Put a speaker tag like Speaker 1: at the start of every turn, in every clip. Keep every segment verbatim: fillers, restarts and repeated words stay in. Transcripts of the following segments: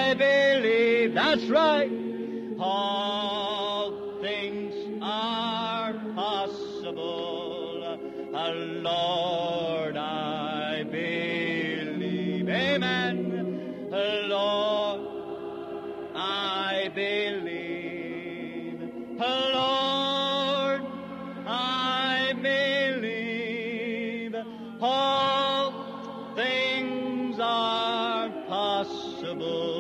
Speaker 1: I believe. That's right. All things are possible. Lord, I believe. Amen. Lord, I believe. Lord, I believe. All things are possible.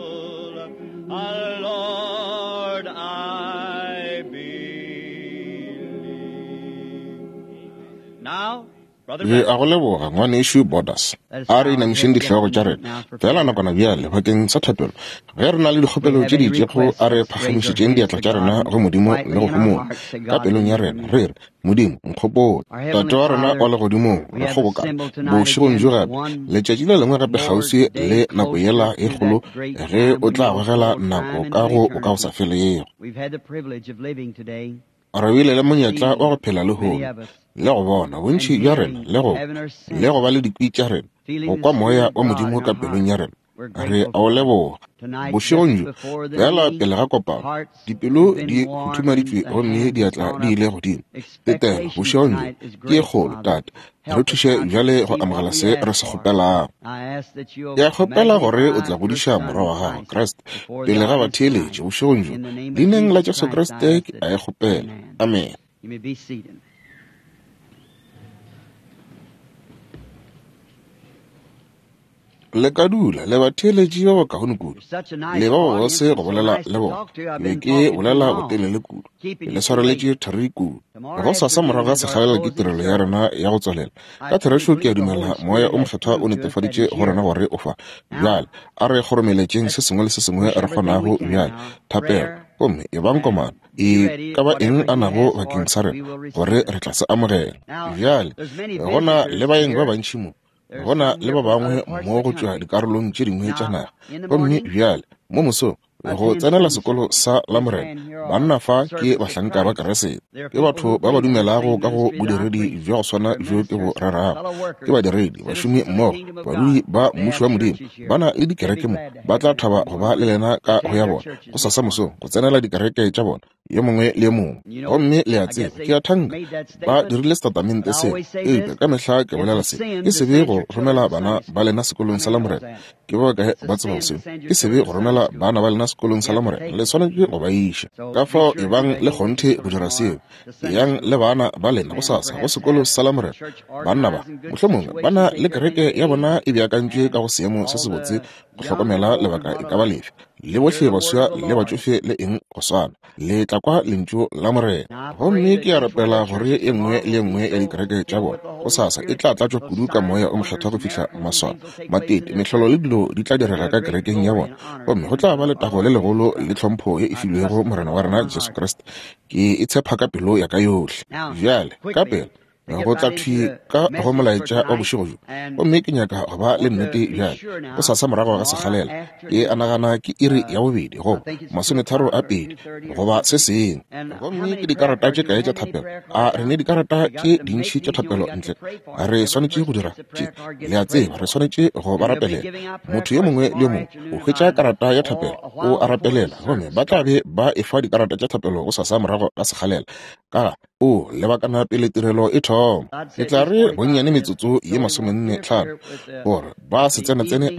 Speaker 1: Lord, I believe. Now,
Speaker 2: Re a go leboga ngwanešu Borders. A re inamišeng dihlogo tša rena fela nakwana bjale bakeng sa thapelo. Ge re na le dikgopelo tše di itšego, a re phagamišetšeng diatla tša rena go Modimo le go homola ka pelong ya rena, re re, Modimo, nkgopole. Tate wa rena wa legodimong, re kgobokana bošegong bjo gape, letšatši le lengwe gape kgauswi le nako yela e kgolo ge o tla gogela nako ka go bokagosafelego. Re bile le monyetla wa go phela lehono le go bona bontši bja rena le go le go ba le dikwi tša rena, go kwa moya wa Modimo ka pelong ya rena. Re a o leboga bošegong bjo fela pele ga kopano, dipelo di huthumaditšwe gomme diatla di ile godimo. Tetelo bošegong bjo ke ye kgolo, Tate. Re thuše bjale go amogela se re se kgopelago. Ke a kgopela gore o tla godiša morwa wa gago Kriste pele ga batheeletši bošegong bjo. Leineng la Jesu Kriste ke a e kgopela. Amen. Le ka dula le batheeletši ba bakaone kudu, le ba bobose go bolela le bona. Be ke bolela botelele kudu, le swareletše thari kudu. Gosasa morago ga sekgalela ke tirelo ya rena ya go tswalela. Ka therešo ke a dumela moya o mokgethwa o netefaditše go rena gore o fa. Bjale a re kgoromeletšeng se sengwe le se sengwe re kgonago bjale. Thapelo, gomme e bang komano e ka ba eng a nago bakeng sa rena, gore re tla se amogela. Bjale go na le baeng ba bantši mo, go na le ba bangwe mo go tšwa dikarolong tše dingwe tša naga. Gomme bjale mo mosong go tsenela sekolo sa Lamorena, banna fa ke bahlanka ba Keresete, ke batho ba ba dumelago ka go bodiredi bja go swana bjo ke bo rerago. Ke badiredi, bašomi mmogo, badudi ba mmušo wa Modimo. Ba na le dikereke mo, ba tla thaba go ba le lena ka go ya bona gosasa mosong go tsenela dikereke tša bona, yo mongwe le yo mongwe. Gomme le a tseba, ke a thanka ba dirile setatamente seo, eupša ka mehla ke bolela se, ke sebe go romela bana ba lena sekolong sa Lamorena. Ke ba bakae ba tsebago seo? Ke sebe go romela bana ba lena sekolong sa Lamorena, le swanetše go ba iša. Ka fao e bang le kgonthe go dira seo, eyang le bana ba lena gosasa go sekolo sa Lamorena. Banna ba mohlomongwe ba na le kereke ya bona e beakantšwe ka go seemo se sebotse go hlokomela lebaka e ka ba lefe, le bohle baswa le batšofe le eng go swana, le tla kwa lentšu la Morena. Gomme ke a rapela gore e nngwe le e nngwe ya dikereke tša bona gosasa e tla tlatšwa kudu ka moya o mokgethwa go fihla maswao, matete, mehlolo le dilo di tla direga ka kerekeng ya bona, gomme go tla ba letago le legolo le tlhompho ye e filwego Morena wa rena Jesu Kriste. Ke e tshepa ka pelo ya ka yohle. Bjale ka pela go tla thwi ka go molaetša wa bošego bjo, gomme ke nyaka go ba le nnete bjale. Gosasa morago ga sekgalela, ke a nagana ke iri ya bobedi goba masometharo a pedi goba se sengwe. Gomme ke dikarata tše kae tša thapelo? A re ne dikarata tše dintši tša thapelo ntle? Re swanetše go dira tše, le a tseba, re swanetše go ba rapelela. Motho yo mongwe le yo mongwe o hwetša karata ya thapelo, o a rapelela, gomme ba tla be ba efa dikarata tša thapelo gosasa morago ga sekgalela. Ka ga o lebakana pele tirelo e thoma, ke tla re bonnyane metsotso ye masomenne tlhano gore ba se tsenetsene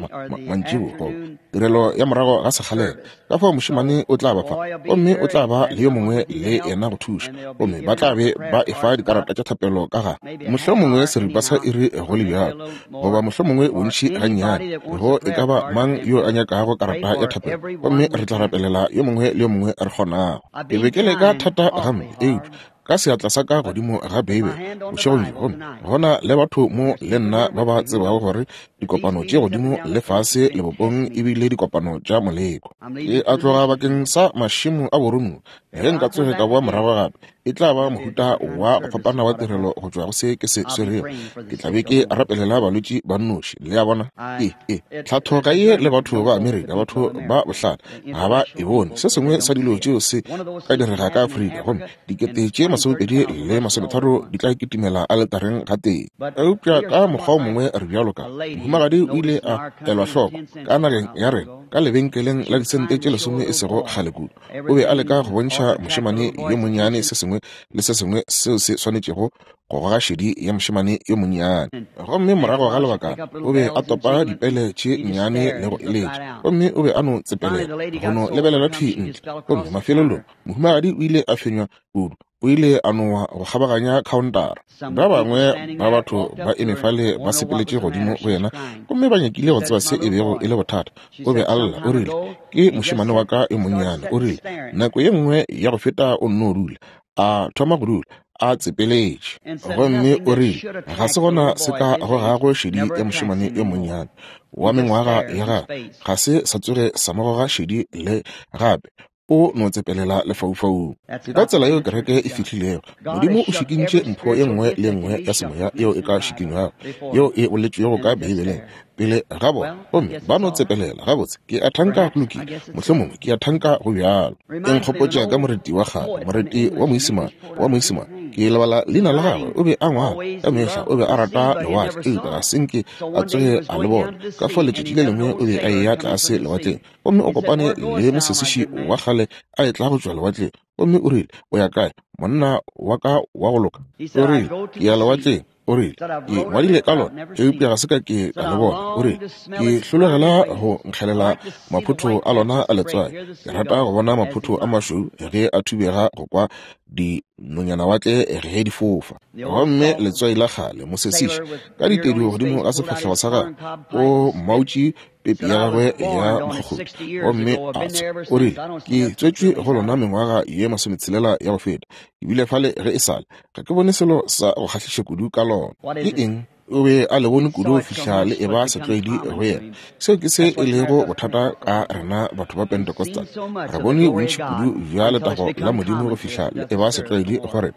Speaker 2: mantšibo goba tirelo ya morago ga sekgalela. Ka fao mošemane o tla ba fa, gomme o tla ba le yo mongwe le yena go thuša, gomme ba tla be ba efa dikarata tša thapelo ka ga mohlomongwe seripa sa iri go le bjalo, goba mohlomongwe bontši gannyane, go e ka ba mang yo a nyakago karata ya thapelo, gomme re tla rapelela yo mongwe le yo mongwe re kgonago. Ke be ke leka thata gampe, eupša ka seatla sa ka godimo ga Beibele bošegong bjo, gomme go na le batho mo le nna ba ba tsebago gore dikopano tše godimo le fase lebopong e bile dikopano tša moleko. Ke a tloga bakeng sa mašemo a boromiwa. Ge nka tsoge ka boa morago gape, E tla ba mohuta wa go fapana wa tirelo go tšwa go se ke se swerego. Ke tla be ke rapelela balwetši ba nnoši, le a bona. E, e, tlhatho ga ye le batho ba Amerika, batho ba bohlale ga ba e bone. Se sengwe sa dilo tšeo se ka direga ka Afrika, gomme dikete tše masomepedi le masometharo di tla kitimela aletareng gatee. Eupša ka mokgwa o mongwe re bjalo ka mohumagadi o ile a elwa hloko ka nageng ya rena ka lebenkeleng la disente tše lesome e sego kgale kudu. O be a leka go bontšha mošemane yo monnyane se sengwe le se sengwe seo se swanetšego go goga šedi ya mošemane yo monnyane. Gomme morago ga lebakana o be a topa dipele tše nnyane le go eletša, gomme o be a no tsepelela go no lebelela thwi ntle. Gomme mafelelong mohumagadi o ile a fenywa kudu, o ile a nowa go kgabaganya khaontara. Ba bangwe ba batho ba eme fale ba sepeletše godimo go yena, gomme ba nyakile go tseba se e bego e le bothata. O be a lla, o rile, ke mošemane wa ka yo monnyane. O rile, nako ye nngwe ya go feta o nno dula, a thoma go dula a tsepeletše. Gomme o rile, ga se gona se ka gogago šedi ya mošemane yo monnyane wa mengwaga ya gagwe, ga se sa tsoge sa mo goga šedi le gape. O no tsepelela lefaufaung. Ke ka tsela yeo kereke e fihlilego. Modimo o šikintše mpho ye nngwe le nngwe ya semoya yeo e ka šikinywago, yeo e boletšwego ka Beibeleng pele ga bona, gomme ba no tsepelela. Gabotse, ke a thanka go lokile, mohlomongwe ke a thanka go bjalo. E nkgopotša ka moreti wa kgale, moreti wa moisimane, wa moisimane. Ke lebala leina la gagwe. O be a ngwala ka mehla, o be a rata lewatle, eupša ga se nke a tsoge a le bona. Ka fao letšatši le lengwe o be a eya tlase lewatleng, gomme o kopane le mosesiši wa kgale a etla go tšwa lewatleng. Gomme o rile, o ya kae, monna wa ka wa go loka? O rile, ke ya lewatleng. O rile, ke ngwadile ka lona, eupša ga se ka ke ka le bona. O rile, ke hlologela go nkgelela maphotho a lona a letswai. Ke rata go bona maphotho a mašweu ge a thubega go kwa dinonyanawatle ge di fofa. Gomme letswai la kgale mosesiši ka ditedu godimo ga sefahlego sa gagwe, o mautše pepi ya gagwe ya mokgokgodi, gomme a tswa. O rile, ke tswetšwe go lona mengwaga ye masometshelela ya go feta, ebile fale ge e sale ga ke bone selo sa go kgahliša kudu ka lona. Ke eng? O be a le bone kudu go fihla le eba setlwaedi go yena. Seo ke se e lego bothata ka rena batho ba Pentecostal. Re bone bontši kudu bja letago la Modimo go fihla le eba setlwaedi go rena,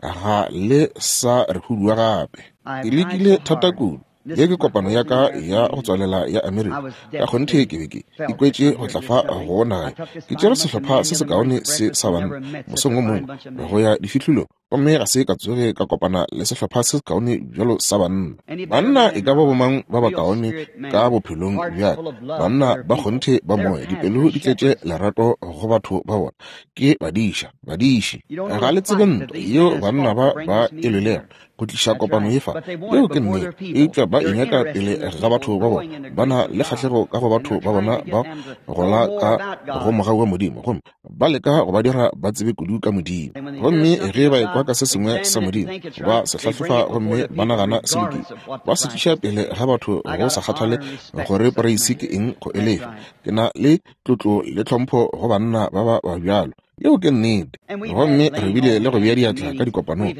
Speaker 2: ga le sa re hudua gape. Ke lekile thata kudu. Ye ke kopano ya ka ya go tswalela ya Amerika. Ka kgonthe ke be ke ikwetše go tla fa go naga. Ke tšere sehlopha se sekaone se sa banna mosong o mongwe go ya difihlolong, gomme ga se ka tsoge ka kopana le sehlopha se sekaone bjalo sa banna. Banna e ka ba bomang ba bakaone ka bophelong bja ka, banna ba kgonthe ba moya, dipelo di tletše lerato go batho ba bona. Ke badiša, badiši. Ga le tsebe ntwa yeo banna ba ba e lwelego go tliša kopano ye fa. Yeo ke nnete, eupša ba e nyaka pele ga batho ba bona. Ba na le kgahlego ka go batho ba bona ba gola ka go mogau wa Modimo, gomme ba leka go ba dira ba tsebe kudu ka Modimo. Gomme ge ba ekwa ka se sengwe sa Modimo, ba se hlahlofa gomme ba nagana se lokile, ba se tliša pele ga batho go sa kgathale gore poreisi ke eng go e lefa. Ke na le tlotlo le tlhompho go banna ba ba ba bjalo. Yeo ke nnete. Gomme re bile le go bea diatla ka dikopanong.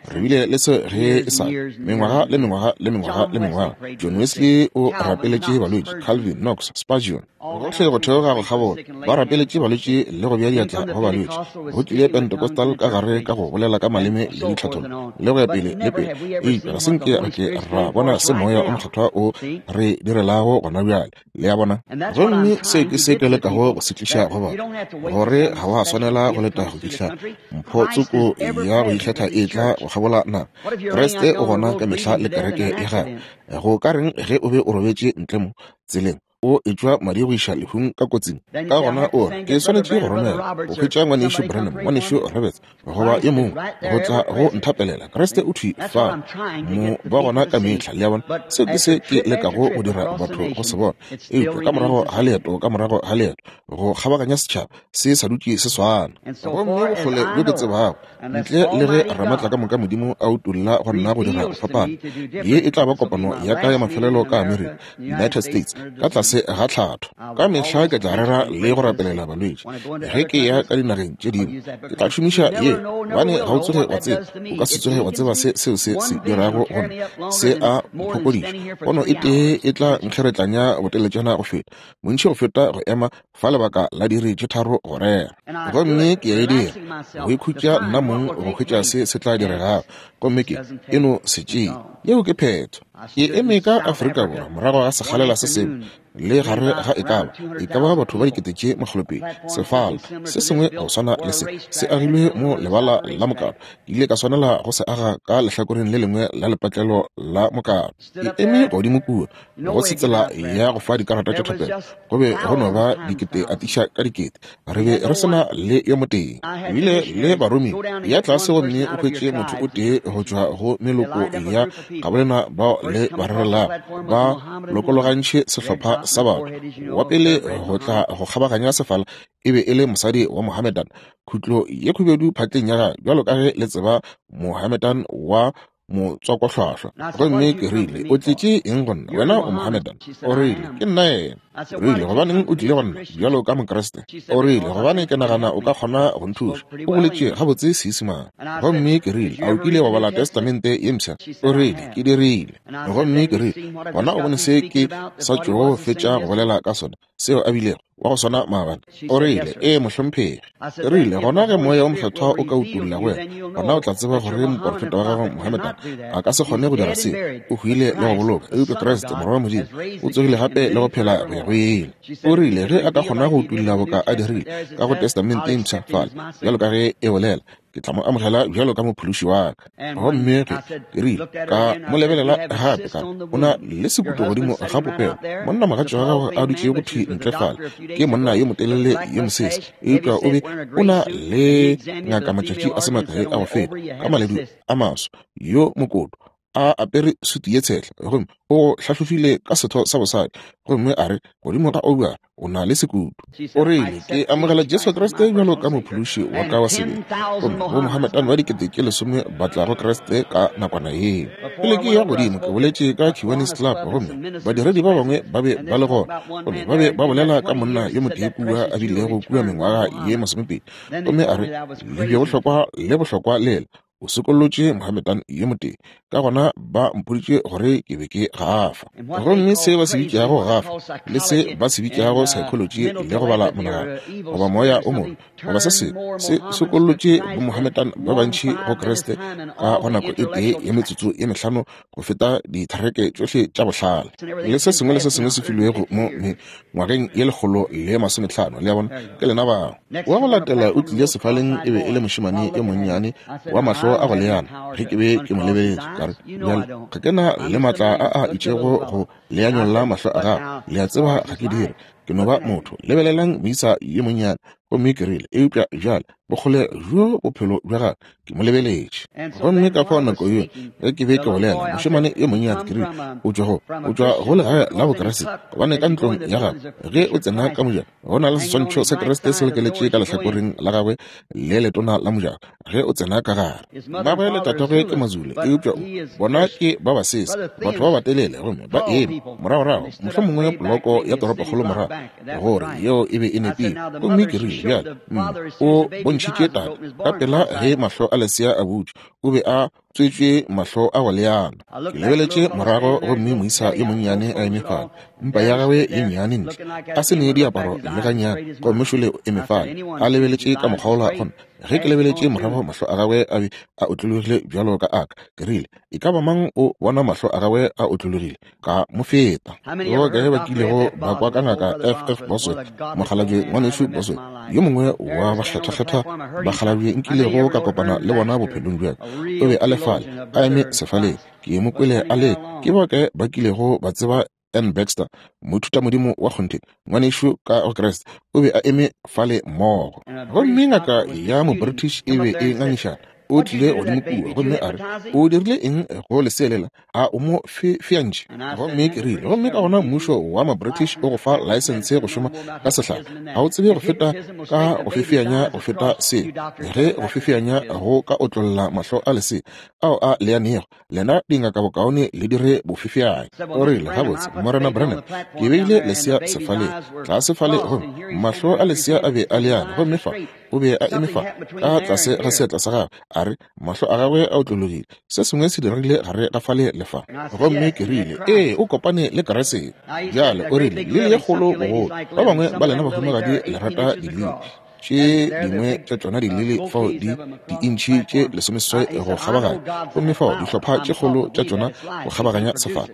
Speaker 2: Re bile le se ge e sa mengwaga le mengwaga le mengwaga le mengwaga. John Wesley o rapeletše balwetši, Calvin, Knox, Spurgeon, gohle go theoga go kgabola ba rapeletše balwetši le go bea diatla go balwetši. Go tlile Pentecostal ka gare ka go bolela ka maleme le ditlhathollo le go ya pele le pele. Eupša ga se nke re ke ra bona se moya o mokgethwa o re direlago gona bjale, le a bona. Gomme se ke se ke lekago go se tliša go bona, gore ga wa swanela go leta go fihla mpho tsoko ya go ikgetha e tla go kgabola naga. Kriste o gona ka mehla le kereke ya gagwe. Go ka reng ge o be o robetše ntle mo tseleng, o etšwa madi go iša lehung ka kotsing? Ka gona o re, ke swanetše go romela go hwetša ngwanešu Branham, ngwanešu Roberts, goba ye mongwe go tla go nthapelela. Kriste o thwi fa mo ba gona ka mehla, le a bona. Seo ke se ke lekago go dira batho go se bona. Eupša ka morago ga leeto, ka morago ga leeto go kgabaganya setšhaba se sa dutše se swana. Gomme bokgole bjo ke tsebago, ntle le ge Ramatla ka moka Modimo a utolla go nna go dira go fapana, ye e tla ba kopano ya ka ya mafelelo ka Amerika, United States, ka tlase tlase ga tlhatho. Ka mehla ke tla rera le go rapelela balwetši. Ge ke ya ka dinageng tše dingwe, ke tla šomiša ye, gobane ga o tsoge wa tseba, o ka se tsoge wa tseba se seo se se dirago go nna. Se a mphokodiša. Pono e tee e tla nkgeretlanya boteletšana go feta, bontši go feta go ema fa lebaka la diiri tše tharo go rera. Gomme ke a e dira, go ikhutša nna mong go hwetša se se tla diregago, gomme ke e no se tšee. Yeo ke phetho. Ke eme ka Afrika Borwa morago ga sekgalela se sengwe, le gare ga e ka ba e ka ba batho ba dikete tše makgolopedi. Sefala se sengwe go swana le se se agilwe mo lebala la mokato. Ke ile ka swanela go se aga ka lehlakoreng le lengwe la lepatlelo la mokato. Ke eme godimo kua go se tsela ya go fa dikarata tša thapelo, go be go no ba dikete atiša ka dikete. Re be re se na le yo motee. Ebile le baromi ya tlase gomme o hwetše motho o tee go tšwa go meloko ya gabolena bao le ba rerelago, ba lokologantšhe sehlopha sa batho. Wa pele go tla go kgabaganya sefala e be e le mosadi wa Mohammedan, khutlo ye khubedu phatleng ya gagwe, bjalo ka ge le tseba Mohammedan wa motswakohlwahlwa. Gomme ke rile, o tletše eng go nna? Wena o Mohammedan. O rile, ke nna yena. Rile, gobaneng o tlile go nna bjalo ka Mokriste? O rile, gobane ke nagana o ka kgona go nthuša. O boletše gabotse Seisemane. Gomme ke rile, a o kile wa bala Testamente ye mpsha? O rile, ke dirile. Gomme ke rile, gona o bone se ke sa tšogo fetša go bolela ka sona, seo a bilego wa go swana maabane. O rile, ee mohlomphegi. Ke rile, gona ge moya o mokgethwa o ka utolla go wena, gona o tla tseba gore moporofeta wa gago Mohammedan a ka se kgone go dira seo. O hwile le go boloka, eupša Kriste morwa wa Modimo o tsogile gape le go phela go ya go ile. O rile ge a ka kgona go utolla boka a dirile ka go Testamente e mpsha fale, bjalo ka ge e bolela, ke tla mo amogela bjalo ka mophološi wa ka. Gomme ge ke rile, ka mo lebelela gape, ka o na le sekuto godimo ga popelo. Monna mogatši wa gagwe a dutšego thwi ntle fale ke monna yo motelele yo mosese, eupša o be o na le ngaka matšatši a se makae a go feta, ka maledu a maso, yo mokoto, a apere sutu ye tshehla, gomme o hlahlofile ka setho sa bosadi, gomme a re godimo ga oura o na le sekutu. O rile, ke amogela Jesu Kriste bjalo ka mophološi wa ka wa sebele. Gomme bo Mohammedan ba dikete tše lesome ba tla go Kriste ka nakwana yeo. Pele ke ya godimo ke boletše ka Kiwanis Club, gomme badiredi ba bangwe ba be ba le gona, gomme ba be ba bolela ka monna yo motee kua a bilego kua mengwaga ye masomepedi, gomme a re lebje bohlokwa le bohlokwa lela o sokollotše Mohammedan yo motee. Ka gona ba mpoditše gore ke be ke gafa. Gomme se ba se bitšago gafa le se ba se bitšago psychology le go bala monagano goba moya o mobe goba se sengwe se sokollotše bo Mohammedan ba bantši go Kriste ka go nako e tee ya metsotso ye mehlano go feta dithereke tšohle tša bohlale le se sengwe le se sengwe se filwego mo ngwageng ye lekgolo le masomehlano. Le a bona, ke lena bao. Wa go latela o tlile sefaleng e be e le mošemane yo monnyane wa mahlo a go leana. Ge ke be ke mo lebeletše, ka re, bjale ga ke na le maatla a a itšego go leanyolla mahlo a gago. Le a tseba ga ke dire, ke no ba motho. Lebelelang moisa yo monnyane. Gomme ke rile, eupša bjale bokgole bjo bophelo bja gagwe, ke mo lebeletše. Gomme ka fao nako yeo ge ke be ke bolela, mošemane yo monnyane, ke rile, o tšwa go o tšwa go legae la Bokriste, gobane ka ntlong ya gagwe ge o tsena ka mojako go na le seswantšho sa Kriste se lekeletše ka lehlakoreng la gagwe le letona la mojako ge o tsena ka gare. Mmagwe le tatagwe ke Mazulu, eupša bona ke ba basese, batho ba batelele, gomme ba eme moragorago, mohlomongwe poloko ya toropokgolo morago, gore yeo e be e nepile. Gomme ke rile, bjale o bontšhitše tate ka pela ge mahlo a lesea a butšwe, o be a tswetšwe mahlo a go leana. Ke lebeletše morago gomme moisa yo monnyane a eme fale, mpa ya gagwe ye nnyane ntle, a se ne diaparo le gannyane, gomme šole o eme fale a lebeletše ka mokgwa wola gona. Ge ke lebeletše morago, mahlo a gagwe a be a otlologile bjalo ka aka. Ke rile, e ka ba mang o bona mahlo a gagwe a otlologile? Ka mo feta. Go kae ba kilego ba kwa ka ngaka F F Bosworth, mokgalabje ngwanešu Bosworth, yo mongwe wa bakgethwakgethwa bakgalabje nkilego ka kopana le bona bophelong bja ka. O be a le fale, a eme sefaleng. Ke mo kwele a le, ke ba kae ba kilego ba tseba N. Baxter, moithutamodimo wa kgonthe, ngwanešu ka go Kriste, o be a eme fale mmogo. Gomme ngaka ya mo British e be e ngangišana O tlile godimo kua gomme a re, o dirile eng go leselela? A o mo feantše? Gomme ke rile, gomme ka gona mmušo wa ma-British o go fa laesense go šoma ka sehlare. Ga o tsebe go feta ka go fefeanya go feta seo. Ge go fefeanya go ka otlolla mahlo a lesea ao a leanego, lena dingaka bokaone le dire bofefeanya. O rile, gabotse, Morena Branham, ke beile lesea sefaleng tlase fale, gomme mahlo a lesea a be a leane, gomme fa o be a eme fa ka tlase ga seatla sa gagwe. A re, mahlo a gagwe a otlologile, se sengwe se diregile gare ga fale le fa. Gomme ke rile, ee, o kopane le Kriste. Bjale o rile, lili ye kgolo bogolo. Ba bangwe ba lena bahumagadi le rata dilili. Tše dingwe tša tšona dilili fao di diintšhi tše lesomeseswai go kgabaganya, gomme fao dihlopha tše kgolo tša tšona go kgabaganya sefala.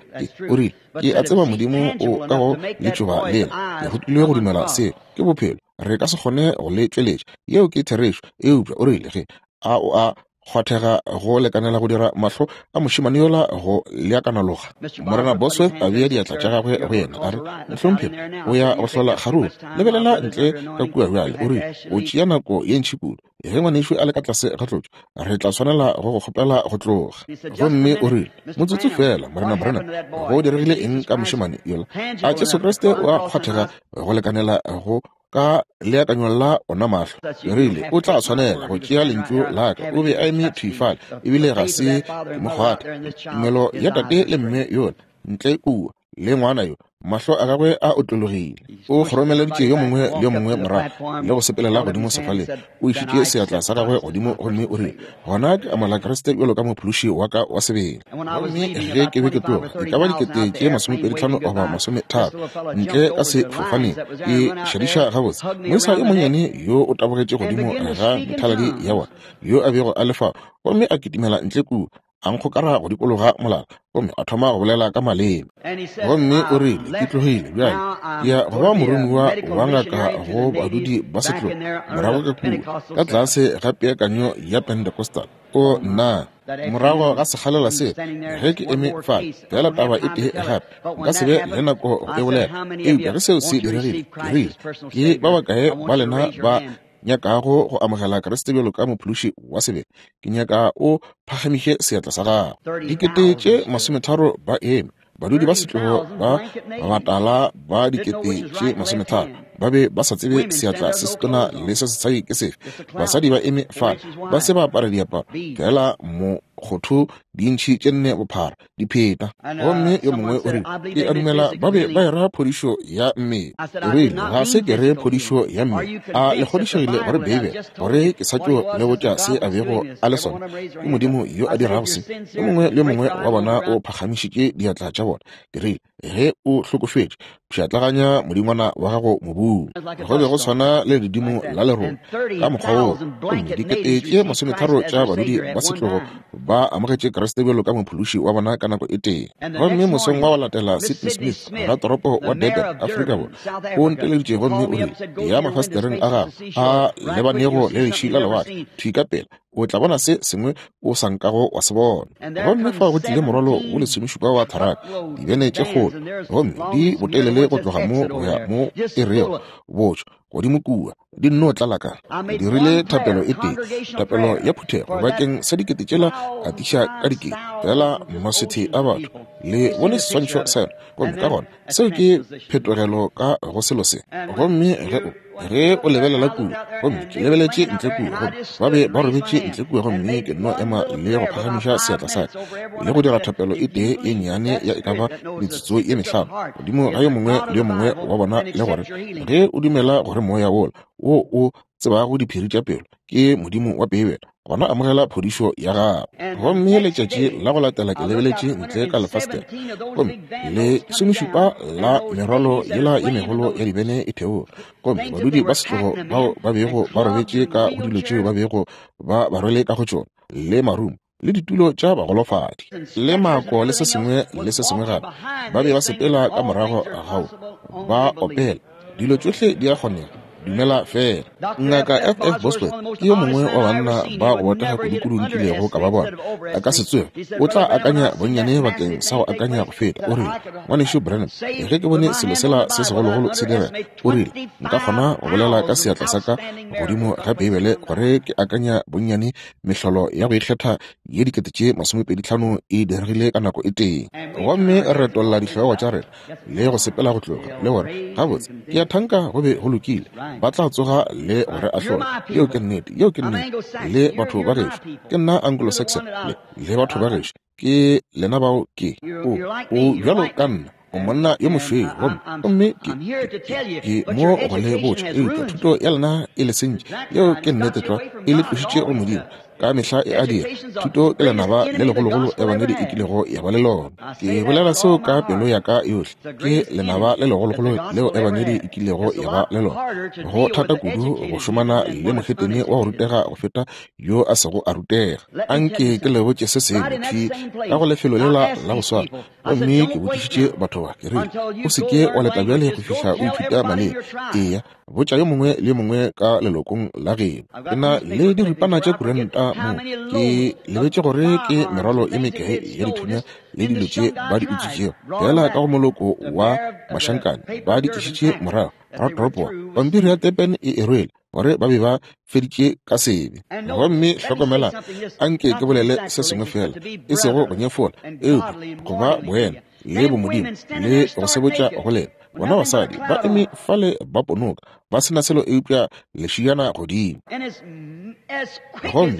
Speaker 2: O rile, ke a tseba Modimo o ka go letšoba lela. Ke rutilwe go dumela seo. Ke bophelo. Re ka se kgone go le tšweletša. Yeo ke therešo. Eupša o rile, ge a o a kgwathega go lekanela go dira mahlo a mošemane yola go leakanaloga. Morena Bosworth a bea diatla tša gagwe go yena, a re, mohlomphegi, o ya go hlola kgaruru. Lebelela ntle ka kua bjale. O rile, o tšea nako ye ntši kudu. Ge ngwanešu a le ka tlase ga tlotšo, re tla swanela go go kgopela go tloga. Gomme o rile, motsotso fela, Morena Branham, go diregile eng ka mošemane yola? A Jesu Kriste o a kgwathega go lekanela go ka leakanyo la ona mahlo? Rile, o tla tshwanela go tšea lentšu la ka. O be a eme thwi fale, ebile ga se mo kgwatha. Tumelo ya tate le mme yola ntle kua le ngwana yo, mahlo a gagwe a otlologile. O kgoromeleditše yo mongwe le yo mongwe morago le go sepelela godimo sefaleng. O išitše seatla sa gagwe godimo gomme o rile, gona ke amogela Kriste bjalo ka mophološi wa ka wa sebele. Gomme ge ke be ke tloga, e ka ba dikete tše masomepedi tlhano goba masometharo ntle ka sefofaneng, ke šadiša gabotse. Moisa yo monnyane yo o tabogetše godimo ga methaladi ya bona yo a bego a le fao, gomme a kitimela ntle kua, a nkgokara go dikologa molala, gomme a thoma go bolela ka maleme. Gomme o rile, ke tlogile bjale, ke ya go ba moromiwa wa ngaka go badudi ba setlogo morago ka kua ka tlase ga peakanyo ya Pentecostal. O nna, morago ga sekgalela se, ge ke eme fale, fela taba e tee gape, nka se be le nako go e bolela. Eupša ge seo se diregile, ke rile, ke ba bakae ba lena ba nyakago go amogela Kriste bjalo ka mophološi wa sebele? Ke nyaka o phagamiše seatla sa gago. Dikete tše masometharo ba eme. Badudi ba setlogo ba batala ba dikete tše masometharo ba be ba sa tsebe seatla se setona le se sesadi ke sefe. Basadi ba eme fale, ba se ba apara diaparo, fela mokgotho dintšhi tše nne bophara dipheta. Gomme yo mongwe o rile, ke a dumela ba be ba era phodišo ya mmele. O rile, ga se ke re phodišo ya mmele. A le kgodišegile gore Beibele, gore ke sa tšo le botša se a bego a le sona? Ke Modimo yo a dirago se. Yo mongwe le yo mongwe wa bona o phagamišitše diatla tša bona. Ke rile, ge o hlokofetše, pšhatlaganya modingwana wa gago mobung. Go be go tshwana le ledimo la lerole ka mokgwa woo. Gomme dikete tše masometharo tša badudi ba setlogo ba amogetše Kriste bjalo ka mophološi wa bona ka nako e tee. Gomme mosong wa go latela, Sidney Smith, ratoropo wa Durban, Afrika Borwa, o nteleditše gomme o rile, ya mafastereng a gago a lebanego le leši la lewatle thwi ka pela, o tla bona se sengwe o sa nkago wa se bona. Gomme fa go tlile morwalo wo lesomešupa wa tharaka, dibene tše kgolo, gomme di botelele go tloga mo go ya mo e rego botšo godimo kua, di nno tlala ka. Dirile thapelo e tee, thapelo ya phuthego bakeng sa dikete tšela atiša ka dikete, fela masethe a batho. Le bone seswantšho sa yona, gomme ka gona seo ke phetogelo ka go selo se. Gomme ge o ge o lebelela kua, gomme ke lebeletše ntle kua, gomme ba be ba robetše ntle kua, gomme ke nno ema le go phagamiša seatla sa ka le go dira thapelo e tee e nnyane ya e ka ba metsotso ye mehlano godimo ga yo mongwe le yo mongwe wa bona, le gore ge o dumela gore moya wola wo o tsebago diphiri tša pelo ke Modimo wa Beibele, gona amogela phodišo ya gago. Gomme letšatši la go latela ke lebeletše ntle ka lefastere, gomme le somešupa la merwalo yela ye megolo ya dibene e theoga, gomme badudi ba setlogo bao ba bego ba robetše ka go dilo tšeo ba bego ba ba rwele ka go tšona, le marumo le ditulo tša bagolofadi le mako le se sengwe le se sengwe gape, ba be ba sepela ka morago gao ba opela, dilo tšohle di a kgonega Dumela fela. Ngaka F F Bosworth ke yo mongwe wa banna ba go botega kudu-kudu nkilego ka ba bona. A ka se tsoge, o tla akanya bonnyane bakeng sa go akanya go feta. O rile, Ngwanešu Branham, ge ke bone selo sela se segologolo se direga, o rile, nka kgona go bolela ka seatla sa ka godimo ga Beibele gore ke akanya bonnyane mehlolo ya go ikgetha ye dikete tše masomepedi tlhano e diregile ka nako e tee. Gomme re retolla dihlogo tša rena le go sepela go tloga le gore gabotse ke a thanka go be go lokile. Ba tla tsoga le gore ahlola. Yeo ke nnete, yeo ke nnete. Le batho ba gešo, ke nna Anglo-Saxon, le, le batho ba gešo, ke lena bao ke. O, o bjalo ka nna, o monna yo mošweu, gomme, gomme ke, ke, ke mo go le botša, eupša thuto ya lena e le sentše. Yeo ke nnete tlwa, e le tlošitše go Modimo. Ka mehla e a dira. Thuto ke lenaba le legologolo ebangedi e kilego ya ba le lona. Ke bolela seo ka pelo ya ka yohle. Ke lenaba le legologolo leo ebangedi e kilego ya ba le lona. Go thata kudu go šomana le mohetene wa go rutega go feta yo a sego a rutega. Anke ke le botše se sengwe thwi ka go lefelo lela la go swana. Gomme ke botšišitše batho ba, ke rile, o se ke wa leta bjale go fihla o ithuta maleme. Eya, botša yo mongwe le yo mongwe ka lelokong la geno. Ke na le diripana tša kuranta mo, ke lebetše gore ke merwalo e mekae ya dithunya le dilo tše ba di utswitšego. Fela ka go moloko wa mašankane ba di tlišitše morago ratoropo. Pampiri ya Durban e e rwele gore ba be ba feditše ka sebe. Gomme hlokomela, anke ke bolele se sengwe fela, e sego go nyefola, eupša go ba boena le bomodimo le go se botša go lena. Bona basadi ba eme fale ba ponoka, ba sena selo eupša lešiana godimo. Gomme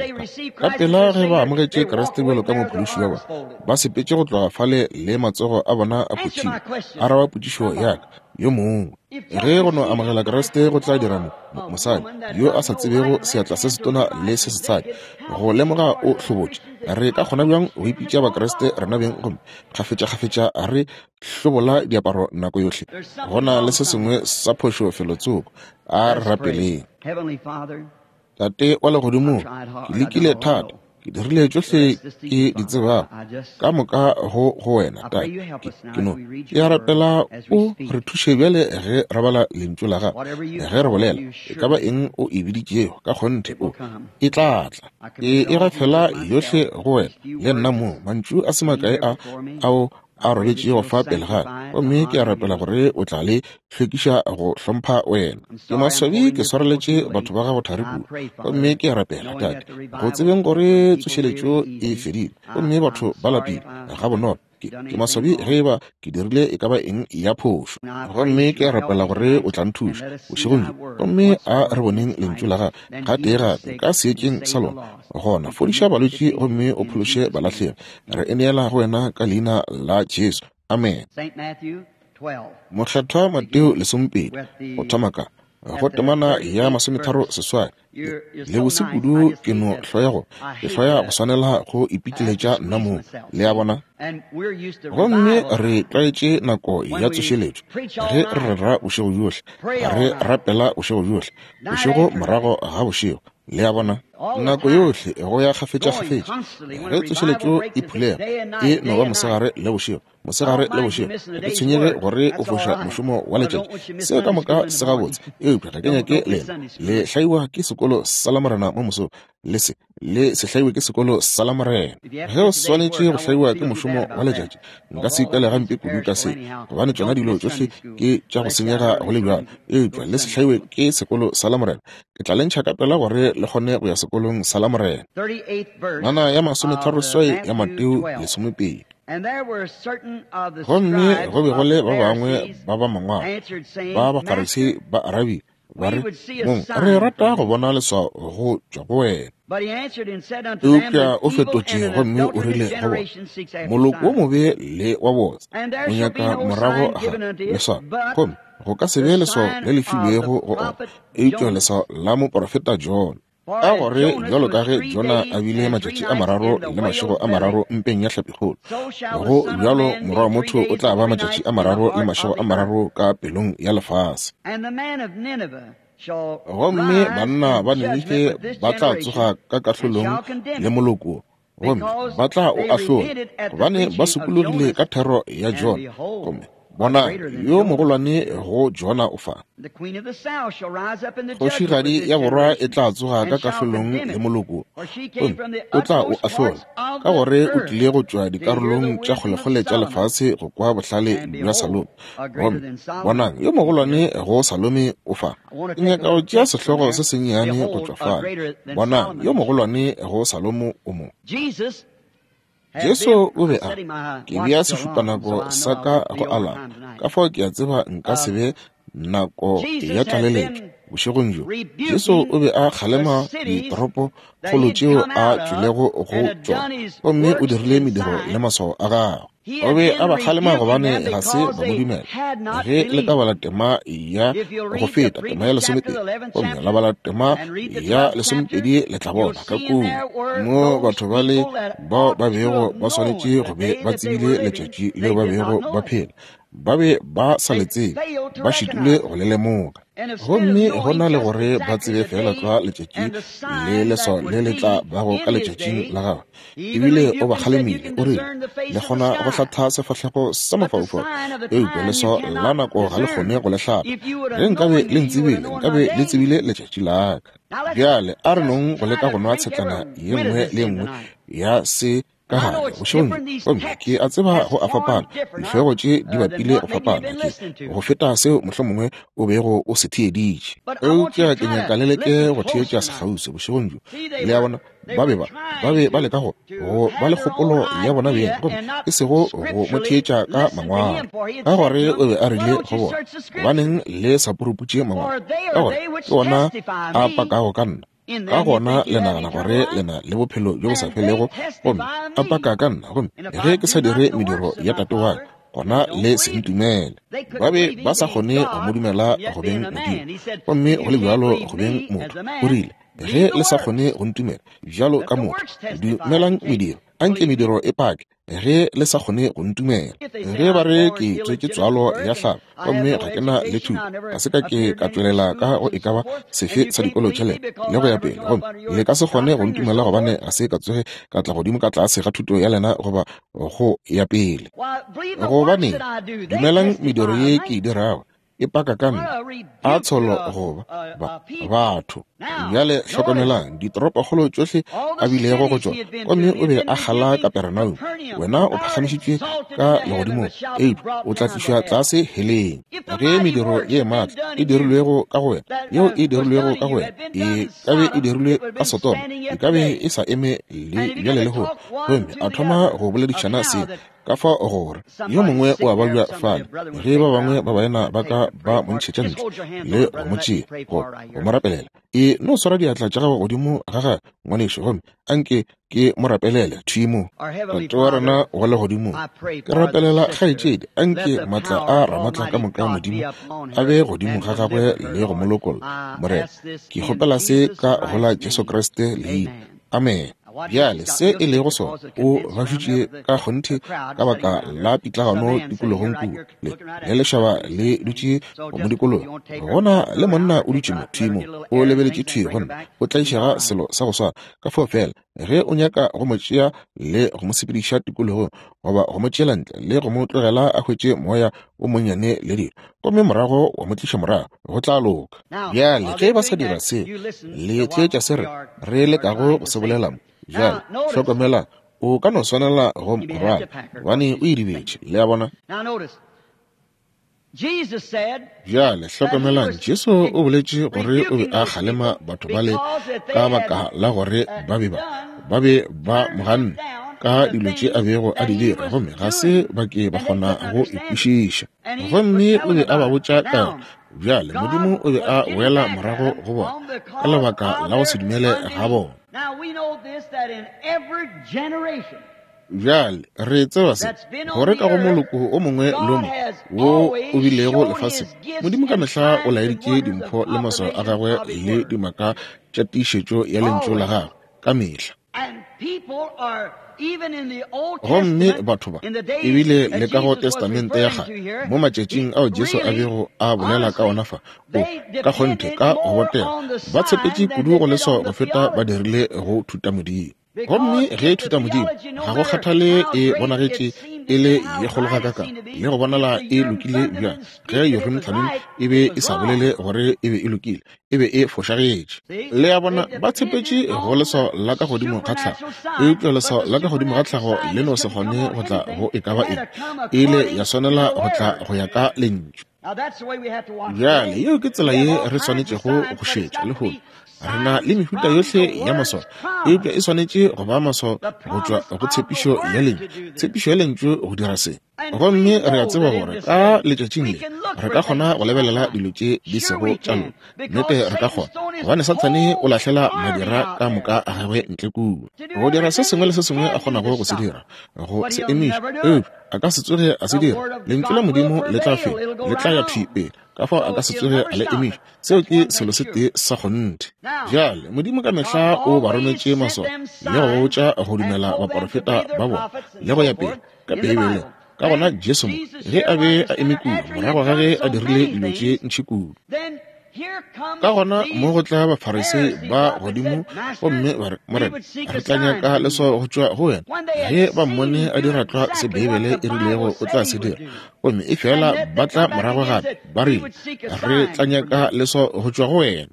Speaker 2: ka pela ge ba amogetše Kriste bjalo ka mophološi wa bona, ba sepetše go tloga fale le matsogo a bona a phuthilwe. Araba potšišo ya ka yo mongwe. Ge go no amogela Kriste go tla dira mo mosadi yo a sa tsebego seatla se setona le se setshadi go lemoga o hlobotše, re ka kgona bjang go ipitša Bakriste rena beng gomme kgafetša-kgafetša re hlobola diaparo nako yohle? Go na le se sengwe sa phošo felotsoko. A re rapeleng. Tate wa legodimong, ke lekile thata, ke dirile tšohle ke di tsebago ka moka go go wena Tate. Ke no ke a rapela o re thuše bjale ge re bala lentšu la gago, ge re bolela e ka ba eng o e biditšego, ka kgonthe o e tla tla. Ke e gafela yohle go wena le nna mo mantšu a se makae a ao a robetšego fa pele ga ka, gomme ke a rapela gore o tla le hlwekiša go hlompha wena. Ke maswabi ke swareletše batho ba gago thari kudu, gomme ke a rapela Tate go tsebeng gore tsošeletšo e fedile gomme batho ba lapile ga bonolo. Ke maswabi ge eba ke dirile e ka ba eng ya phošo, gomme ke a rapela gore o tla nthuša bošegong bjo. Gomme a re boneng lentšu la gago gatee gape ka seetšeng sa lona. Gona fodiša balwetši gomme o phološe balahlegi. Re e neela go wena ka leina la Jesu. Amen. Mokgethwa Mateo lesomepedi go thoma ka go temana ya masometharo seswai. Le bose kudu ke no hloya go ke hloya go swanela go ipitleletša nna mong, le a bona. Gomme re tlwaetše nako ya tsošeletšo ge re rera bošego bjohle, re rapela bošego bjohle, bošego morago ga bošego, le a bona. Nako yohle go ya kgafetša-kgafetša ge tsošeletšo e phulega, e no ba mosegare le bošego, mosegare le bošego. Ga ke tshwenyege gore o foša mošomo wa letšatši, seo ka moka se gabotse, eupša ga ke nyake lena le hlaiwa ke sekolo sa Lamorena mo mosong, le se le se hlaiwe ke sekolo sa Lamorena. Ge o swanetše go hlaiwa ke mošomo wa letšatši, nka se ikwele gampe kudu ka se, gobane tšona dilo tšohle ke tša go senyega go le bjalo, eupša le se hlaiwe ke sekolo sa Lamorena. Ke tla le ntšha ka pela gore le kgone go ya sekolong sa Lamorena. Ngwana ya masometharo seswai ya Mateo lesomepedi. Gomme go be go le ba bangwe ba ba mangwalo ba Bafarisei ba arabile ba re, Mong, re rata go bona leswao go tšwa go wena. Eupša o fetotše gomme o rile go bona, moloko wo mobe le wa botse o nyaka morago ga leswao, gomme go ka se be leswao le le filwego go ona eupša leswao la moprofeta Jona. Ka gore bjalo ka ge Jona a bile matšatši a mararo le mašego a mararo mpeng ya hlapikgolo, go bjalo morwa wa motho o tla ba matšatši a mararo le mašego a mararo ka pelong ya lefase. Gomme banna ba Ninife ba tla tsoga ka kahlolong le moloko, gomme ba tla o ahlola, gobane ba sokologile ka thero ya Jona, gomme Bona, yo mogolwane go Jona o fa. Kgošigadi ya borwa e tla tsoga ka kahlolong le moloko, gomme o tla o ahlola, ka gore o tlile go tšwa dikarolong tša kgolekgole tša lefase go kwa bohlale bja Salome. Gomme bonang, yo mogolwane go Salome o fa. Ke nyaka go tšea sehlogo se sennyane go tšwa fale. Bonang, yo mogolwane go Salomo o mo. Jesu o be a ke bea sešupanako sa ka go alama, ka fao ke a tseba nka se be nako ya tlaleletšo bošegong bjo. Jesu o be a kgalema ditoropo kgolo tšeo a tšwelego go tšona, gomme o dirile mediro le maswao a gagwe. O be a ba kgalema gobane ga se ba mo dumela. Ge le ka bala tema ya go feta, tema ya lesomepedi, gomme la bala tema ya lesomepedi, le tla bona ka kua mo batho ba le bao ba bego ba swanetše go be ba tsebile letšatši leo ba bego ba phela, ba be ba sa le tsebe, ba šitile go le lemoga. Gomme go na le gore ba tsebe fela tlwa letšatši le leswao le le tla bago ka letšatšing la gagwe. Ebile o ba kgalemile, o rile, le kgona go hlatha sefahlego sa mafaufau, eupša leswao la nako ga le kgone go le hlapa. Ge nkabe le ntsebile, nkabe le tsebile letšatši la ka. Bjale a re nong go leka go nwa tshetlana ye nngwe le ye nngwe ya se ka gare bošegong. Gomme ke a tseba go a fapana, dihlogo tše di bapile go fapana ke go feta seo mohlomongwe o bego o se theeditše. Eupša ke nyaka le leke go theetša sekgauswi bošegong bjo. Le a bona, ba be ba ba be ba leka go go ba le kgopolo ya bona beng, gomme e sego go mo theetša ka mangwalo, ka gore o be a rile go bona, gobaneng le sa puruputše mangwalo, ka gore ke ona a pakago ka nna. Ka gona le nagana gore le na le bophelo bjo bo sa felego, gomme a paka ka nna, gomme ge ke sa dire mediro ya tate wa ka, gona le se ntumele. Ba be ba sa kgone go mo dumela go beng Modimo, gomme go le bjalo go beng motho. O rile, ge le sa kgone go ntumela bjalo ka motho, dumelang mediro, anke mediro e pake ge le sa kgone go ntumela. Ge ba re ke tswetše tswalo ya hlabo, gomme ga ke na le thuto, ga se ka ke ka tšwelela ka go e ka ba sefe sa dikolo tša lena le go ya pele, gomme le ka se kgone go ntumela gobane ga se ka tsoge ka tla godimo ka tlase ga thuto ya lena goba go ya pele. Gobaneng, dumelang mediro ye ke e dirago, e paka ka nna, a tsholo goba ba batho. Bjale hlokomelang ditoropokgolo tšohle a bilego go tšona, gomme o be a kgala Kaperenaume. Wena o phagamišitšwe ka legodimong, eupša o tla tlišwa tlase heleng. Ge mediro ye maatla e dirilwego ka go wena, yeo e dirilwego ka go wena, e ka be e dirilwe ka Sodoma, e ka be e sa eme le bjale lehono. Gomme a thoma go boledišana se ka fao gore yo mongwe o a babja fale, ge ba bangwe ba baena ba ka ba mo ntšhetša ntle le go mo tšea go go mo rapelela. E no swara diatla tša gago godimo ga gagwe, ngwanešu, gomme anke ke mo rapelele thwi mo. Tate wa rena wa legodimong, ke rapelela kgaetšedi, anke maatla a Ramaatla ka moka Modimo a be godimo ga gagwe le go mo lokolla. Morena, ke kgopela se ka go la Jesu Kriste leina. Amen. Bjale se e lego sona, o gašitše ka kgonthe ka baka la pitlagano tikologong kua, le le lešaba le dutše go mo dikologa. Gona le monna o dutše mo thwi mo, o lebeletše thwi go nna, o tlaišega selo sa go swana. Ka fao fela ge o nyaka go mo tšea le go mo sepediša tikologong, goba go mo tšeela ntle le go mo tlogela a hwetše moya o monnyane le dilo, gomme morago wa mo tliša morago, go tla loka. Bjale ge ba sa dira seo, le theetša se re re lekago go se bolela mo. Bjale hlokomela, o ka no swanela go mo rwala, gobane o idibetše. Le a bona? Bjale hlokomelang, Jesu o boletše gore o be a kgalema batho bale ka baka la gore ba be ba ba be ba mo ganne ka dilo tše a bego a di dira, gomme ga se ba ke ba kgona go e kwešiša. Gomme o be a ba botša ka yona. Bjale Modimo o be a boela morago go bona ka lebaka la go se dumele ga bona. Bjale re tseba se, gore ka go moloko o mongwe le o mongwe wo o bilego lefaseng, Modimo ka mehla o laeditše dimpho le maswao a gagwe le dimaka tša tiišetšo ya lentšu la gagwe ka mehla. Gomme batho ba, ebile le ka go Testamente ya kgale, mo matšatšing ao Jesu a bego a bolela ka ona fa, o ka kgonthe ka go botega, ba tshepetše kudu go leswao go feta ba dirile go thutamodimo. Gomme ge thutamodimo, ga go kgathale e bonagetše e le ye kgolo gakaka le go bonala e lokile bjang, ge Urim Thummim e be e sa bolele gore e be e lokile, e be e fošagetše. Le a bona, ba tshepetše go leswao la ka godimo ga tlhago, eupša leswao la ka godimo ga tlhago le no se kgone go tla go e ka ba eng, e ile ya swanela go tla go ya ka lentšu. Bjale yeo ke tsela ye re swanetšego go šetša lehono. Re na le mehuta yohle ya maswao, eupša e swanetše go ba maswao go tšwa go tshepišo ya lentšu, tshepišo ya lentšu go dira se. Gomme re a tseba gore ka letšatšing le re ka kgona go lebelela dilo tše di sego tša loka. Nnete re ka kgona, gobane Sathane o lahlela madira ka moka a gagwe ntle kua go dira se sengwe le se sengwe a kgonago go se dira, go se emiša, eupša a ka se tsoge a se dira. Lentšu la Modimo le tla fela, le tla ya thwi pele, ka fao a ka se tsoge a le emiša. Seo ke selo se tee sa kgonthe. Bjale Modimo ka mehla o ba rometše maswao le go botša go dumela baporofeta ba bona le go ya pele ka Beibeleng. Ka gona Jesu mo, ge a be a eme kua morago ga ge a dirile dilo tše ntši kudu, ka gona mo go tla Bafarisei ba godimo gomme ba re, Morena, re tla nyaka leswao go tšwa go wena. Ge ba mmone a dira tlwa se Beibele e rilego o tla se dira, gomme e fela ba tla morago gape ba rile, re tla nyaka leswao go tšwa go wena.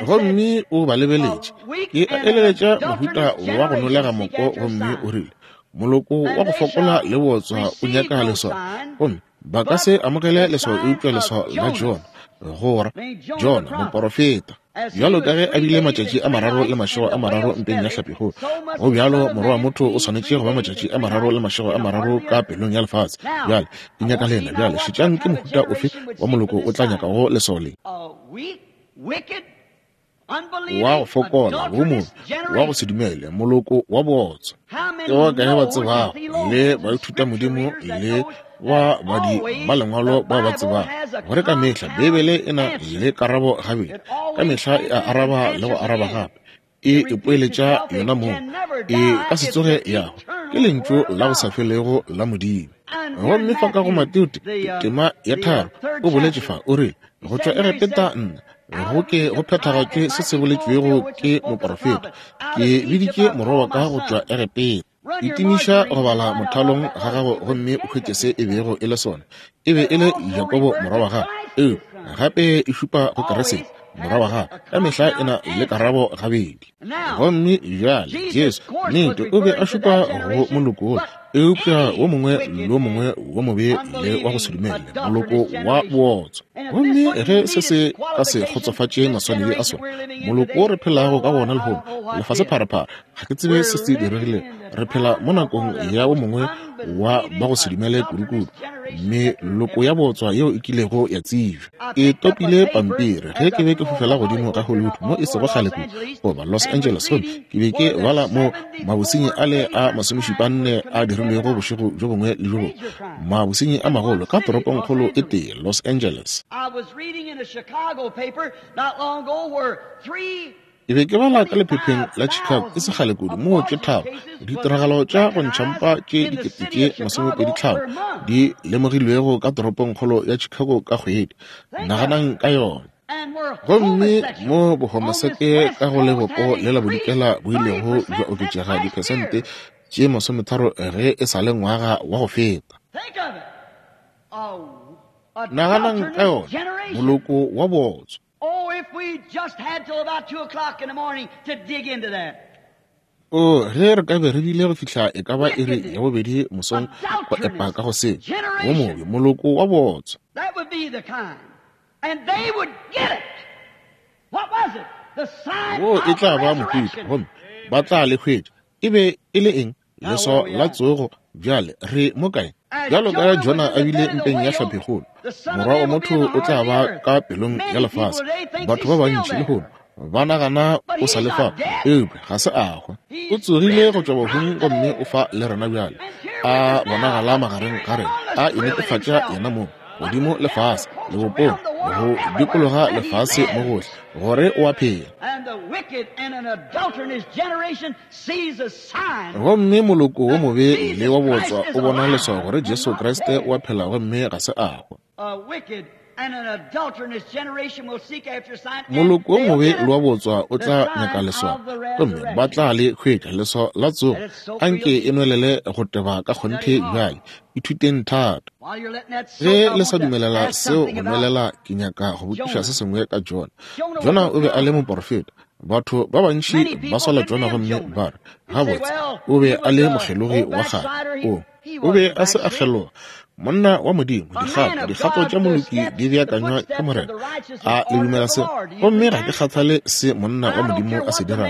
Speaker 2: Gomme o ba lebeletše, ke a eleletša mohuta wa go nolega moko, gomme o rile, moloko wa go fokola le botswa o nyaka leswao, gomme ba ka se amogele leswao eupša leswao la Jona, gora Jona moporofeta. Bjalo ka ge a bile matšatši a mararo le mašego a mararo mpeng ya hlapikgolo, go bjalo morwa wa motho o swanetše go ba matšatši a mararo le mašego a mararo ka pelong ya lefase. Bjale ke nyaka lena. Bjale šetšang ke mohuta ofe wa moloko o tla nyakago leswao le. Wa go fokola, wo mobe, wa go se dumele, moloko wa bootswa. Ke ba kae ba tsebago le baithutamodimo le ba badi ba lengwalo bao ba tsebago gore ka mehla Beibele e na le karabo gabedi, ka mehla e a araba le go araba gape, e ipoeletša yona mong, e ka se tsoge ya hwa. Ke lentšu la go sa felego la Modimo. Gomme fa ka go Mateo tema ya tharo o boletše fa, o rile, go tšwa Egepeta nna go ke go phethagatšwe se se boletšwego ke moporofeta, ke biditše morwa wa ka go tšwa Egepeta. Itimiša go bala mothalong ga gago gomme o hwetše se e bego e le sona. E be e le Jakobo morwa wa gagwe, eupša gape e šupa go Kriste morwa wa gagwe. Ka mehla e na le karabo gabedi. Gomme bjale Jesu nnete o be a šupa go moloko wola, eupša wo mongwe le wo mongwe wo mobe le wa go se dumele, moloko wa bootswa. Gomme ge se se ka se kgotsofatše maswanedi a sona, moloko wo re phelago ka wona lehono, lefasepharephare, ga ke tsebe se se diregilego. Re phela mo nakong ya wo mongwe wa ba go se dumele kudukudu, meloko ya bootswa yeo e kilego ya tsebja. Ke topile pampiri ge ke be ke fofela godimo ga Hollywood mo e sego kgale kudu, goba Los Angeles, gomme ke be ke bala mo mabosenyi ale a masomešupanne a dirilwego bošego bjo bongwe le bjo bongwe, mabosenyi a magolo ka toropongkgolo e tee, Los Angeles. Ke be ke bala ka lephepheng la Chicago e se kgale kudu, moo tše tharo ditiragalo tša go ntšha mpa tše dikete tše masomepedi tlhano di lemogilwego ka toropongkgolo ya Chicago ka kgwedi. Naganang ka yona. Gomme mo bohomoseke ka go lebopo le la bodikela bo ilego bja oketšega diphesente tše masometharo ge e sa le ngwaga wa go feta. Naganang ka yona, moloko wa bootswa.
Speaker 1: Oh, if we just had till about two o'clock in the morning to dig into that.
Speaker 2: O ge re ka be re bile go fihla e ka ba iri ya bobedi mosong go epa ka go se, wo mobe, moloko wa bootswa.
Speaker 1: That would be the kind. And they would get it. What was it? The sign
Speaker 2: Wo
Speaker 1: of
Speaker 2: e tla
Speaker 1: the
Speaker 2: ba mohuta,
Speaker 1: resurrection.
Speaker 2: gomme ba tla le hwetša. E be e le eng? Leswao la tsogo. Bjale re mo kae? Bjalo ka Jona a bile mpeng ya hlapikgolo, morwa wa motho o tla ba ka pelong ya lefase. Batho ba bantši lehono ba nagana o sa le fa, eupša ga se a hwa. O tsogile go tšwa bahung gomme o fa le rena bjale, a bonagala magareng ga rena, a inetefatša yena mong godimo lefase, lebopong, go dikologa lefase mo gohle, gore o a phela.
Speaker 1: And the wicked and an adulterous generation sees a sign.
Speaker 2: Gomme moloko wo mobe le wa bootswa o bona leswao gore Jesu Kriste o a phela gomme ga se a hwa.
Speaker 1: A wicked
Speaker 2: Moloko wo mobe le wa botswa o tla nyaka leswao, gomme ba tla le hwetša leswao la tsogo. Anke e nwelele go teba ka kgonthe bjale. Ithuteng thata. Ge le sa dumelela seo go nwelela, ke nyaka go botšiša se sengwe ka Jona. Jona o be a le moporofeta. Batho ba bantši ba sola Jona gomme ba re, gabotse, o be a le mokgelogi wa kgale. O, o be a se a kgeloga. Monna wa Modimo, dikgato, dikgato tša moloki di beakanywa ke Morena. A le dumela se? Gomme ga ke kgathale se monna wa Modimo a se dirago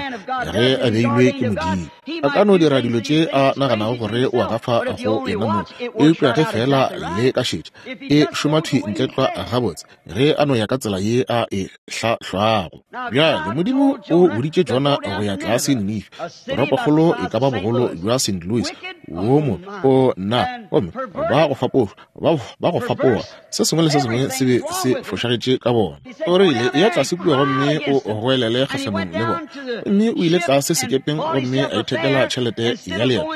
Speaker 2: ge a beilwe ke Modimo. A ka no dira dilo tše a naganago gore o a gafa go yena mong, eupša ge fela le ka šetša, e šoma thwi ntle tlwa gabotse ge a no ya ka tsela ye a e hlahlwago. Bjale Modimo o boditše Jona go ya tlase Ninife, toropokgolo e ka ba bogolo bja Saint Louis, wo mo o nna, gomme ba go fapoga ba ba go fapoga, se sengwe le se sengwe se be se fošagetše ka bona. O rile, ya tlase kua gomme o goelele kgahlanong le bona. Gomme o ile tlase sekepeng gomme a ithekela tšhelete ya leeto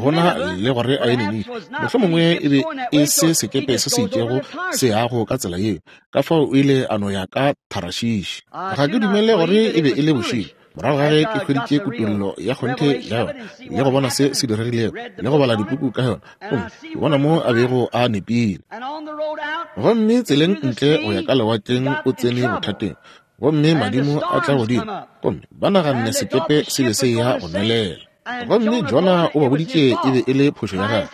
Speaker 2: gona le gore a ye Ninife. Mohlomongwe e be e se sekepe se se itšego se yago ka tsela yeo, ka fao o ile a no ya ka Tharashishi. Ga ke dumele gore e be e le bošego. Morago ga ge ke hweditše kutollo ya kgonthe ya yona le go bona se se diregilego le go bala dipuku ka yona, gomme ke bona mo a bego a nepile. Gomme tseleng ntle go ya ka lewatleng o tsene bothateng, gomme madimo a tla godimo, gomme ba naganne sekepe se be se ya go nwelela. Gomme Jona o ba boditše e be e le phošo ya gagwe.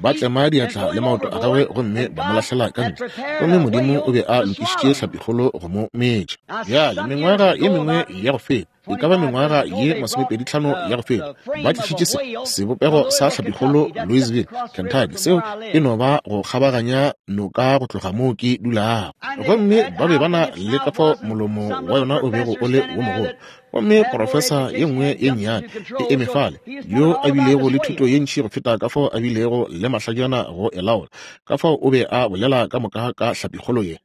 Speaker 2: Ba tlema diatla le maoto a gagwe gomme ba mo lahlela ka ntle. Gomme Modimo o be a lokišitše hlapikgolo go mo metša. Bjale mengwaga ye mengwe ya go feta, e ka ba mengwaga ye masomepedi tlhano ya go feta, ba tlišitše se sebopego sa hlapikgolo Louisville, Kentucky. Seo e no ba go kgabaganya noka go tloga moo ke dulago. Gomme ba be ba na le ka fao molomo wa yona o bego o le wo mogolo. Gomme profesa ye nngwe ye nnyane e eme fale, yo a bilego le thuto ye ntši go feta ka fao a bilego le mahlajana go e laola, ka fao o be a bolela ka moka ka hlapikgolo ye.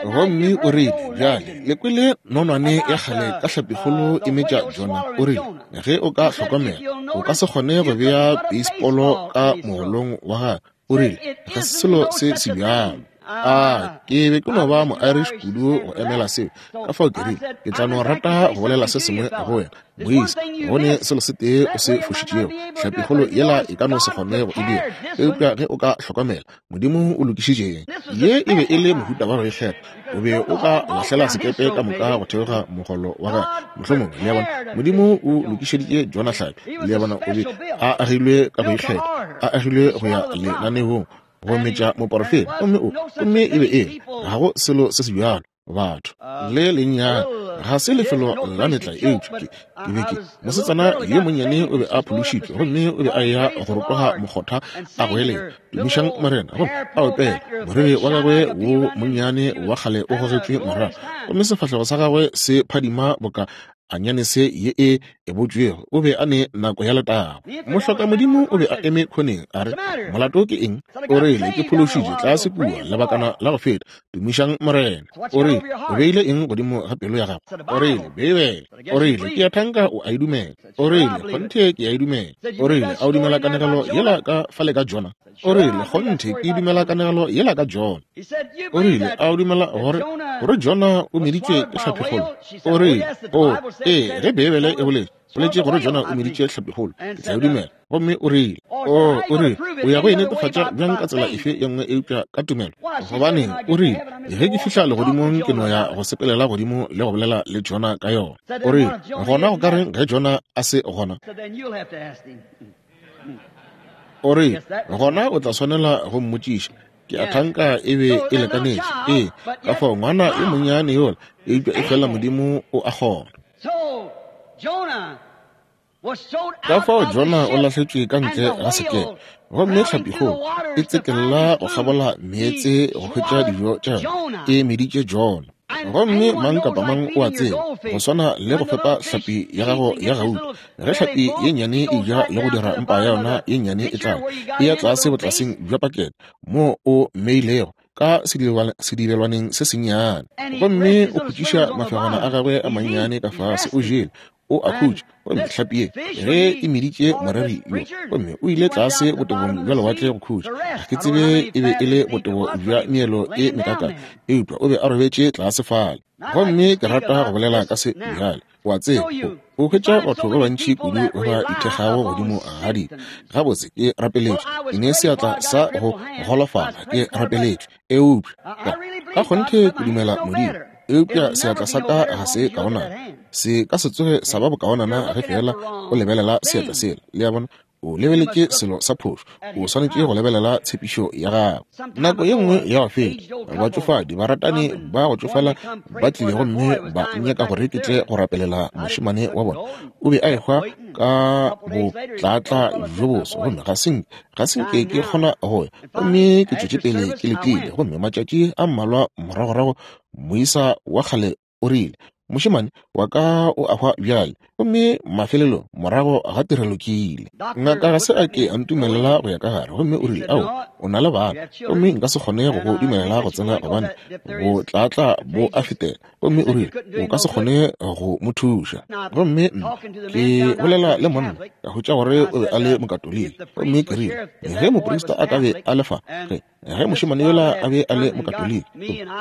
Speaker 2: Gomme o rile, bjale le kwele nonwane ya kgale ka hlapikgolo e metša Jona. O rile, ge o ka hlokomela, o ka se kgone go bea beisepolo ka mogolong wa gagwe. O rile, ga se selo se se bjalo. A ke be ke no ba mo-Irish kudu go emela seo, ka fao ke rile, ke tla no rata go bolela se sengwe go wena, moisa. Go ne selo se tee o se fošitšego, hlapikgolo yela e ka no se kgone go e dira, eupša ge o ka hlokomela, Modimo o lokišitšeng. Ye e be e le mohuta wa go ikgetha. O be o ka lahlela sekepe ka moka go theoga mogolo wa gagwe, mohlomongwe. Le a bona, Modimo o lokišeditše Jona hlapi. Le a bona, o be a agilwe ka go ikgetha, a agilwe go ya lenaneong go metša moporofeta. Gomme o, gomme e be e ga go selo se se bjalo, batho le lennyane ga se lefelo la metla. Eupša ke ke be ke mosetsana yo monnyane o be a phološitšwe, gomme o be a ya go rotoga mokgotha a goelela, tumišang Morena, gomme a opela. Moriri wa gagwe wo monnyane wa kgale o gogetšwe morago, gomme sefahlego sa gagwe se phadima boka anyanese ye e ebotšwego. O be a ne nako ya letago. Mohloka Modimo o be a eme khoneng a re, molato ke eng? O rile, ke phološitše tlase kua lebakana la go feta, tumišang Morena. O rile, o beile eng godimo ga pelo ya gago? O rile, Beibele. O rile, ke a thanka o a e dumela. O rile, kgonthe ke a e dumela. O rile, a o dumela kanegelo yela ka fale ka Jona? O rile, kgonthe ke dumela kanegelo yela ka Jona. O rile, a o dumela gore gore Jona o meditšwe ke hlapikgolo? O rile, o ee, ge Beibele e boletše boletše gore Jona o meditše hlapikgolo, ke tla e dumela. Gomme o rile, o o rile, o ya go e netefatša bjang ka tsela efe ye nngwe eupša ka tumelo? Gobaneng, o rile, ge ke fihla legodimong ke no ya go sepelela godimo le go bolela le Jona ka yona. O rile, gona go ka reng ge Jona a se gona? O rile, gona o tla swanela go mmotšiša. Ke a thanka e be e lekanetše. Ee, ka fao ngwana yo monnyane yola, eupša e fela Modimo o a kgona. Ka fao Jona o lahletšwe ka ntle ga sekepe, gomme hlapikgolo e tsekella go kgabola meetse go hwetša dijo tša yona, e meditše Jona. Gomme mang kapa mang o a tseba, go swana le go fepa hlapi ya gago ya gauta. Ge hlapi ye nnyane e ja le go dira mpa ya yona ye nnyane e tlala, e ya tlase botlaseng bja pakete mo o mmeilego ka sedibelwaneng se sennyane, gomme o khutšiša mafegwana a gagwe a mannyane ka fase, o jele, o a khutša. Gomme hlapi ye ge e meditše moreri yo, gomme o ile tlase botebong bja lewatle go khutša. Ga ke tsebe e be e le botebo bja meelo e mekaka, eupša o be a robetše tlase fale. Gomme ke rata go bolela ka se bjale. Wa tseba, o hwetša batho ba bantši kudu ba ba ithekgago godimo ga dika. Gabotse ke rapeletšwe, ke ne seatla sa go golofala, ke rapeletšwe, eupša ka kgonthe ke dumela Modimo, eupša seatla sa ka ga se kaonana. Se ka se tsoge sa ba bokaonana ge fela o lebelela seatla sela. Le a bona, o lebeletše selo sa phošo, o swanetše go lebelela tshepišo ya gago. Nako ye nngwe ya go feta, batšofadi baratani ba go tšofala ba tlile gomme ba nyaka gore ke tle go rapelela mošemane wa bona. O be a ehwa ka botlatla bjo boso, gomme ga se ga se nke ke kgona go ya. Gomme ke tšwetše pele ke letile, gomme matšatši a mmalwa moragorago moisa wa kgale o rile, mošemane wa ka o a hwa bjale. Gomme mafelelo morago ga tirelo ke ile. Ngaka ga se a ke a ntumelela go ya ka gare, gomme o rile, ao, o na le bana, gomme nka se kgone go go dumelela go tsena gobane botlatla bo a fetela. Gomme o rile, o ka se kgone go mo thuša. Gomme ke bolela le monna, ka hwetša gore o be a le mokatoliki. Gomme ke rile, ge moprista a ka be a le fa, ge ge mošemane yola a be a le mokatoliki,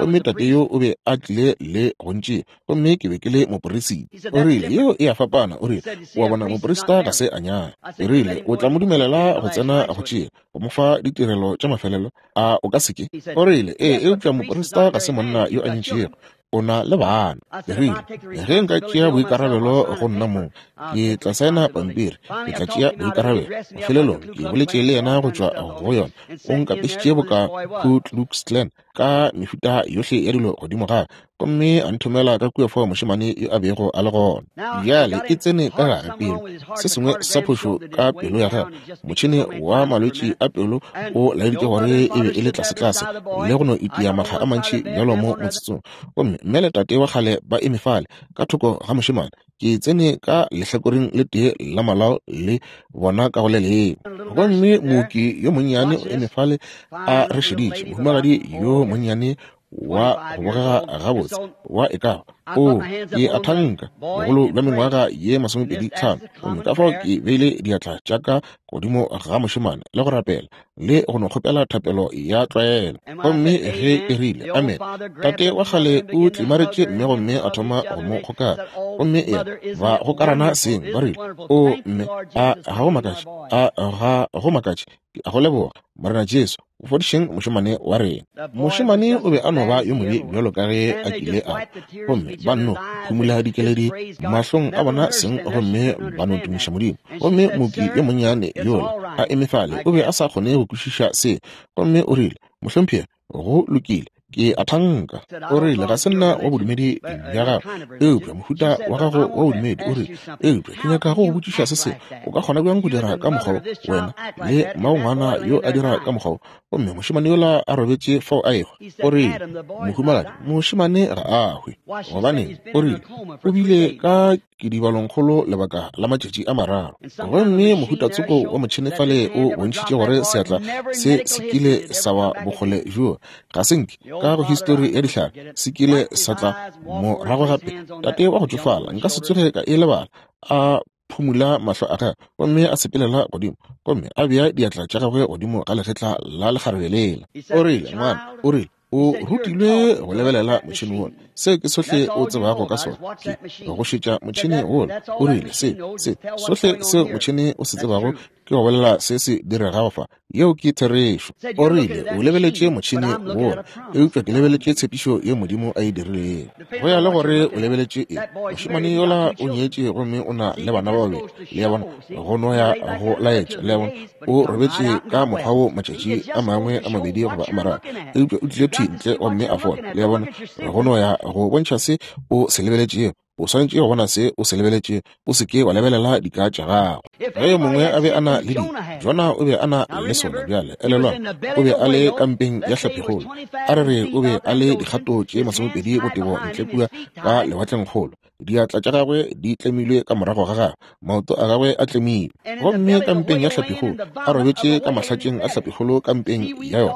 Speaker 2: gomme tate yo o be a tlile le go ntšea, gomme ke be ke le moporisita. O rile, yeo e a fapana. O rile, wa bona, moporista ga se a nyala. O rile, o tla mo dumelela go tsena go tšea, go mo fa ditirelo tša mafelelo, a o ka se ke? O rile, ee, eupša moporista ga se monna yo a nyetšego, o na le bana. Ke rile, ge nka tšea boikarabelo go nna mong, ke tla saena pampiri, ke tla tšea boikarabelo. Mafelelong ke boletše le yena go tšwa go yona. O nkapešitše boka Ku Klux Klan ka mehuta yohle ya dilo godimo gagwe, gomme a nthomela ka kua fao mošemane yo a bego a le gona. Bjale e tsene ka gare pelo, se sengwe sa phošo ka pelo ya gagwe. Motšhene wa malwetši a pelo o laeditše gore e be e le tlasetlase le go no itia makga a mantši bjalo mo motsotsong. Gomme mme le tate wa kgale ba eme fale ka thoko ga mošemane. Ke tsene ka lehlakoreng le tee la malao le bona ka go le lengwe. Gomme mooki yo monnyane o eme fale a re šeditše, mohumagadi yo monnyane wa go bogega gabotse wa e ka o ke a thanka bogolo bja mengwaga ye masomepedi tlhano. Gomme ka fao ke beile diatla tša ka godimo ga mošemane le go rapela le go no kgopela thapelo ya tlwaelo. Gomme ge e rile amen, tate wa kgale o tlimaretše mme gomme a thoma go mo kgokara. Gomme ya ba gokarana seng, ba rile, o mme, a ga go makatše, a ga go makatše, a go leboga Morena Jesu, o fodišeng mošemane wa rena. Mošemane o be a no ba yo mobe bjalo ka ge a kile a, gomme ba nno phumula dikeledi mahlong a bona seng, gomme ba no tumiša Modimo. Gomme mooki yo monnyane yola a eme fale o be a sa kgone go kwešiša se, gomme o rile, mohlomphegi, go lokile, ke a thanka. O rile, ga se nna wa bodumedi bja gago, eupša mohuta wa gago wa bodumedi. O rile, eupša ke nyaka go go botšiša se sengwe, o ka kgona bjang go dira ka mokgwa wena le mmagongwana yo a dira ka mokgwa? Gomme mošemane yola a robetše fao a ehwa. O rile, mohumagadi, mošemane ga a hwe. Gobaneng? O rile, o bile ka kidibalongkgolo lebaka la matšatši a mararo. Gomme mohutatsoko wa motšhene fale o bontšhitše gore seatla se se kile sa wa bokgole bjo ga se nke ka go histori ya dihlare se kile sa tla morago gape. Tate wa go tšofala, nka se tsoge ka e lebala, a phumula mahlo a gagwe gomme a sepelela godimo, gomme a bea diatla tša gagwe godimo ga legetla la lekgarebe lela. O rile, ngwana, o rile, o rutilwe go lebelela motšhene wola. Se ke sohle o tsebago ka sona, ke go šetša motšhene wola. O rile, se se sohle seo motšhene o se tsebago ke go bolela se se diregago fa. Yeo ke therešo. O rile, o lebeletše motšhene wola, eupša ke lebeletše tshepišo ye Modimo a e dirilego. Go ya le gore o lebeletše eng. Mošemane yola o nyetše gomme o na le bana ba babedi. Le a bona, go no ya go laetša. Le a bona, o robetše ka mokgwa wo matšatši a mangwe a mabedi goba a mararo, eupša o tlile thwi ntle gomme a fola. Le a bona, go no ya go bontšha se o se lebeletšego. O swanetše go bona se o se lebeletše, o se ke wa lebelela dika tša gago. Ge yo mongwe a be a na le dika, Jona o be a na le sona. Bjale elelwang, o be a le kampeng ya hlapikgolo. A re re o be a le dikgato tše masomepedi botebo ntle kua ka lewatlengkgolo. Diatla tša gagwe di tlemilwe ka morago ga gagwe, maoto a gagwe a tlemilwe. Gomme kampeng ya hlapikgolo a robetše ka mahlatšeng a hlapikgolo kampeng ya yona,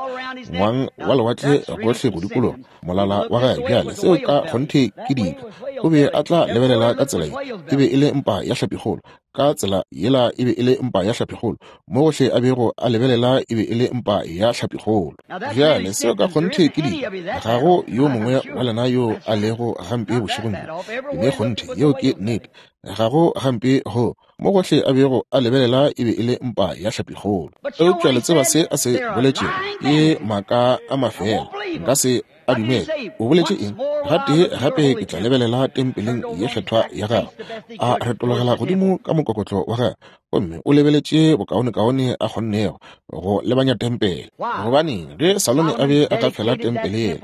Speaker 2: ngwang wa lewatle gohle go dikologa molala wa gagwe. Bjale seo ka kgonthe ke dika. O be a tla lebelela ka tsela ye, e be e le mpa ya hlapikgolo. Ka tsela yela e be e le mpa ya hlapikgolo. Mo gohle a bego a lebelela e be e le mpa ya hlapikgolo. Bjale seo ka kgonthe ke dibe. Ga go yo mongwe wa lena yo a lego gampe bošegong bjo. Ke ne kgonthe, yeo ke nnete. Ga go gampe go. Mo gohle a bego a lebelela e be e le mpa ya hlapikgolo. Eupša le tseba se a se boletšego ke maaka a mafela. Nka se a dumele. O boletše eng? Gatee gape ke tla lebelela tempeleng ye kgethwa ya gagwe. A retologela godimo ka mokokotlo wa gagwe, gomme o lebeletše bokaonekaone a kgonnego go lebanya tempele. Gobaneng ge Salome a be a ka fela tempele yela,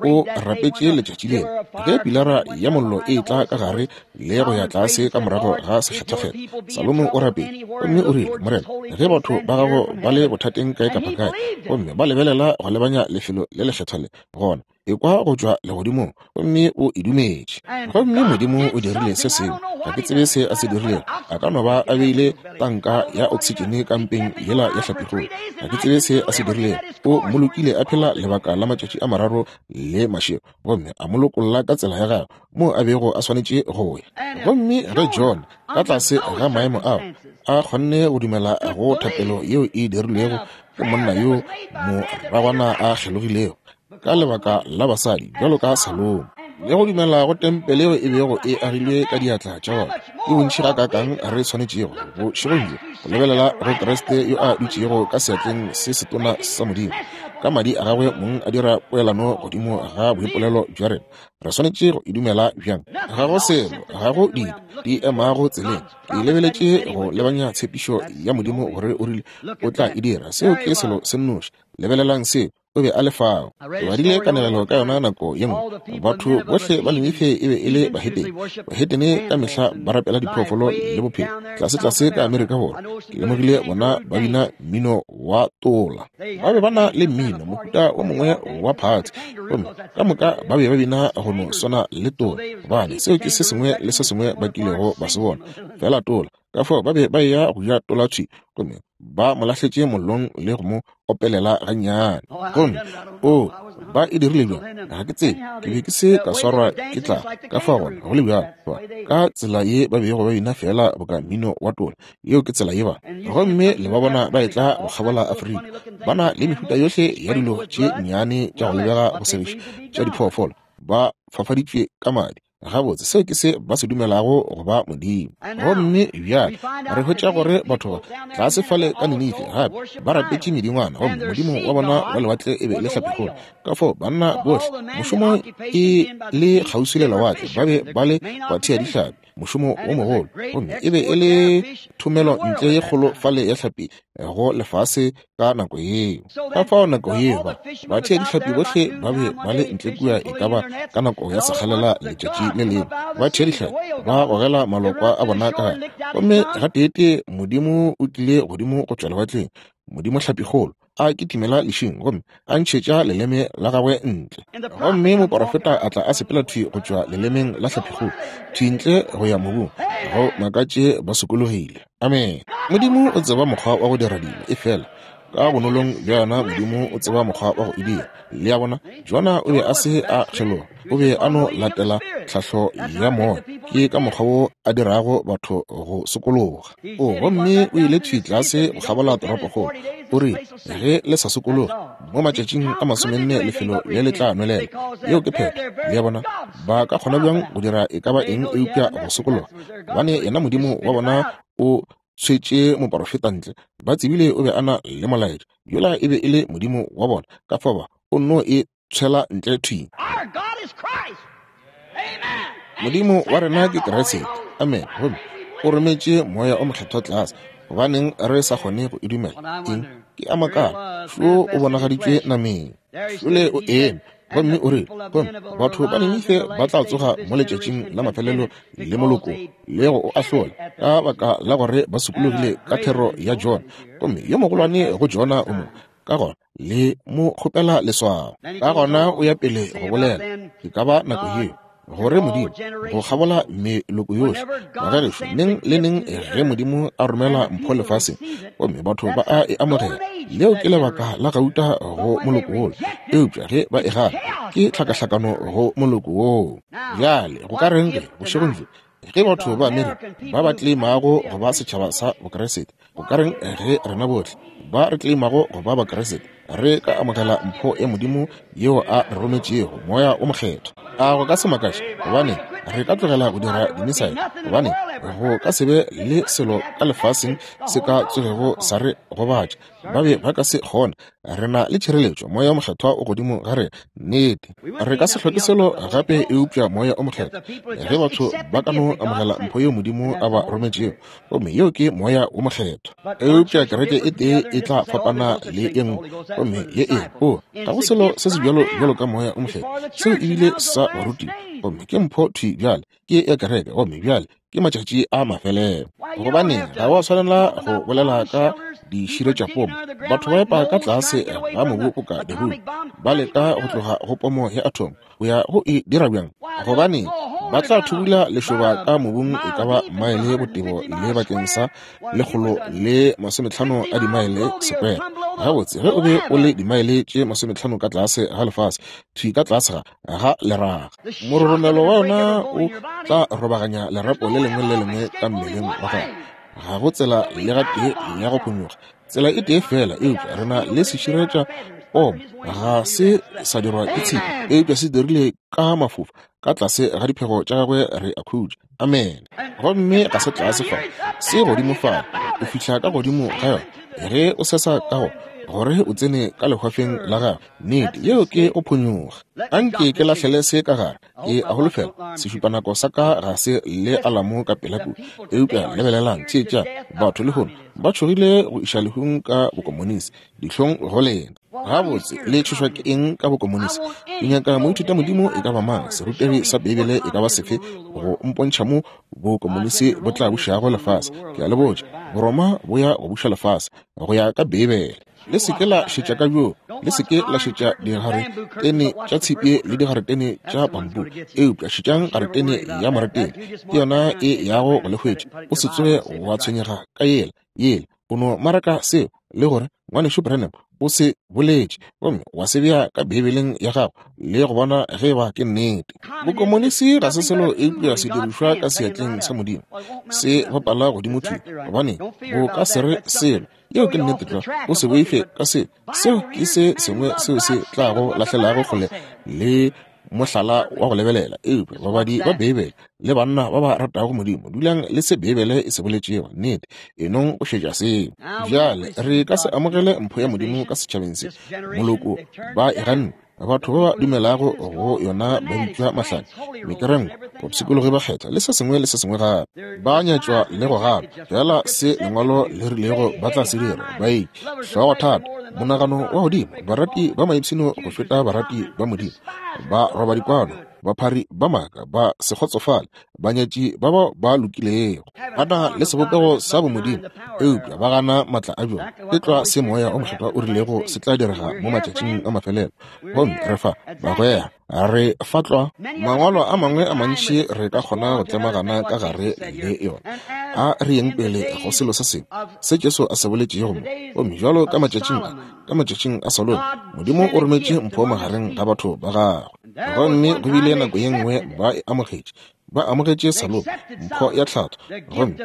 Speaker 2: o rapetše letšatši lela ge pilara ya mollo e tla ka gare le go ya tlase ka morago ga sekgethwakgethwa. Salome o rapetše gomme o rile, Morena, ge batho ba gago ba le bothateng kae kapa kae, gomme ba lebelela go lebanya lefelo le lekgethwa le, gona ekwa go tšwa legodimong, gomme o e dumetše. Gomme Modimo o dirile se sengwe. Ga ke tsebe se a se dirilego. A ka no ba a beile tanka ya oksitšene ka mpeng yela ya hlapikgolo. Ga ke tsebe se a se dirilego. O molokile a phela lebaka la matšatši a mararo le mašego, gomme a mo lokolla ka tsela ya gagwe moo a bego a swanetše go ya. Gomme ge John ka tlase ga maemo ao a kgonne go dumela go thapelo yeo e dirilwego ke monna yo moragwana a kgelogilego ka lebaka la basadi bjalo ka Salomo, le go dumela go tempele yeo e bego e agilwe ka diatla tša bona, ke bontši gakaakang re swanetšego bošegong bjo go lebelela go Kriste yo a dutšego ka seatleng se setona sa Modimo, ka madi a gagwe mong a dira poelano godimo ga boipolelo bja rena. Re swanetše go e dumela bjang? Ga go selo, ga go dibe di emago tseleng. Ke lebeletše go lebanya tshepišo ya Modimo gore o rile o tla e dira. Seo ke selo se nnoši. Lebelelang seo. O be a le fao. Ke badile kanegelo ka yona nako ye nngwe. Batho bohle ba Ninife e be e le bahetene. Bahetene ka mehla ba rapela diphoofolo le bophelo. Tlase-tlase ka Amerika Borwa, ke lemogile bona ba bina mmino wa tola. Ba be ba na le mmino, mohuta o mongwe wa phatsi, gomme ka moka ba be ba bina go no swana le tola, gobane seo ke se sengwe le se sengwe ba kilego ba se bona, fela tola. Ka fao ba be ba eya go ja tola thwi, gomme ba mo lahletše mollong le go mo opelela gannyane. Gomme o ba e dirile bjang? Ga ke tsebe. Ke be ke se ka swarwa ke tlala. Ka fao gona go le bjalo, ka tsela ye ba bego ba bina fela boka mmino wa tola, yeo ke tsela ye ba. Gomme le ba bona ba etla go kgabola Afrika, ba na le mehuta yohle ya dilo tše nnyane tša go lebega go segiša tša diphoofolo, ba fafaditšwe ka madi. Gabotse, seo ke se ba se dumelago go ba Modimo. Gomme bjale re hwetša gore batho ba tlase fale ka Ninife gape ba rapetše medingwana, gomme modimo wa bona wa lewatle e be e le hlapikgolo. Ka fao banna bohle mošomo e le kgauswi le lewatle ba be ba le bathea dihlapi, mošomo o mogolo, gomme e be e le thomelo ntle ye kgolo fale ya hlapi go lefase ka nako yeo. Ka fao nako yeo ba bathea dihlapi bohle ba be ba le ntle kua e ka ba ka nako ya sekgalela letšatši le lengwe, ba thea dihlapi ba gogela malokwa a bona ka gare. Gomme gateetee Modimo o tlile godimo go tšwa lewatleng, Modimo hlapikgolo, a kitimela lešing gomme a ntšhetša leleme la gagwe ntle. Gomme moporofeta a tla a sepela thwi go tšwa lelemeng la hlapikgolo, thwi ntle go ya mobung. Go makatše ba sokologile. Amen. Modimo o tseba mokgwa wa go dira dilo, efela ka bonolong bja yona Modimo o tseba mokgwa wa go e dira. Le a bona, Jona o be a se a kgeloga, o be a no latela tlhahlo ya moya. Ke ka mokgwa wo a dirago batho go sokologa. O gomme o ile thwi tlase go kgabola toropokgolo. O rile, ge le sa sokologe mo matšatšing a masomenne lefelo le le tla nwelela. Yeo ke phetho. Le a bona, ba ka kgona bjang go dira e ka ba eng eupša go sokologa? Gobane yena Modimo wa bona o tshwetše moporofeta ntle. Ba tsebile o be a na le molaetša. Yola e be e le Modimo wa bona. Ka fao ba o nno e tshwela ntle thwi. Modimo wa rena ke Kriste. Amen. Gomme o rometše moya o mokgethwa tlase. Gobaneng re sa kgone go e dumela? Eng? Ke a makala. Šo o bonagaditšwe nameng. Šole o eme. Gomme o rile, gomme batho ba Ninife ba tla tsoga mo letšatšing la mafelelo le moloko le go o ahlola, ka baka la gore ba sokologile ka thero ya Jona. Gomme yo mogolwane go Jona o mo, ka gona le mo kgopela leswao. Ka gona o ya pele go bolela. E ka ba nako yeo Gore Modimo go kgabola meloko yohle. Bagešo, neng le neng ge Modimo a romela mpho lefaseng, gomme batho ba a e amogela, leo ke lebaka la gauta go moloko wola. Eupša ge ba e gana, ke tlhakahlakano go moloko woo. Bjale go ka reng ge bošegong bjo ge batho ba Amerika ba ba tleimago go ba setšhaba sa Bokriste, go ka reng ge rena bohle ba re tleimago go ba Bakriste re ka amogela mpho ya Modimo yeo a re rometšego, Moya o Mokgethwa? A go ka se makaše? Gobane re ka tlogela go dira dimisaele, gobane go ka se be le selo ka lefaseng se ka tsogego sa re gobatša. Ba be ba ka se kgone. Re na le tšhireletšo, Moya o Mokgethwa o godimo ga re. Nnete, re ka se hloke selo gape eupša Moya o Mokgethwa. Ge batho ba ka no amogela mpho yeo Modimo a ba rometšego, gomme yeo ke Moya o Mokgethwa. Eupša kereke e tee e tla fapana le e nngwe, gomme ye e o ga go selo se se bjalo bjalo ka Moya o Mokgethwa. Seo ebile sa baruti, gomme ke mpho thwi bjale, ke ya kereke, gomme bjale ke matšatši a mafelelo. Gobane ga wa swanela go bolela ka diširetšapomo. Batho ba epa ka tlase ga mobu o ka dihung, ba leka go tloga go pomo ya atom go ya go e dira bjang? Gobane ba tla thubula lešoba ka mobung e ka ba maele botebo le bakeng sa lekgolo le masometlhano a dimaele sekwere. Gabotse, ge o be o le dimaele tše masometlhano ka tlase ga lefase, thwi ka tlase ga ga leraga, mororomelo wa yona o tla robaganya lerapo le lengwe le lengwe ka mmeleng wa gago. Ga go tsela le gatee ya go phonyokga, tsela e tee fela, eupša re na le seširetša pomo. Ga se sa dirwa ke tshipi, eupša se dirile ka mafofa. Ka tlase ga diphego tša gagwe re a khutša. Amen. Gomme ga se tlase fa, se godimo fa. O fihla ka godimo ga yona ge o sesa ka go gore o tsene ka lehwafeng la gagwe. Nnete, yeo ke go phonyokga. Anke ke lahlele se ka gare. Ke a holofela sešupanako sa ka ga se le alamo ka pela kudu. Eupša lebelelang, theetšang, batho lehono ba tšhogile go iša lehung ka bokomonisi. Dihlong go lena. Gabotse, le tšhošwa ke eng ka bokomonisi? Ke nyaka moithuta modimo e ka ba mang, serutegi sa Beibele e ka ba sefe, go mpontšha mo bokomonisi bo tla bušago lefase. Ke a le botša, Boroma bo ya go buša lefase go ya ka Beibele. Le se ke la šetša ka bjoo, le se ke la šetša digaretene tša tshipi le digaretene tša bambu, eupša šetšang garetene ya moretele, ke yona e yago go le hwetša. O se tsoge wa tshwenyega ka yela yela, o no maraka seo le gore ngwanešu Branham o se boletše, gomme wa se bea ka Beibeleng ya gago le go bona ge ba ke nnete. Bokomonisi ga se selo eupša se dirišwa ka seatleng sa Modimo, se bapala godimo thwi, gobane bo ka se re selo. Yeo ke nnete tlwa. O se boife ka se. Seo ke se sengwe seo se tlago lahlelago kgole le mohlala wa go lebelela. Eupša babadi ba Beibele le banna ba ba ratago Modimo, dulang le se Beibele e se boletšego. Nnete, enong go šetša seo. Bjale re ka se amogele mpho ya Modimo ka setšhabeng se. Moloko ba e ganne. Batho ba ba dumelago go yona ba bitšwa mahlanya, mekerenko, bopshikologi ba kgetha le se sengwe le se sengwe gape. Ba nyatšwa le go gana fela se lengwalo le rilego ba tla se dira. Ba itše hlogo thata, monagano wa godimo, barati ba maipshino go feta barati ba Modimo, ba roba dikwano, baphari ba maaka, ba se kgotsofale, banyatši ba bao ba lokilego, ba na le sebopego sa bomodimo, eupša ba gana matla a bjona. Ke tlwa se Moya o Mokgethwa o rilego se tla direga mo matšatšing a mafelelo. Gomme re fa bagwera, re fa tlwa mangwalo a mangwe a mantši re ka kgona go tlemagana ka gare le yona. A re yeng pele go selo se sengwe se Jesu a se boletšego mo. Gomme jwalo ka matšatšing a, ka matšatšing a Salomo, Modimo o rometše mpho magareng ga batho ba gagwe. Gomme go bile nako ye nngwe ba e amogetše. Ba amogetše Salomo mpho ya tlhatho. Gomme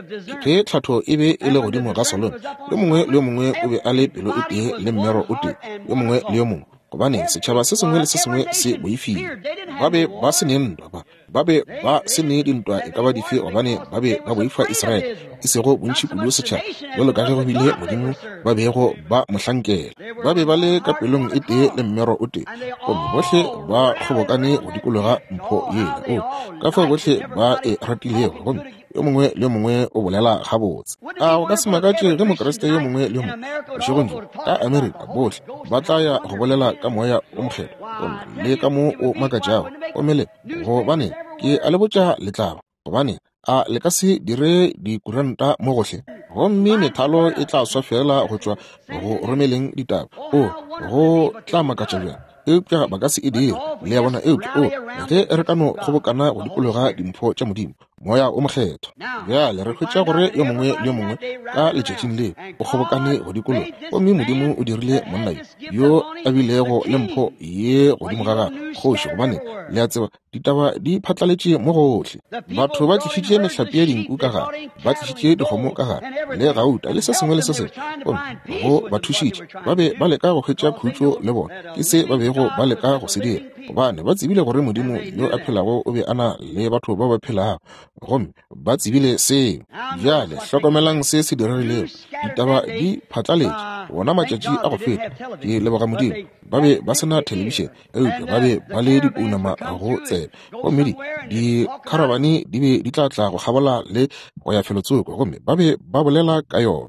Speaker 2: ge tlhatho e be e le godimo ga Salomo, yo mongwe le yo mongwe o be a le pelo e tee le mmero o tee, yo mongwe le yo mongwe. Gobane setšhaba se sengwe le se sengwe se boifile. Ba be ba se ne ntwa, ba ba be ba se ne dintwa e ka ba dife, gobane ba be ba boifa Israele, e sego bontši kudu setšhaba, jwalo ka ge go bile Modimo ba bego ba mohlankela. Ba be ba le ka pelong e tee le mmero o tee, gomme bohle ba kgobokane go dikologa mpho yela. O ka fao bohle ba e ratilego, gomme yo mongwe le yo mongwe o bolela gabotse. A go ka se makatše ge Mokriste yo mongwe le yo mongwe bošegong bjo ka Amerika bohle ba tla ya go bolela ka Moya o Mokgethwa, gomme le ka mo o makatšago. Gomme le gobane ke a le botša letlaba, gobane a le ka se dire dikuranta mo gohle, gomme methalo e tla swa fela go tšwa go romeleng ditaba. O go tla makatša bjang Eupša ba ka se e dire, le a bona. Eupša o, ge re ka no kgobokana go dikologa dimpho tša Modimo, Moya o Mokgethwa. Bjale re hwetša gore yo mongwe le yo mongwe ka letšatšing leo o kgobokane go dikologa, gomme Modimo o dirile monna yo yo a bilego le mpho ye godimo ga gagwe, kgoši, gobane le a tseba ditaba di phatlaletše mo gohle. Batho ba tlišitše mehlape ya dinku ka gare, ba tlišitše dikgomo ka gare, le gauta le se sengwe le se sengwe, gomme go ba thušitše. Ba be ba leka go hwetša khutšo le bona, ke se ba bego ba leka go se dira, gobane ba tsebile gore Modimo yo a phelago o be a na le batho ba ba phelago, gomme ba tsebile seo. Bjale hlokomelang se se diregilego. Ditaba di phatlaletše wona matšatši a go feta. Ke leboga Modimo, ba be ba se na thelebišene, eupša ba be ba le dipounama go tsebe, gomme di dikharabane di be di tla tla go kgabola le go ya felotsoko, gomme ba be ba bolela ka yona.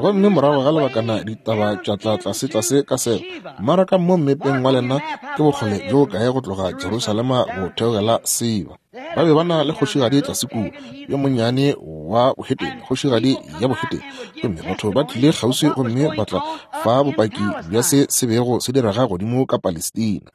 Speaker 2: Gomme morago ga lebakana ditaba tša tla tlase tlase ka seo. Mmaraka mo mmepeng wa lena ke bokgole bjo kae go tloga Jerusalema go theogela Seba. Ba be ba na le kgošigadi tlase kua, yo monnyane wa bohetene, kgošigadi ya bohetene. Gomme batho ba tlile kgauswi gomme ba tla fa bopaki bja se se bego se direga godimo ka Palestina.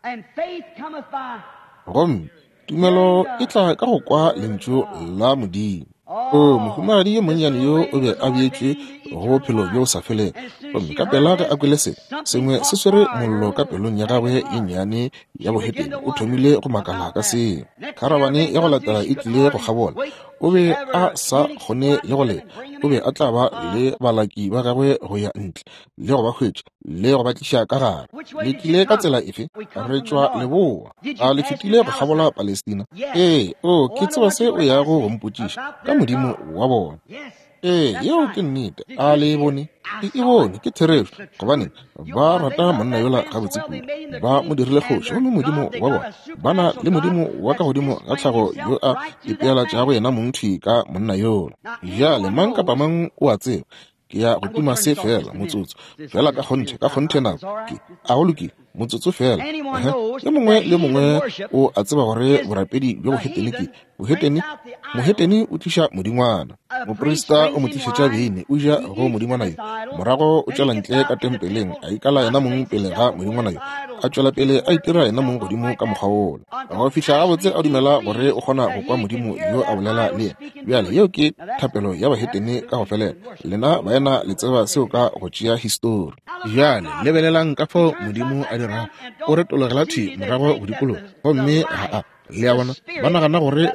Speaker 2: Gomme tumelo e tla ka go kwa lentšu la Modimo. O, mohumagadi yo monnyane yo o be a beetšwe go bophelo bjo bo sa felego. Gomme ka pela ge a kwele se sengwe se swere mollo ka pelong ya gagwe ye nnyane ya bohetene, o thomile go makala ka seo. Kharabane ya go latela e tlile go kgabola. O be a sa kgone le go leta. O be a tla ba le balaki ba gagwe go ya ntle le go ba hwetša le go ba tliša ka gare. Le tlile ka tsela efe? Re tšwa leboa. A le fetile go kgabola Palestina? Ee, o, ke tseba se o yago go mpotšiša ka Modimo wa bona. Ee, yeo ke nnete. A le e bone? Ke e bone, ke therešo. Gobane ba rata monna yola gabotse kudu, ba mo dirile kgoši, gomme Modimo wa bona, ba na le Modimo wa ka godimo ga tlhago yo a ipeelatšago yena mong thwi ka monna yola. Bjale mang kapa mang o a tseba, ke ya go tima se fela motsotso fela, ka kgonthe, ka kgonthe nako ke a go lokile, motsotso fela. Yo mongwe le mongwe o a tseba gore borapedi bjo bohetene ke bohetene. Mohetene o tliša modingwana, moprista o mo tlišetša beine, o ja go modingwana yo, morago o tšwela ntle ka tempeleng, a ikala yena mong pele ga modingwana yo, a tšwela pele a itira yena mong godimo ka mokgwa wola, go fihla gabotse a dumela gore o kgona go kwa Modimo yo a bolela le yena. Bjale yeo ke thapelo ya bahetene ka go felela. Lena baena le tseba seo ka go tšea histori. Bjale lebelelang ka fao Modimo a dirago, o retologela thwi morago go dikologa, gomme ga a, le a bona, ba nagana gore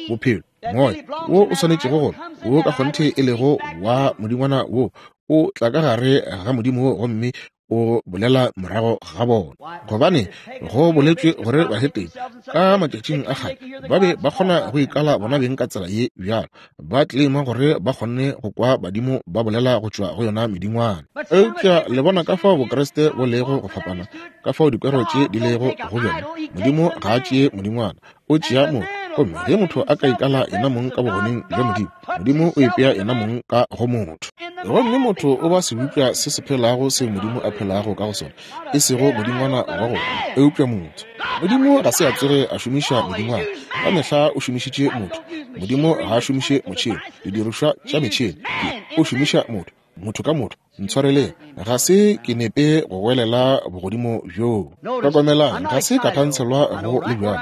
Speaker 2: bophelo moya wo o swanetšego gore wo ka kgonthe e lego wa modingwana wo o tla ka gare ga Modimo wo, gomme o bolela morago ga bona. Gobane go boletšwe gore bahetene ka matšatšing a kgale ba be ba kgona go ikala bona beng ka tsela ye bjalo, ba tlema gore ba kgonne go kwa badimo ba bolela go tšwa go yona medingwana. Eupša le bona ka fao Bokreste bo lego go fapana, ka fao dikwero tše di lego go bjona. Modimo ga a tšee modingwana, o tšea motho. Gomme ge motho a ka ikala yena mong ka bogoneng bja Modimo, Modimo o ipea yena mong ka go motho. Gomme motho o ba sebopša se se phelago seo Modimo a phelago ka go sona, e sego modingwana wa go, eupša motho. Modimo ga se a tsoge a šomiša modingwana, ka mehla o šomišitše motho. Modimo ga a šomiše motšhene, didirišwa tša metšhene, o šomiša motho, motho ka motho. Ntshwareleng, ga se ke nepe go welela bogodimo bjoo. Hlokomelang, ga se ka thantshelwa go le bjalo.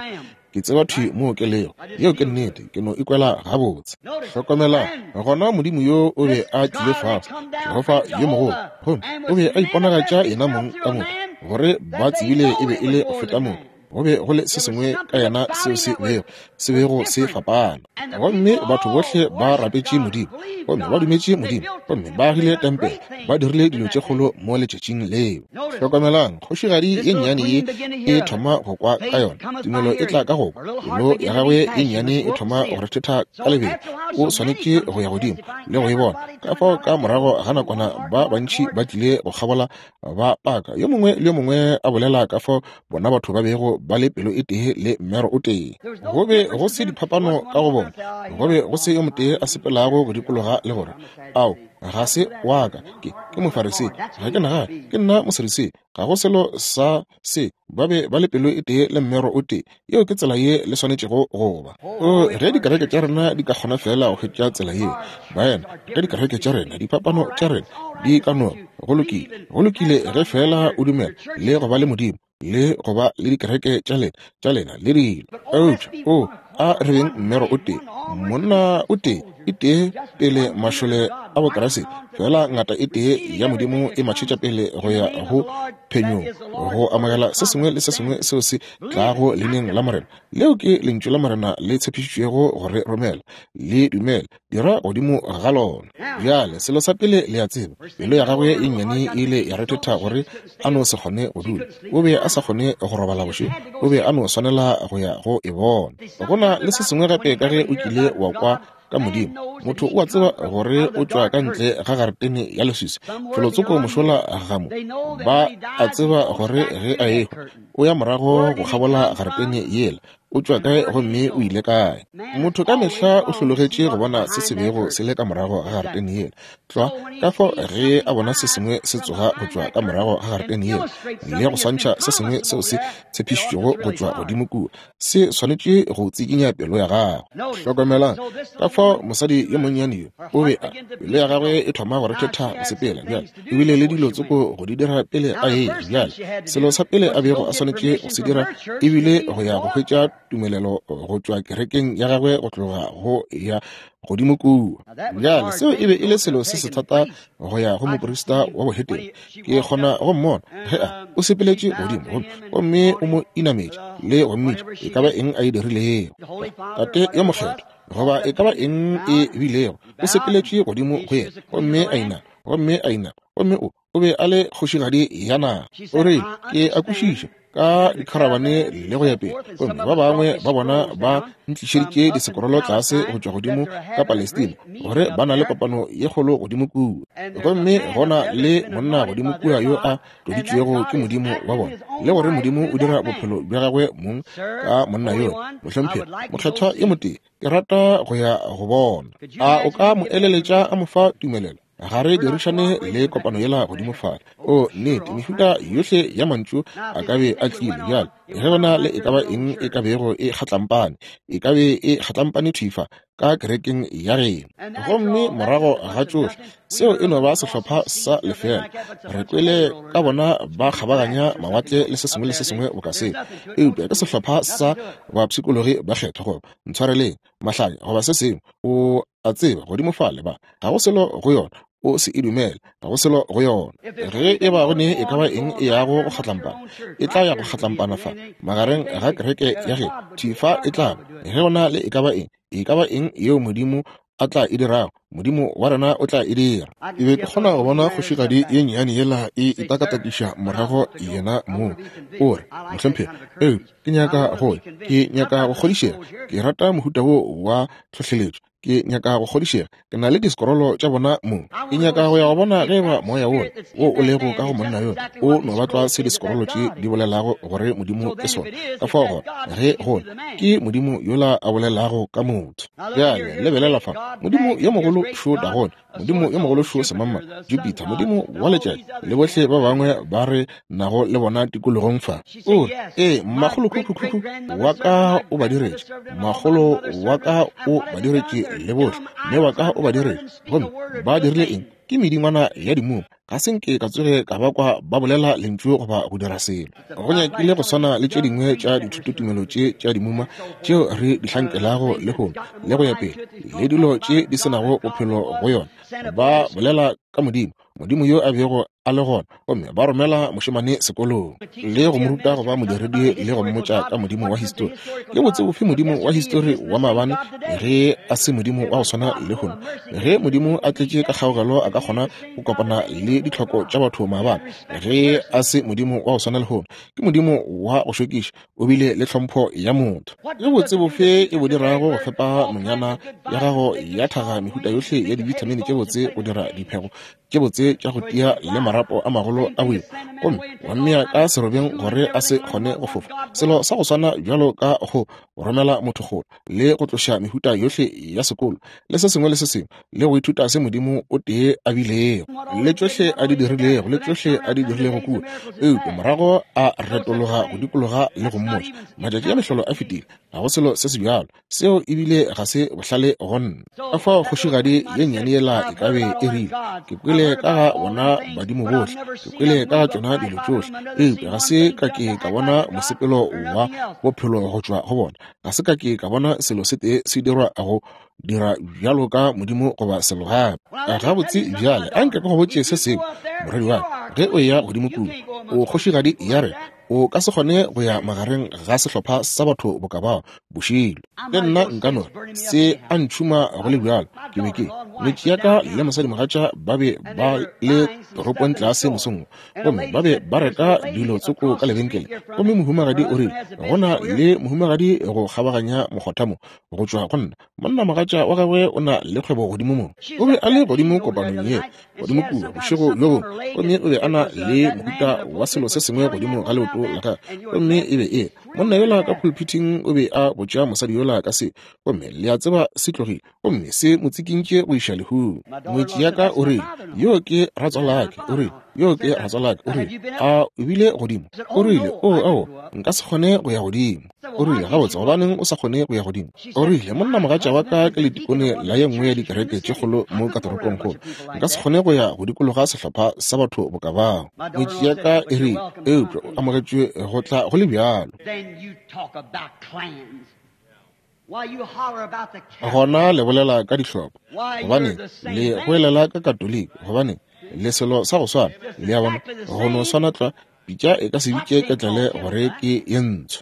Speaker 2: Ke tseba thwi moo ke lego. Yeo ke nnete, ke no ikwela gabotse. Hlokomelang, gona Modimo yo o be a tlile fase, Jehofa yo mogolo, gomme o be a iponagatša yena mong ka motho, gore ba tsebile e be e le go feta motho. Go be go le se sengwe ka yena seo se bego se bego se fapana. Gomme batho bohle ba rapetše Modimo, gomme ba dumetše Modimo, gomme ba agile tempele, ba dirile dilo tše kgolo mo letšatšing leo. Hlokomelang, kgošigadi ye nnyane ye e thoma go kwa ka yona. Tumelo e tla ka go kwa. Pelo ya gagwe ye nnyane e thoma go rethetha ka lebelo. O swanetše go ya godimo le go e bona. Ka fao ka morago ga nakwana ba bantši ba tlile go kgabola ba paka, yo mongwe le yo mongwe a bolela ka fao bona batho ba bego ba le pelo e tee le mmero o tee. Go be go se diphapano ka go bona, go be go se yo motee a sepelago go dikologa le gore, ao, ga se wa ka, ke ke Mofarisei, ga ke nagane, ke nna Mosadutsei, ga go selo sa se. Ba be ba le pelo e tee le mmero o tee. Yeo ke tsela ye le swanetšego go ba. O, ge dikereke tša rena di ka kgona fela go hwetša tsela yeo, baena, ge dikereke tša rena, diphapano tša rena di ka no, go lokile, go lokile ge fela o dumela le go ba le Modimo. le go ba le dikereke tša lena tša lena le dilo. Eupša o a re beng mmero o tee, monna o tee, e tee pele mašole a Bokriste, fela ngata e tee ya Modimo e matšhetša pele go ya go phenyong, go amogela se sengwe le se sengwe seo se tlago leineng la Morena. Leo ke lentšu la Morena le tshepišitšwego go re romela. Le dumele, dira godimo ga lona. Bjale selo sa pele le a tseba, pelo ya gagwe e nnyane e ile ya rethetha gore a no se kgone go dula. O be a sa kgone go robala bošego, o be a no swanela go ya go e bona. Go na le se sengwe gape ka ge o kile wa kwa ka Modimo. Motho o a tseba gore o tšwa ka ntle ga garetene ya leswiswi, felotsoko mošola ga mo. Ba a tseba gore ge a ehwa o ya morago go kgabola garetene yela, o tšwa kae gomme o ile kae. Motho ka mehla o hlologetše go bona se se bego se le ka morago ga garetene yela. Tlwa ka fao ge a bona se sengwe se tsoga go tšwa ka morago ga garetene yela le go swantšha se sengwe seo se tshepišitšwego go tšwa godimo kua, se swanetše go tsikinya pelo ya gagwe. Hlokomelang ka fao mosadi yo monnyane yo o be a pelo ya gagwe e thoma go rethetha go sepela bjale, ebile le dilo tsoko go di dira pele a eya. Bjale selo sa pele a bego a swanetše go se dira ebile go ya go hwetša tumelelo go tšwa kerekeng ya gagwe go tloga go ya godimo kua. Bjale seo e be e le selo se se thata go ya go moprista wa bohetene. Ke kgona go mmona ge a o sepeletše godimo gomme o mo inametše le go mmitša e ka ba eng a e dirilego. Tate yo mokgethwa goba e ka ba eng e bilego, o sepeletše godimo go yena gomme a inama, gomme a inama, gomme o o be a le kgošigadi ya naga. O rile, ke a kwešiša ka dikharabane le go ya pele, gomme ba bangwe ba bona ba ntlišeditše disekorolo tlase go tšwa godimo ka Palestina gore ba na le kopano ye kgolo godimo kua, gomme gona le monna godimo kua yo a tloditšwego ke Modimo wa bona, le gore Modimo o dira bophelo bja gagwe mong ka monna yola. Mohlomphegi mokgethwa yo motee, ke rata go ya go bona. A o ka mo eleletša a mo fa tumelelo? Ga re dirišane le kopano yela godimo fale. O nnete, mehuta yohle ya mantšu a ka be a tlile. Bjale ge gona le e ka ba eng e ka bego e kgatlampane, e ka be e kgatlampane thifa ka kerekeng ya geno. Gomme morago ga tšohle seo e no ba sehlopha sa lefela. Re kwele ka bona ba kgabaganya mawatle le se sengwe le se sengwe boka seo, eupša ke sehlopha sa bapshikologi ba kgethwa, goba ntshwareleng mahlanya goba se sengwe, o a tseba, godimo fale ba ga go selo go yona, o se e dumele, ga go selo go yona. Ge e ba go ne e ka ba eng e yago go kgatlampana, e tla ya go kgatlampana fa magareng ga kereke ya geno, thifa e tla ba. Ge go na le e ka ba eng, e ka ba eng yeo Modimo a tla e dirago, Modimo wa rena o tla e dira. E be ke kgona go bona kgošigadi ye nnyane yela e itakatakiša morago yena mong. O re, mohlomphegi, ee, ke nyaka go ya, ke nyaka go kgodišega, ke rata mohuta wo wa tlhohleletšo, ke nyaka go kgodišega, ke na le disekorolo tša bona mong. Ke nyaka go ya go bona ge eba moya wola wo o lego ka go monna yola o no ba tlwa se disekorolo tše di bolelago gore Modimo ke sona. Ka fao gona ge gona ke Modimo yola a bolelago ka motho. Bjale lebelela fa, Modimo yo mogolo šo Dagone, Modimo yo mogolo šo Semama, Jupiter, Modimo wa letšatši, le bohle ba bangwe ba re nago le bona tikologong fa. O re, ee, makgolokhukhu wa ka o ba diretše, makgolo wa ka o ba diretše le bohle, mme wa ka o ba diretše. Gomme ba dirile eng? Ke medingwana ya dimuma. Ga se nke ka tsoge ka ba kwa ba bolela lentšu goba go dira selo. Go nyakile go swana le tše dingwe tša dithutotumelo tše tša dimuma tšeo re di hlankelago lehono le go ya pele, le dilo tše di se nago bophelo go yona. Ba bolela ka Modimo, Modimo yo a bego a le gona, gomme ba romela mošemane sekolong le go mo ruta go ba modiredi le go mmotša ka Modimo wa histori. Ke botse bofe Modimo wa histori wa maabane ge a se Modimo wa go swana lehono? Ge Modimo a tletše ka kgaogelo a ka kgona go kopana le ditlhoko tša batho maabane, ge a se Modimo wa go swana lehono, ke Modimo wa go šokiša, o bile le tlhompho ya motho. Ke botse bofe e bo dirago go fepa nonyana ya gago ya thaga mehuta yohle ya dibithamini tše botse go dira diphego tše botse tša go tia le marapo a magolo a boima, gomme wa mmea ka serobeng gore a se kgone go fofa? Selo sa go swana bjalo ka go romela motho kgole le go tloša mehuta yohle ya sekolo le se sengwe le se sengwe, le go ithuta se Modimo o tee a bilego, le tšohle a di dirilego, le tšohle a di dirilego kua, eupša morago a retologa go dikologa le go mmotša matšatši a mehlolo a fetile, ga go selo se se bjalo. Seo ebile ga se bohlale go nna. Ka fao kgošigadi ye nnyane yela e ka be e rile, ke Ke kwele ka ga bona badimo bohle, ke kwele ka ga tšona dilo tšohle, eupša ga se ka ke ka bona mosepelo wa bophelo go tšwa go bona. Ga se ka ke ka bona selo se tee se dirwa go dira bjalo ka modimo goba selo gape. Gabotse bjale, a nke ke go botše se sengwe, morwedi wa ka, ge o eya godimo kua, o kgošigadi ya rena, o ka se kgone go ya magareng ga sehlopha sa batho boka bao bošilo. Le nna nka no re se a ntšhuma go le bjalo. Ke be ke ngwetši ya ka le mosadimogatša ba be ba le toropong tlase mosong wo, gomme ba be ba reka dilo tsoko ka lebenkele, gomme mohumagadi o rile go na le mohumagadi go kgabaganya mokgotha mo go tšwa go nna. Monnamogatša wa gagwe o na le kgwebo godimo mo. O be a le godimo kopanong ye godimo kua bošego bjo bongwe, gomme o be a na le mohuta wa selo se sengwe godimo ga leoto la gagwe, gomme e be e monna yola ka pulpiting o be a botša mosadi yola ka se, gomme le a tseba se tlogile, gomme se mo tsikintše go iša lehung. Ngwetši ya ka o rile, yo ke ratswalake, o rile, yo ke ratswalake, o rile, a o bile godimo? O rile, o ao, nka se kgone go ya godimo. O rile, gabotse, gobaneng o sa kgone go ya godimo? O rile, monnamogatša wa ka ke letikone la ye nngwe ya dikereke tše kgolo mo ka toropongkgolo, nka se kgone go ya go dikologa sehlopha sa batho boka bao. Ngwetši ya ka e rile, eupša o amogetšwe go tla go le bjalo. Gona le bolela ka dihlopha, gobane le goelela ka Katoliki, gobane le selo sa go swana, le a bona, go no swana tlwa. Pitša e ka se bitše ketlele gore ke ye ntsho.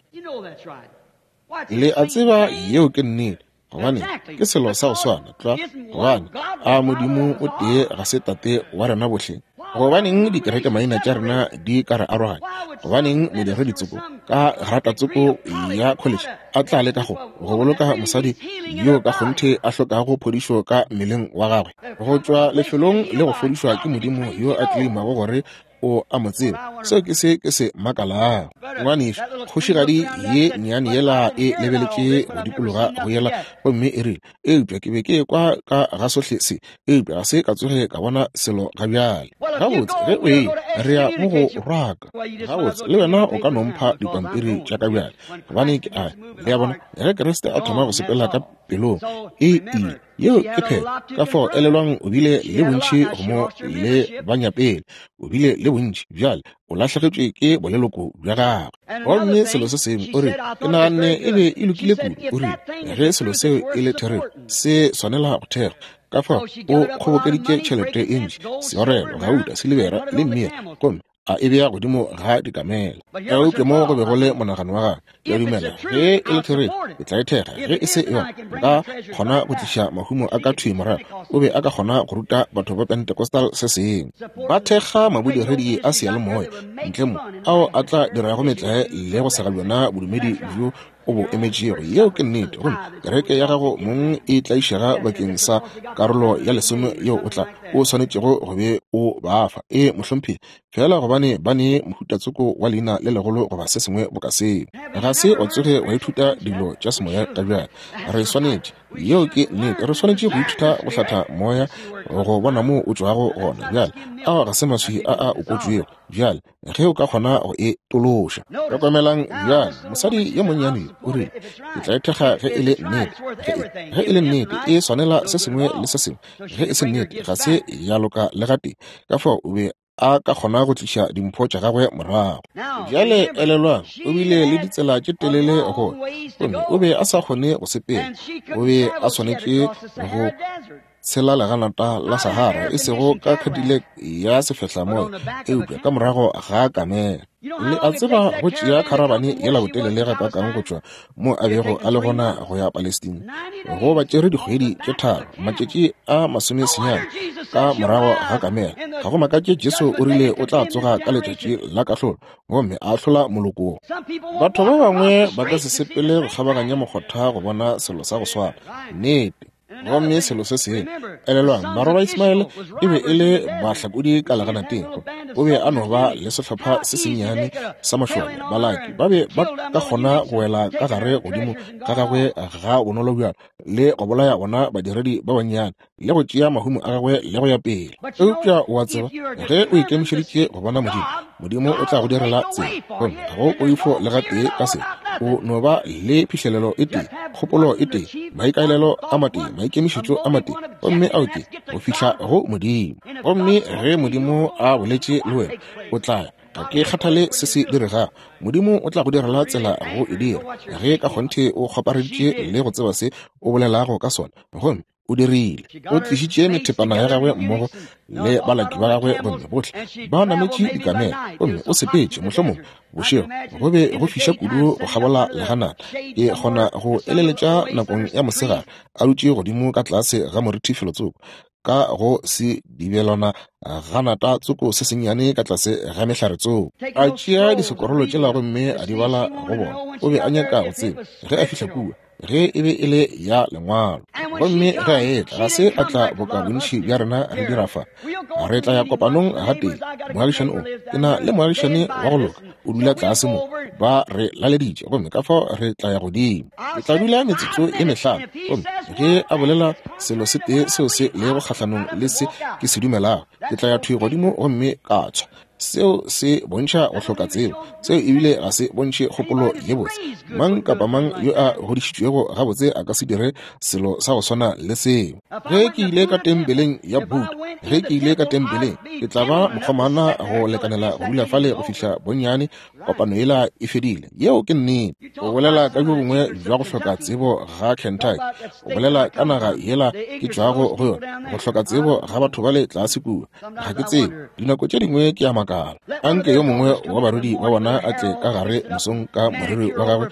Speaker 2: Le a tseba yeo ke nnete, gobane ke selo sa go swana tlwa, gobane a Modimo o tee ga se tate wa rena bohle. Gobaneng dikereke maina tša rena di ka re aroganya? Gobaneng modiredi tsoko ka grata tsoko ya college a tla leka go go boloka mosadi yo ka kgonthe a hlokago phodišo ka mmeleng wa gagwe go tšwa lefelong le go fodišwa ke Modimo yo a tleimago gore o a mo tseba? Seo ke se ke se makalago. Ngwanešu, kgošigadi ye nnyane yela e lebeletše go dikologa go yela, gomme e rile, eupša ke be ke kwa ka ga sohle se, eupša ga se ka tsoge ka bona selo ga bjale. Gabotse, ge o eya, re ya mo go rwaka. Gabotse, le wena o ka no mpha dipampiri tša ka bjale, gobane ke a, le a bona, ge Kriste a thoma go sepela ka pelong, e ile. Yeo ke phetho. Ka fao elelwang, o bile le bontši go mo le banyapele, o bile le bontši bjale o lahlegetšwe ke boleloko bja gagwe. Gomme selo se sengwe, o rile, ke naganne e be e lokile kudu. O rile, ge selo seo e le therešo, se swanela go thekgwa. Ka fao o kgobokeditše tšhelete e ntši, seorelo, gauta, silibera le mmira, gomme a e bea godimo ga dikamela. Eupša mo go be go le monagano wa gagwe, ke a dumela ge e le therešo ke tla e thekga, ge e se yona nka kgona go tliša mahumo a ka thwi morago. O be a ka kgona go ruta batho ba Pentecostal se sengwe, ba thekga mabodiredi a seyalemoya ntle mo ao a tla dirago metlae le go sega bjona bodumedi bjo o bo emetšego. Yeo ke nnete. Gomme kereke ya gago mong e tlaišega bakeng sa karolo ya lesome yeo o tla o swanetšego go be o ba fa. E mohlomphegi, fela gobane ba ne mohutatsoko wa leina le legolo goba se sengwe boka seo. Ga se wa tsoge wa ithuta dilo tša semoya ka bjale. Re swanetše, yeo ke nnete, re swanetše go ithuta go hlatha moya go bona moo o tšwago gona. Bjale ao ga se maswi a a okotšwego. Bjale ge o ka kgona go e tološa. Hlokomelang bjale, mosadi yo monnyane o rile, ke tla e thekga ge e le nnete. Ge e le nnete, e swanela se sengwe le se sengwe. Ge e se nnete, ga se ya loka le gatee. Ka fao o be a ka kgona go tliša dimpho tša gagwe morago. Bjale elelwang, o bile le ditsela tše telele go, gomme o be a sa kgone go sepela. O be a swanetše go tshela leganata la Sahara, e sego ka Cadillac ya sefehlamoya, eupša ka morago ga kamela. Le a tseba go tšea kharabane yela botelele gakaakang go tšwa mo a bego a le gona go ya Palestina? Go ba tšere dikgwedi tše tharo, matšatši a masomesenyane ka morago ga kamela. Ga go makatše Jesu o rile o tla tsoga ka letšatši la kahlolo gomme a ahlola moloko wo. Batho ba bangwe ba ka se sepele go kgabaganya mokgotha go bona selo sa go swana. Nnete. Gomme selo se sengwe, elelwang, barwa ba Ismaele e be e le bahlakodi ka leganateng. O be a no ba le sehlopha se sennyane sa mašole. Balaki ba be ba ka kgona go wela ka gare godimo ga gagwe ga bonolo bjalo le go bolaya bona badiredi ba bannyane le go tšea mahumo a gagwe le go ya pele. Eupša o a tseba, ge o ikemišeditše go bona Modimo, Modimo o tla go direla tsela, gomme ga go poifo le gatee ka se. O no ba le phihlelelo e tee, kgopolo e tee, maikaelelo a matee, maikemišetšo a matee, gomme ao ke go fihla go Modimo. Gomme ge Modimo a boletše le wena, o tla ya. Ga ke kgathale se se diregago, Modimo o tla go direla tsela go e dira, ge ka kgonthe o kgopareditše le go tseba se o bolelago ka sona. Gomme o dirile. O tlišitše methepana ya gagwe mmogo le balaki ba gagwe, gomme bohle ba nametše dikamela, gomme o sepetše mohlomongwe bošego. Go be go fiša kudu go kgabola leganata. Ke kgona go eleletša nakong ya mosegare a dutše godimo ka tlase ga moriti felotsoko, ka go se dibelwana ganata tsoko se sennyane ka tlase ga mehlare tsoko. A tšea disekorolo tšela gomme a di bala go bona. O be a nyaka go tseba ge a fihla kua ge e be e le ya lengwalo. Gomme ge a etla, ga se a tla boka bontši bja rena re dira fa. Re tla ya kopanong gatee. Moagišane o, ke na le moagišane wa go loka, o dula tlase mo. Ba re laleditše, gomme ka fao re tla ya godimo. Ke tla dula metsotso e mehlano, gomme ge a bolela selo se tee seo se lego kgahlanong le se ke se dumelago, ke tla ya thwi godimo gomme ka tshwa. Seo se bontšha go hloka tsebo. Seo ebile ga se bontšhe kgopolo ye botse. Mang kapa mang yo a godišitšwego gabotse a ka se dire selo sa go swana le seo. Ge ke ile ka tempeleng ya Buddha, ge ke ile ka tempeleng, ke tla ba mokgomana go lekanela go dula fale go fihla bonnyane kopano yela e fedile. Yeo ke nnete. O bolela ka bjo bongwe bja go hloka tsebo ga Kentucky, o bolela ka naga yela ke tšwago go yona, go hloka tsebo ga batho bale tlase kua. Ga ke tsebe, dinako tše dingwe ke a makala. Anke yo mongwe wa barudi ba bona a tle ka gare mosong ka moriri wa gagwe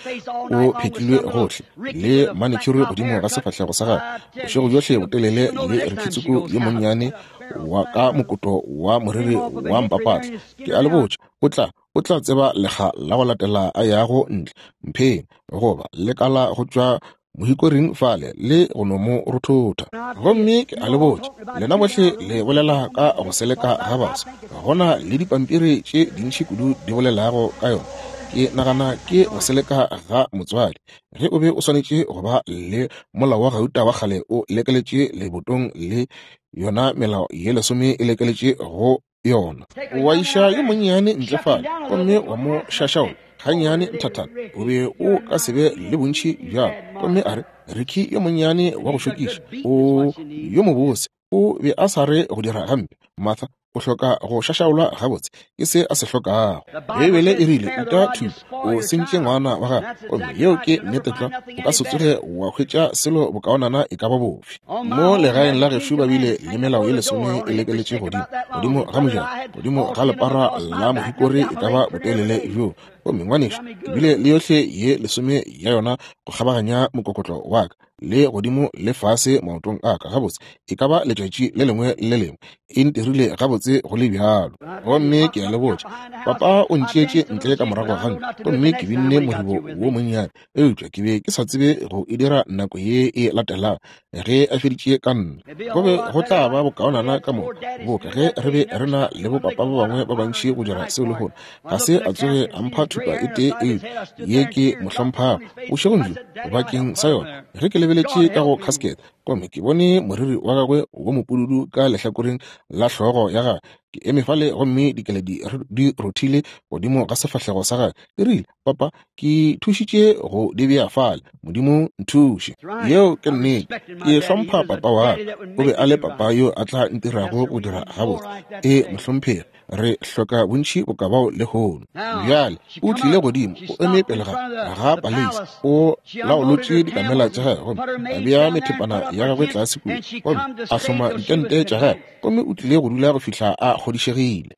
Speaker 2: o phetlilwe gohle le manicure godimo ga sefahlego sa gagwe bošego bjohle botelele, le Rikitsuku yo monnyane wa ka mokoto wa moriri wa mpapatla. Ke a le botša, o tla o tla tseba lekga la go latela a yago ntle mpheng goba lekala go tšwa mohikoring fale le go no mo rothotha. Gomme ke a le botša, lena bohle le bolela ka go seleka ga baswa. Gona le dipampiri tše dintši kudu di bolelago ka yona. Ke nagana ke go seleka ga motswadi. Ge o be o swanetše go ba le molao wa gauta wa kgale o lekeletše lebotong, le yona melao ye lesome e lekeletše go yona. Wa iša yo monnyane ntle fale gomme wa mo šašaola gannyane nthathana, o be o ka se be le bontši bjalo. Gomme a re, Ricky yo monnyane wa go šokiša, o yo mobose, o be a sa re go dira gampe. Martha, o hloka go šašaolwa gabotse, ke se a se hlokago. Beibele e rile, uta thupa, o sentše ngwana wa gago. Gomme yeo ke nnete tlwa. O ka se tsoge wa hwetša selo bokaonana e ka ba bofe. Mo legaeng la gešo ba bile le melao ye lesome e lekeletše godimo, godimo ga mojako, godimo ga lepara la mohikori e ka ba botelele bjo. Gomme ngwanešo, ke bile le yohle ye lesome ya yona go kgabaganya mokokotlo wa ka le godimo le fase maotong a ka gabotse, e ka ba letšatši le lengwe le lengwe. E ntirile gabotse go le bjalo. Gomme ke a le botša, papa o ntšeetše ntle ka morago ga ntlo, gomme ke binne moribo wo monnyane, eupša ke be ke sa tsebe go e dira nako ye e latelago ge a feditše ka nna. Go be go tla ba bokaonana ka moka boka ge re be re na le bopapa ba bangwe ba bantši go dira seo lehono. Ga se a tsoge a mpha thupa e tee eupša ye ke mo hlomphago bošegong bjo bakeng sa yona. Ge ke lebeletše ka go casket, gomme ke bone moriri wa gagwe wo mopududu ka lehlakoreng la hlogo ya gagwe, ke eme fale gomme dikeledi di rothile godimo ga sefahlego sa gagwe. Ke rile, papa, ke thušitše go di bea fale, Modimo nthuše. Yeo ke nnete. Ke hlompha papa wa ka. O be a le papa yo a tla ntirago go dira gabotse. E mohlomphegi, re hloka bontši boka bao lehono. Bjale o tlile godimo, o eme pele ga ga paleisi, o laolotše dikamela tša gagwe, gomme a bea methepana ya gagwe tlase kua, gomme a hloma ditente tša gagwe, gomme o tlile go dula go fihla a kgodišegile.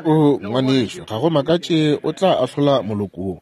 Speaker 2: O ngwanešo, ga go makatše o tla ahlola moloko wo.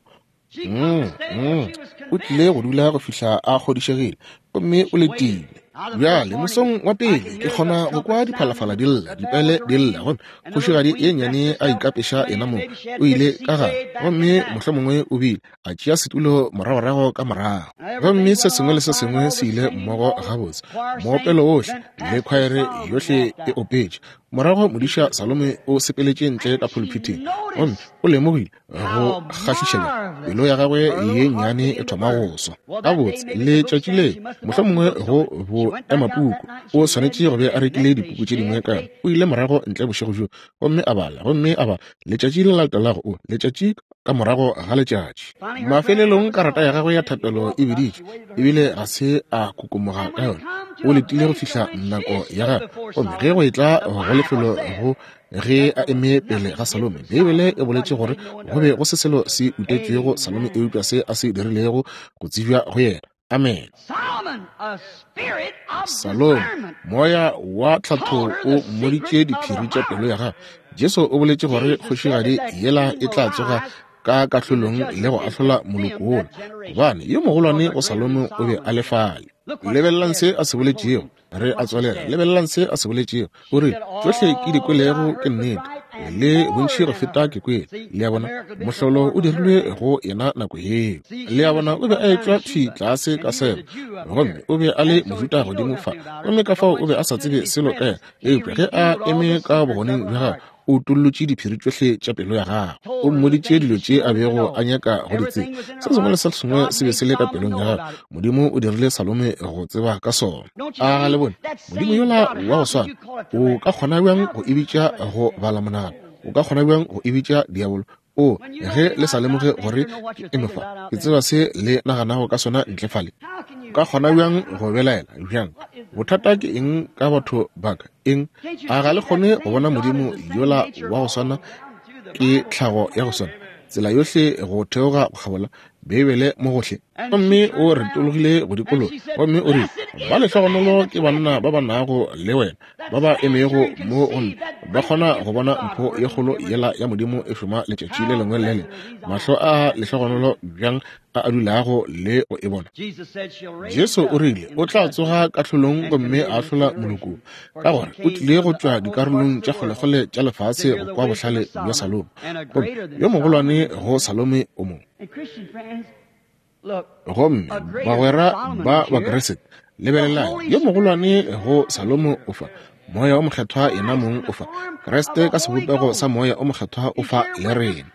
Speaker 2: Mm, mm. O tlile go dula go fihla a kgodišegile, gomme o letile. Bjale mosong wa pele ke kgona go kwa diphalafala di lla, dipele di lla, gomme kgošigadi ye nnyane a ikapeša yena mong. O ile ka gare, gomme mohlomongwe o bile a tšea setulo moragorago ka morago, gomme se sengwe le se sengwe se ile mmogo gabotse. Moopelo ohle le khwaere yohle e opetše. Morago modiša Salome o sepeletše ntle ka pulpiteng, gomme o lemogile go kgahlišega, pelo ya gagwe ye nnyane e thoma go swa. Gabotse letšatši le mohlomongwe go bo emapuku o swanetše go be a rekile dipuku tše dingwe ka yona. O ile morago ntle bošego bjo gomme a bala, gomme a bala. Letšatši le latelago o letšatši ka morago ga letšatši. Mafelelong karata ya gagwe ya thapelo e biditše, ebile ga se a kokomoga ka yona. O letile go fihla nako ya gagwe, gomme ge go etla go lefelo go ge a eme pele ga Salome, Beibele e boletše gore go be go se selo se utetšwego Salome eupša se a se dirilego go tsebja go yena. Amen. Salome, moya wa tlhatho o mmoditše diphiri tša pelo ya gagwe. Jesu o boletše gore kgošigadi yela e tla tsoga ka kahlolong le go ahlola moloko wola, gobane yo mogolwane go Salome o be a le fale. Lebelelang se a se boletšego. Re a tswalela. Lebelelang se a se boletšego. O re, tšohle ke di kwelego ke nnete, le bontši go feta ke kwele. Le a bona, mohlolo o dirilwe go yena nako yeo. Le a bona, o be a etšwa thwi tlase ka sebo, gomme o be a le Mojuda godimo fa, gomme ka fao o be a sa tsebe selo ka yena. Eupša ge a eme ka bogoneng bja gagwe, o utollotše diphiri tšohle tša pelo ya gagwe. O mmoditše dilo tše a bego a nyaka go di tseba. Se sengwe le se sengwe se be se le ka pelong ya gagwe. Modimo o dirile Salome go tseba ka sona. A ga le bone Modimo yola wa go swana o ka kgona bjang go e bitša go bala monagano? O ka kgona bjang go e bitša diabolo? O, ge le sa lemoge gore ke eme fa, ke tseba se le naganago ka sona ntle fale. O ka kgona bjang go belaela bjang? Bothata ke eng ka batho ba ka? Eng? A ga le kgone go bona Modimo yola wa go swana ke tlhago ya go swana, tsela yohle go theoga go kgabola Beibele mo gohle? Gomme o retologile go dikologa, gomme o rile, ba lehlogonolo ke banna ba ba nago le wena, ba ba emego mo go nna, ba kgona go bona mpho ye kgolo yela ya Modimo e šoma letšatši le lengwe le le lengwe. Mahlo a lehlogonolo bjang a a dulago le go e bona. Jesu o rile o tla tsoga kahlolong gomme a ahlola moloko, ka gore o tlile go tšwa dikarolong tša kgolekgole tša lefase go kwa bohlale bja Salome, gomme yo mogolwane go Salome o mongwe. Gomme bagwera ba Bakriste, lebelelang, yo mogolwane go Salomo o fa, Moya o Mokgethwa yena mong o fa, Kriste ka sebopego sa Moya o Mokgethwa o fa le rena,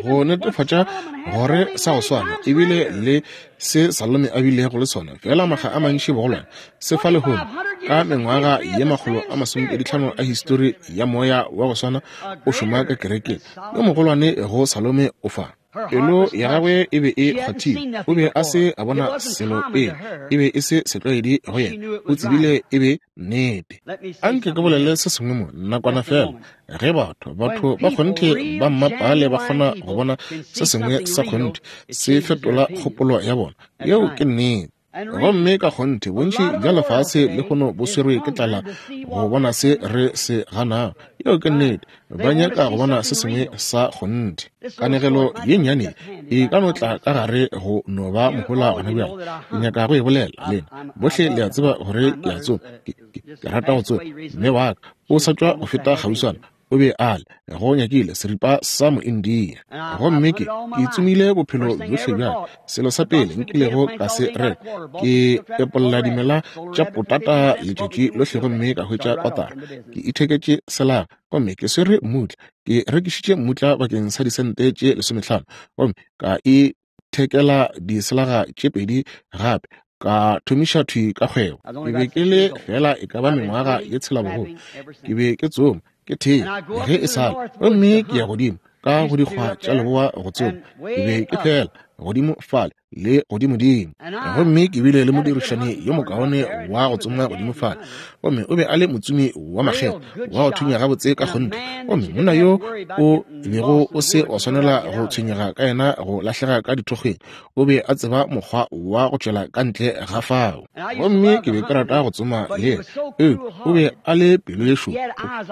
Speaker 2: go netefatša gore sa go swana ebile le se Salome a bilego le sona, fela makga a mantši bogolwane se fa lehono ka mengwaga ye makgolo a masomepedi tlhano a histori ya moya wa go swana o šoma ka kerekeng. Yo mogolwane go Salome o fa. Pelo ya gagwe e be e kgwathile. O be a se a bona selo pele, e be e se setlwaedi go yena. O tsebile e be nnete. Anke ke bolele se sengwe mo nakwana fela. Ge batho batho ba kgonthe ba mmapale ba kgona go bona se sengwe sa kgonthe, se fetola kgopolo ya bona. Yeo ke nnete. Gomme ka kgonthe bontši bja lefase lehono bo swerwe ke tlala go bona se re se ganago. Yeo ke nnete. Ba nyaka go bona se sengwe sa kgonthe. Kanegelo ye nnyane e ka no tla ka gare go no ba mohola gona bjale. Ke nyaka go e bolela lena bohle. Le a tseba gore ke a tsoma, ke, ke, ke rata go tsoma. Mme wa ka o sa tšwa go feta kgauswana, o be a le go nyakile seripa sa Moindia, gomme ke ke tsomile bophelo bjohle bja ka. Selo sa pele nkilego ka se reka, ke epolla dimela tša potata letšatši lohle gomme ka hwetša kotara. Ke itheketše selaga gomme ke swere mmutla. Ke rekišitše mmutla bakeng sa disente tše lesomehlano gomme ka ithekela diselaga tše pedi gape. Ka thomiša thwi ka kgwebo. Ke be ke le fela e ka ba mengwaga ye tshela bogolo. Ke be ke tsoma, ke thea ge e sale, gomme ke ya godimo ka go dikgwa tša leboa go tsoma. Ke be ke fela godimo fale le godimodimo, gomme ke bile le modirišani yo mokaone wa go tsoma godimo fale, gomme o be a le motsomi wa makgetho wa go thunya gabotse ka kgonthe. Gomme monna yo o bego o se wa swanela go tshwenyega ka yena go lahlega ka dithokgweng, o be a tseba mokgwa wa go tšwela ka ntle ga fao. Gomme ke be ke rata go tsoma le yena, eupša o be a le pelo ye šoro,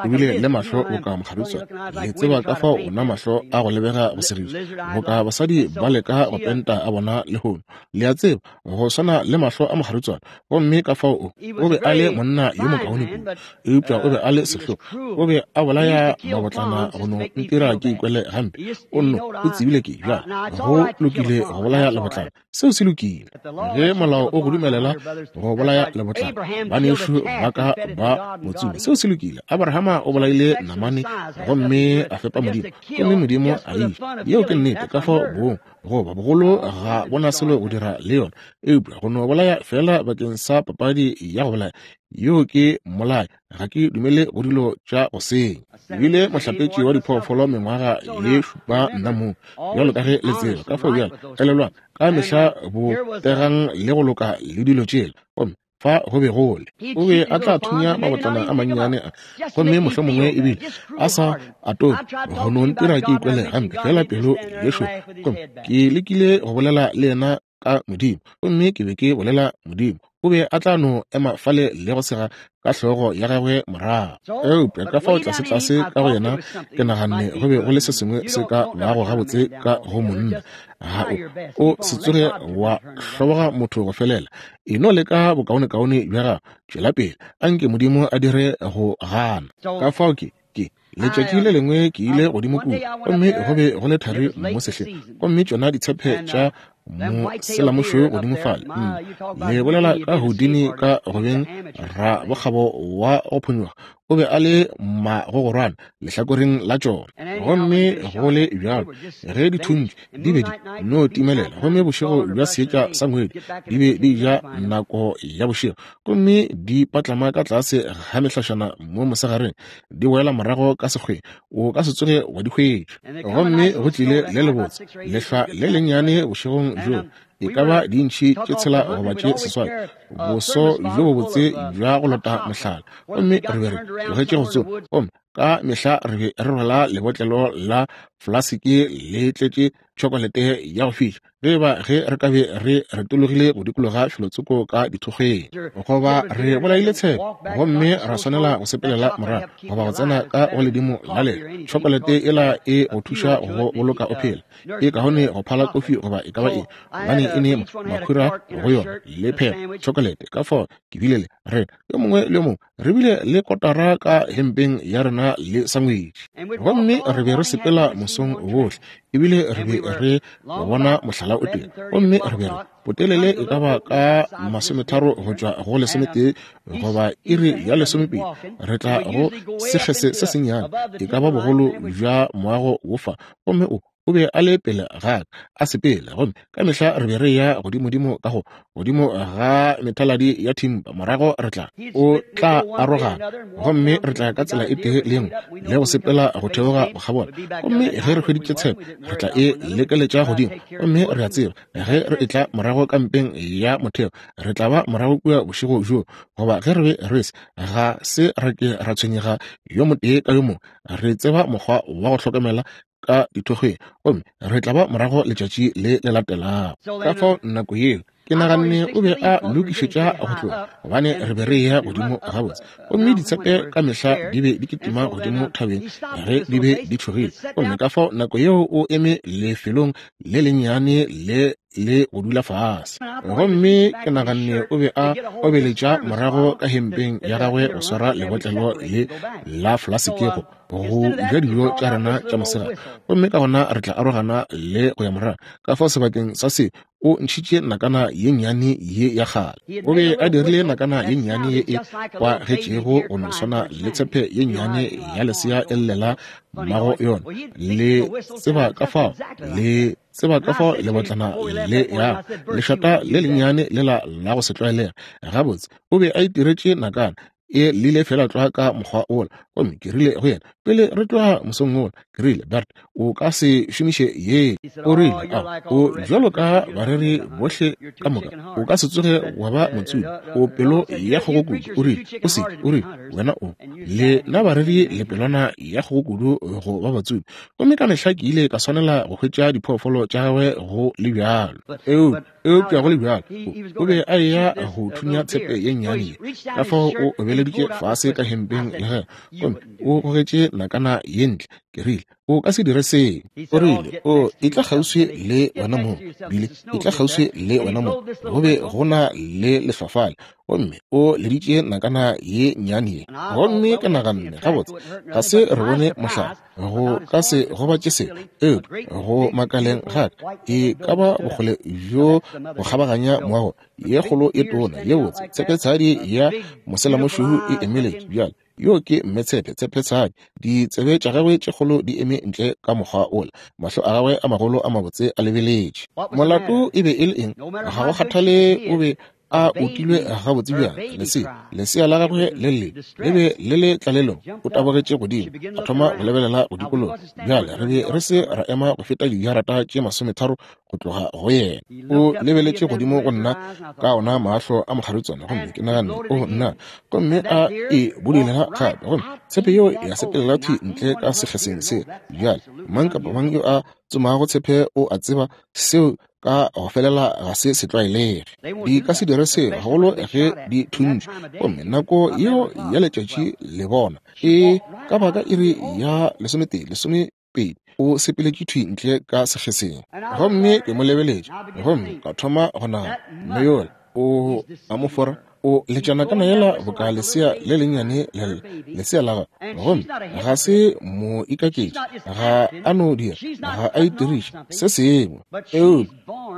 Speaker 2: o bile le mahlo boka mokgaritswane. Le tseba ka fao ona mahlo a go lebega go segiša, boka basadi ba leka go penta a bona lehono. Le a tseba, go swana le mahlo a mokgaritswane. Gomme ka fao o o be a le monna yo mokaone kudu, eupša o be a le sehlogo. O be a bolaya mabotlana go no ntira ke ikwele gampe. O nno o tsebile ke bjale go lokile go bolaya lebotlana. Seo se lokile ge molao o go dumelela go bolaya lebotlana. Banešu ba ka ba motsomi, seo se lokile. Abrahama o bolaile namane gomme a fepa Modimo, gomme Modimo a iša. Yeo ke nnete. Ka fao bong goba bogolo Bogolo ga bona selo go dira le yona, eupša go no bolaya fela bakeng sa papadi ya go bolaya. Yo ke mmolai, ga ke dumele go dilo tša go senya. Ebile mohlapetši wa diphoofolo mengwaga ye šupa nna mong, bjalo ka ge le tseba. Ka fao bjalo, elelwang, ka mehla botegang le go loka le dilo tšela. Gomme fa go be gole o be a tla thunya mabotlana a mannyane a, gomme mohlomongwe ebile a sa atome go no ntira ke ikwele gampe fela pelo yešo. Gomme ke lekile go bolela le yena ka Modimo, gomme ke be ke bolela Modimo. O be a tla no ema fale le go sega ka hlogo ya gagwe morago. Eupša ka fao tlase-tlase ka go yena ke naganne go be go le se sengwe se ka bago gabotse ka go monna. Ga o o se tsoge wa hloboga motho go felela. E no leka bokaonekaone bja gago, tšwela pele, anke Modimo a dire go gana. Ka fao ke ke letšatši le lengwe ke ile godimo kua, gomme go be go le thari mo sehleng, gomme tšona ditshepe tša moselamošweu godimo fale. Le bolela ka Houdini ka go beng rabokgabo wa go phonyokga, o be a le magogorwana lehlakoreng la tšona. Gomme go le bjalo ge di thuntšwe di be di no timelela, gomme bošego bja seetša sa ngwedi di be di ja nako ya bošego, gomme di patlama ka tlase ga mehlašana mo mosegareng, di boela morago ka sekgweng, o ka se tsoge wa di hwetša. Gomme go tlile le lebotse lehlwa le lennyane bošegong bjo, e ka ba dintšhi tše tshela goba tše seswai, boso bjo bobotse bja go lota mohlala. Gomme re be re tlogetše go tsoma, gomme ka mehla re be re rwala lebotlelo la flasiki le tletše tšhokolete ya go fiša, ge ba ge re ka be re retologile go dikologa felotsoko ka dithokgweng, goba re bolaile tshepe gomme ra swanela go sepelela morago goba go tsena ka go ledimo la lela. Tšhokolete ela e go thuša go boloka o phela, e kaone go phala kofi goba e ka ba eng, gobane e ne makhura go yona le phepo tšhokolete. Ka fao ke bile le rena yo mongwe le yo mongwe re bile le kotara ka hempeng ya rena le sangwetši, gomme re be re sepela mosong wohle, ebile re be re bona mohlala o tee, gomme re be re botelele e ka ba ka masometharo go tšwa go lesometee goba iri ya lesomepedi, re tla go sekgese se sennyane e ka ba bogolo bja moago wofa, gomme o o be a le pele ga ka a sepela, gomme ka mehla re be re ya godimodimo ka go godimo ga methaladi ya thimpa, morago re tla o tla arogana, gomme re tla ka tsela e tee le nngwe le go sepela go theoga go kgabola. Gomme ge re hweditše tshepe re tla e lekeletša godimo, gomme re a tseba ge re etla morago kampeng ya motheo re tla ba morago kua bošego bjo, goba ge re be re se ga se re ke ra tshwenyega yo motee ka yo mongwe, re tseba mokgwa wa go hlokomela ka dithokgweng, gomme re tla ba morago letšatši le le latelago. Ka fao nako yeo ke naganne o be a lokišetša go tloga, gobane re be re ya godimo gabotse, gomme ditshepe ka mehla di be di kitima godimo thabeng ge di be di tšhogile. Gomme ka fao nako yeo o eme lefelong le lennyane le le go dula fase, gomme ke naganne o be a obeletša morago ka hempeng ya gagwe go swara lebotlelo le la flasekego go ja dijo tša rena tša mosegare, gomme ka gona re tla arogana le go ya morago. Ka fao sebakeng sa se o ntšhitše nakana ye nnyane ye ya kgale. O be a dirile nakana ye nnyane ye e kwagetšego go no swana le tshepe ye nnyane ya lesea e llela mmago yona. Le tseba ka fao le tseba ka fao lebotlana le ya lešata le lennyane lela la go se tlwaelega gabotse. O be a itiretše nakana e lile fela tlwa ka mokgwa ola, gomme ke rile go yena pele re tloga mosong ola, ke rile, Bert, o ka se šomiše ye. O rile, a o bjalo ka bareri bohle ka moka, o ka se tsoge wa ba motsubi, o pelo ya kgogo kudu. O rile, o se, o rile, wena o le na bareri le pelwana ya kgogo kudu go ba batsubi. Gomme ka mehla ke ile ka swanela go hwetša diphoofolo tša gagwe go le bjalo. Eupša go le bjalo o be a eya go thunya tshepe ye nnyane ye. Ka fao o obeleditše fase ka hempeng ya gagwe, gomme o gogetše nakana ye ntle. Ke rile, o ka se dire seo. O rile, o e tla kgauswi le wena mong, bile e tla kgauswi le wena mong. Go be go na le lehlwafale, gomme o leditše nakana ye nnyane ye. Gomme ke naganne, gabotse ga se re bone mohlala, go ka se gobatše se, eupša go makaleng ga ka e ka ba bokgole bjo go kgabaganya moago ye kgolo e tona ye botse tshepetshadi ya moselamošweu e emeletše bjale. Yo ke mme tshepe, tshepe tshadi. Ditsebe tša gagwe tše kgolo di eme ntle ka mokgwa ola. Mahlo a gagwe a magolo a mabotse a lebeletše. Molato e be e le eng? Ga go kgathale o be a otilwe gabotse bjang, lesea, lesea la gagwe le le le be le le tlalelong. O tabogetše godimo, a thoma go lebelela go dikologa. Bjale re be re se ra ema go feta dijarata tše masometharo go tloga go yena. O lebeletše godimo go nna ka ona mahlo a mokgaritswana, gomme ke naganne, o nna, gomme a e budulela gape, gomme tshepe yeo ya sepelela thwi ntle ka sekgeseng se. Bjale mang kapa mang yo a tsomago tshepe o a tseba seo ka go felela ga se se tlwaelege. Di ka se dire selo, gagolo ge di thuntšwe. Gomme nako yeo ya letšatši le bona e ka baka iri ya lesometee lesomepedi, o sepeletše thwi ntle ka sekgeseng. Gomme ke mo lebeletše, gomme ka thoma go nagana, mme yola o a mo fora, o letšana ka yela boka lesea le lennyane le lesea la gagwe. Gomme ga se mo ikaketše, ga a no dira, ga a itiriše se sengwe, eupša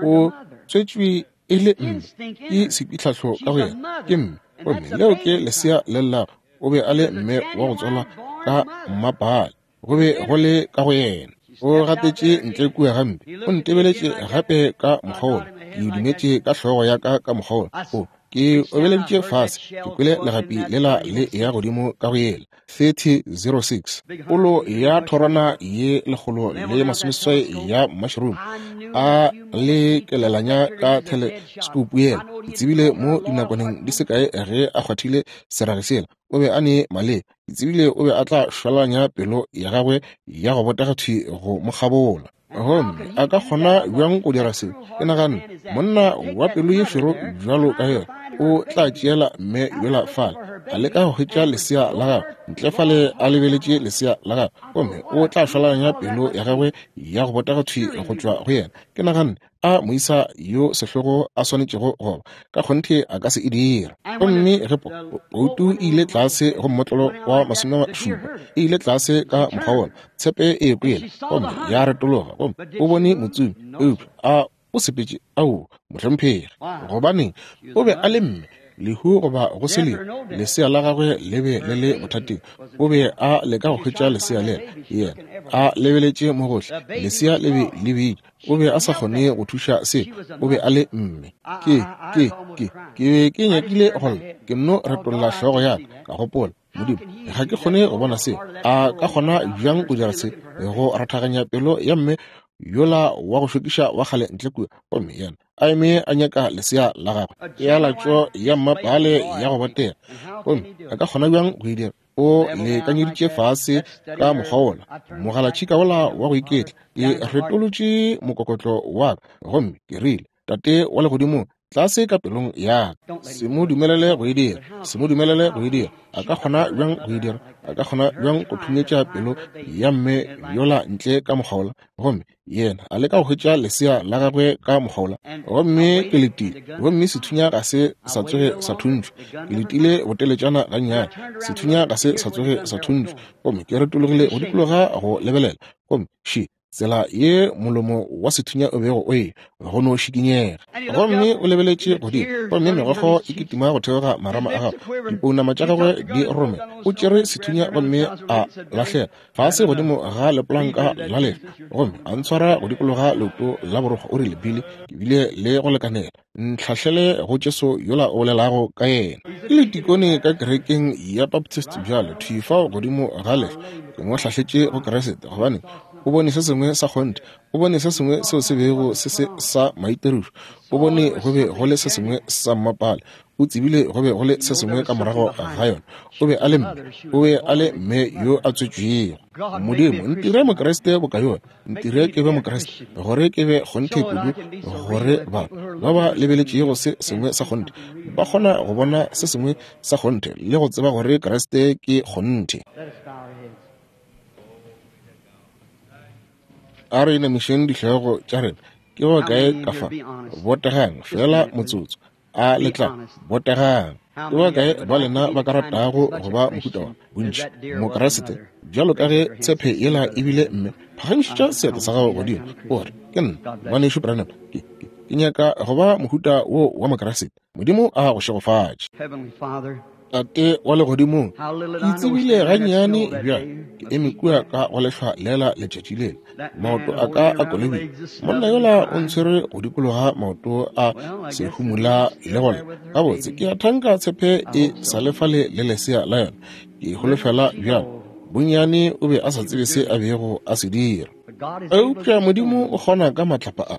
Speaker 2: o tswetšwe e le mme, ke sepitlhahlo ka go yena, ke mme. Gomme leo ke lesea le llago. O be a le mme wa go tswalwa ka mmapale, go be go le ka go yena. O gatetše ntle kua gampe, o ntebeletše gape ka mokgwa wola. Ke dumetše ka hlogo ya ka ka mokgwa wola. O ke obeleditše fase, ke kwele legapi lela le ya godimo ka go yela thirty oh six, polo ya thorwana ye lekgolo le masomeseswai ya mushroom a le kelelanya ka telescope yela. Ke tsebile mo dinakwaneng di se kae ge a kgwathile serage sela, o be a ne maleba. Ke tsebile o be a tla šwalanya pelo ya gagwe ya go botega thwi go mo kgabola. Gomme a ka kgona bjang go dira seo? Ke naganne, monna wa pelo ye šoro bjalo ka yena o tla tšeela mme yola fale, a leka go hwetša lesea la gagwe ntle fale, a lebeletše lesea la gagwe, gomme o tla šwalanya pelo ya gagwe ya go botega thwi go tšwa go yena. Ke naganne, a moisa yo sehlogo a swanetšego go ba, ka kgonthe a ka se e dira. Gomme ge poutu e ile tlase go mmotlolo wa masomešupa, e ile tlase ka mokgwa wola, tshepe e kwele gomme ya retologa, gomme o bone motsomi, eupša a o sepetše. Ao, mohlomphegi, gobaneng o be a le mme, lehu goba go se lehu, lesea la gagwe le be le le bothateng. O be a leka go hwetša lesea lela, yena a lebeletše mo gohle, lesea le be le bitša. O be a sa kgone go thuša se, o be a le mme. Ke ke ke ke be ke nyakile go lla, ke nno retolla hlogo ya ka, ka gopola, Modimo, ga ke kgone go bona se. A ka kgona bjang go dira se, go rathaganya pelo ya mme yola wa go šokiša wa kgale ntle kua? Gomme yena a eme a nyaka lesea la gagwe, ya latšo ya mmapale ya go botega. Gomme a ka kgona bjang go e dira? O lekanyeditše fase ka mokgwa wola, mogalatšhika wola wa go iketla. Ke retolotše mokokotlo wa ka, gomme ke rile, Tate wa legodimo, tlase ka pelong ya ka, se mo dumelele go e dira, se mo dumelele go e dira. A ka kgona bjang go e dira? A ka kgona bjang go thunyetša pelo ya mme yola ntle ka mokgwa wola? Gomme yena a leka go hwetša lesea la gagwe ka mokgwa wola. Gomme ke letile, gomme sethunya ga se sa tsoge sa thuntšwa. Ke letile boteletšana gannyane, sethunya ga se sa tsoge sa thuntšwa. Gomme ke retologile go dikologa go lebelela, gomme še tsela ye molomo wa sethunya o bego o e go no šikinyega. Gomme o lebeletše godimo, gomme megokgo e kitima go theoga marama a gagwe, dipounama tša gagwe di rome. O tšere sethunya gomme a lahlela fase godimo ga lepolanka la lehlwa, gomme a ntshwara go dikologa leoto la borokgo. O rile, Billy, ke bile le go lekanela, ntlhahlele go Jesu yola o bolelago ka yena. Ke letikone ka kerekeng ya Baptist bjale, thwi fao godimo ga lehlwa. Ke mo hlahletše go Kriste, gobane o bone se sengwe sa kgonthe, o bone se sengwe seo se bego se se sa maitirišo, o bone go be go le se sengwe sa mmapale, o tsebile go be go le se sengwe ka morago ga yona. O be a le mme, o be a le mme yo a tswetšwego. Modimo, ntire Mokriste boka yona, ntire ke be Mokriste, gore ke be kgonthe kudu, gore batho ba ba lebeletšego se sengwe sa kgonthe ba kgona go bona se sengwe sa kgonthe le go tseba gore Kriste ke kgonthe. A re inamišeng dihlogo tša rena. Ke go kae ka fa? Botegang fela motsotso. A le tla botegang. Ke ba kae ba lena ba ka ratago go ba mohuta wa bontši Mokriste bjalo ka ge tshepe yela ebile mme? Phagamišetša seatla sa gago godimo, o re, ke nna ngwanešu Branham, ke, ke, ke nyaka go ba mohuta wo wa Mokriste. Modimo a go šegofatše. Tate wa legodimong, ke tsebile gannyane bjang ke eme kua ka go lehlwa lela letšatši lela, maoto a ka a kolobile. Monna yola o ntshwere go dikologa maoto a sehumula le gole. Gabotse ke a thanka tshepe e sa le fale le lesea la yona. Ke holofela bjang bonnyane o be a sa tsebe se a bego a se dira. Eupša Modimo o kgona ka matlapa a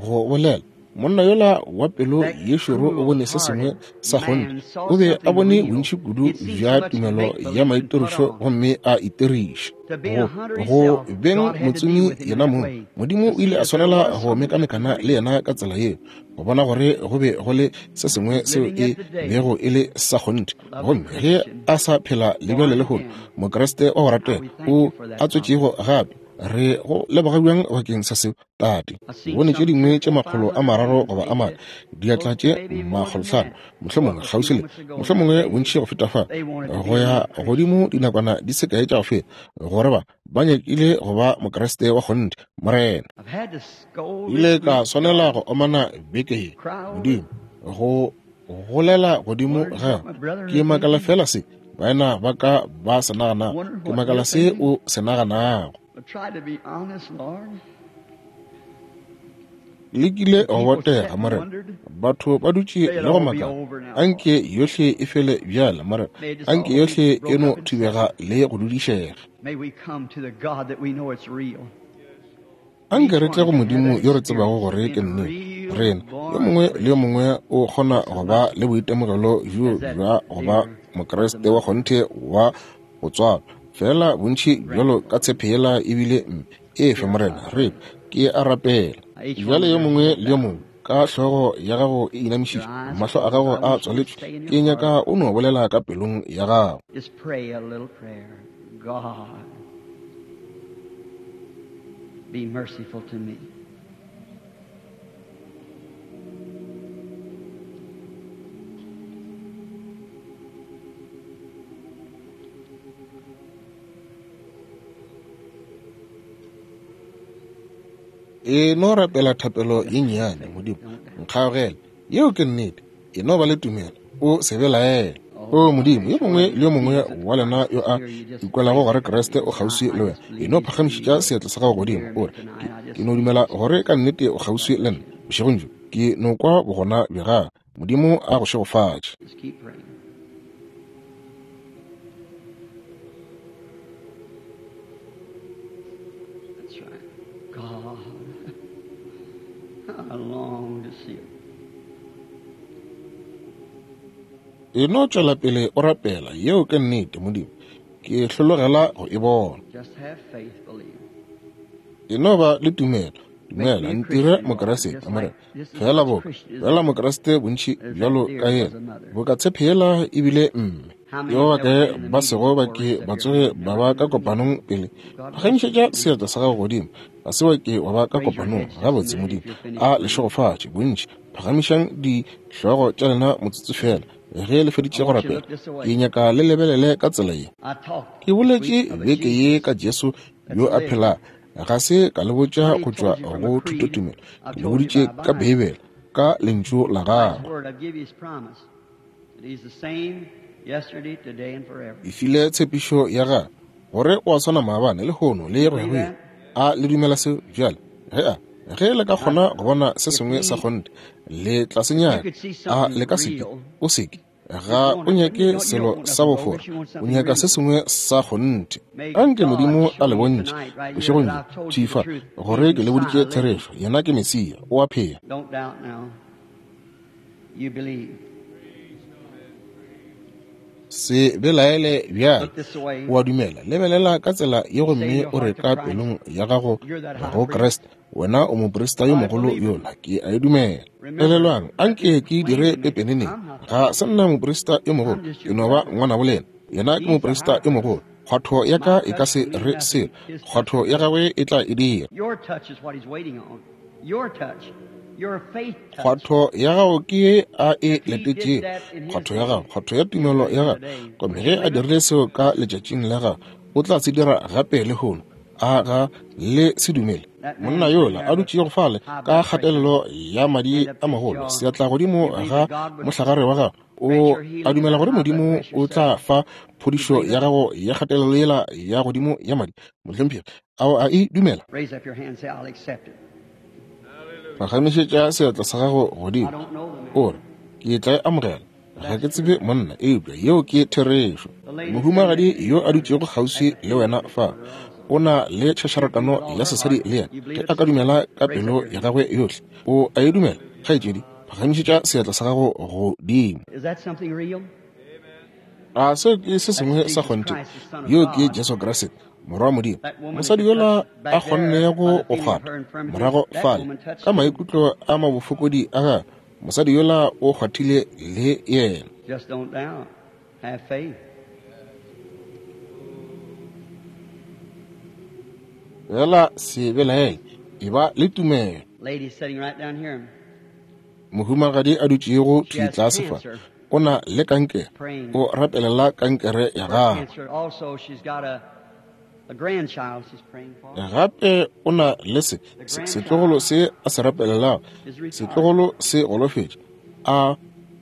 Speaker 2: go bolela. Monna yola wa pelo ye šoro o bone se sengwe sa kgonthe. O be a bone bontši kudu bja tumelo ya maitirišo gomme a itiriša. Go, go beng motsomi yena mong, Modimo o ile a swanela go mekamekana le yena ka tsela yeo, go bona gore go be go le se sengwe seo e bego e le sa kgonthe. Gomme ge a sa phela le bjale lehono, Mokriste wa go ratega o a tswetšego gape, re go leboga bjang bakeng sa seo, Tate. Bone tše dingwe tše makgolo a mararo goba a mane, diatla tše makgolohlano, mohlomongwe kgauswi le mohlomongwe bontši go feta fa, go ya godimo dinakwana di se kae tša go feta, gore ba ba nyakile go ba Mokriste wa kgonthe. Morena, ile ka swanela go omana beke ye, Modimo, go golela godimo ga ke makala fela se baena ba ka ba se naganago, ke makala se o se naganago. Lekile go botega, Morena. Batho ba dutše le go makala. Anke yohle e fele bjale, Morena. Anke yohle e no thubega le go dudišega. Anke re tle go Modimo yo re tsebago gore ke nnete. Rena, yo mongwe le yo mongwe o kgona go ba le boitemogelo bjo bja go ba Mokriste wa kgonthe wa go tswalwa. Fela bontši bjalo ka tshepe yela ebile mme. Efe, Morena, re ke a rapela. Bjale yo mongwe le yo mongwe ka hlogo ya gago e inamišitšwe, mahlo a gago a tswaletšwe, ke nyaka o no bolela ka pelong ya gago.
Speaker 1: Just pray a little prayer. God, be merciful to me.
Speaker 2: E no rapela thapelo ye nnyane, Modimo, nkgaogele. Yeo ke nnete. E no ba le tumelo, o se belaele. O Modimo, yo mongwe le yo mongwe wa lena yo a ikwelago gore Kriste o kgauswi le wena, e no phagamišetša seatla sa gago godimo, o re, ke, ke no dumela gore ka nnete o kgauswi le nna bošegong bjo. Ke no kwa bogona bja gagwe. Modimo a go šegofatše.
Speaker 1: Just keep praying. That's right. God, I long to see it.
Speaker 2: E no tšwela pele o rapela. Yeo ke nnete, Modimo. Ke hlologela go e bona.
Speaker 1: Just have faith, believe.
Speaker 2: E no ba le tumelo. Dumela, ntire Mokriste, Morena. Fela bo, fela Mokriste bontši bjalo ka yena. Boka tshepe yela ebile mme. Yo ba kae ba sego ba ke ba tsoge ba ba ka kopanong pele. Phagamišetša seatla sa gago godimo. Ga se wa ke wa ba ka kopanong. Gabotse, Modimo a le šegofatše bontši. Phagamišang dihlogo tša lena motsotso fela. Ge le feditše go rapela, ke nyaka le lebelele ka tsela ye.
Speaker 1: I talked
Speaker 2: Ke boletše beke ye ka Jesu yo a phelago. Ga se ka le botša go tšwa go thutotumelo. Ke le boditše ka Beibele, ka lentšu la
Speaker 1: His
Speaker 2: gagwe.
Speaker 1: word, I've given you his promise. That he's the same yesterday, today, and forever.
Speaker 2: E file tshepišo ya gagwe gore o a swana maabane, lehono le go ya go ile. A le dumela seo bjale? Ge a ge le ka kgona go bona se sengwe sa kgonthe, le tla se nyaka. A le ka seke? O seke. Ga o nyake selo sa bofora, o nyaka se sengwe sa kgonthe. Anke Modimo a le bontšhe bošegong bjo, thwi fa, gore ke le boditše therešo. Yena ke Mesia, o a phela.
Speaker 1: Don't doubt now. You believe.
Speaker 2: Se belaele bjale.
Speaker 1: Look this way.
Speaker 2: O a dumela. Lebelela ka tsela ye gomme o re ka pelong ya gago go Kriste, wena o moprista yo mogolo yola, ke a e dumela. Elelwang, anke ke dire pepeneneng. Ga se nna moprista yo mogolo, ke no ba ngwanabo lena. Yena ke moprista yo mogolo. Kgwatho ya ka e ka se re selo, kgwatho ya gagwe e tla e dira.
Speaker 1: Your touch is what he's waiting on. Your touch. Your faith touch.
Speaker 2: Kgwatho ya gago ke ye a e letetšego. Kgwatho ya gago, kgwatho ya tumelo ya gago. Gomme ge a dirile seo ka letšatšing la gago, o tla se dira gape lehono. A ga le se dumele? Monna yola a dutšego fale ka kgatelelo ya madi a magolo, seatla godimo ga mohlagare wa gago, O a dumela gore Modimo o tla fa phodišo ya gago ya kgatelelo yela ya godimo ya madi, mohlomphegi? A o a e dumela? Phagamišetša seatla sa gago godimo, o re, ke tla e amogela. Ga ke tsebe monna, eupša yeo ke therešo. Mohumagadi yo a dutšego kgauswi le wena fa, o na le tšhašarakano ya sesadi le yena. Ge a ka dumela ka pelo ya gagwe yohle, o a e dumela, kgaetšedi? Phagamišetša seatla sa gago godimo. A seo ke se sengwe sa kgonthe? Yo ke Jesu Kriste, Morwa wa Modimo. Mosadi yola a kgonnego go kgwatha morago fale ka maikutlo a mabofokodi a gagwe, mosadi yola o kgwathile le yena. Fela se belaele, e ba le tumelo. Mohumagadi a dutšego thwi tlase fa, o na le kankere, o rapelela kankere ya gagwe. Gape o na le se setlogolo se a se rapelelago, setlogolo se golofetše. A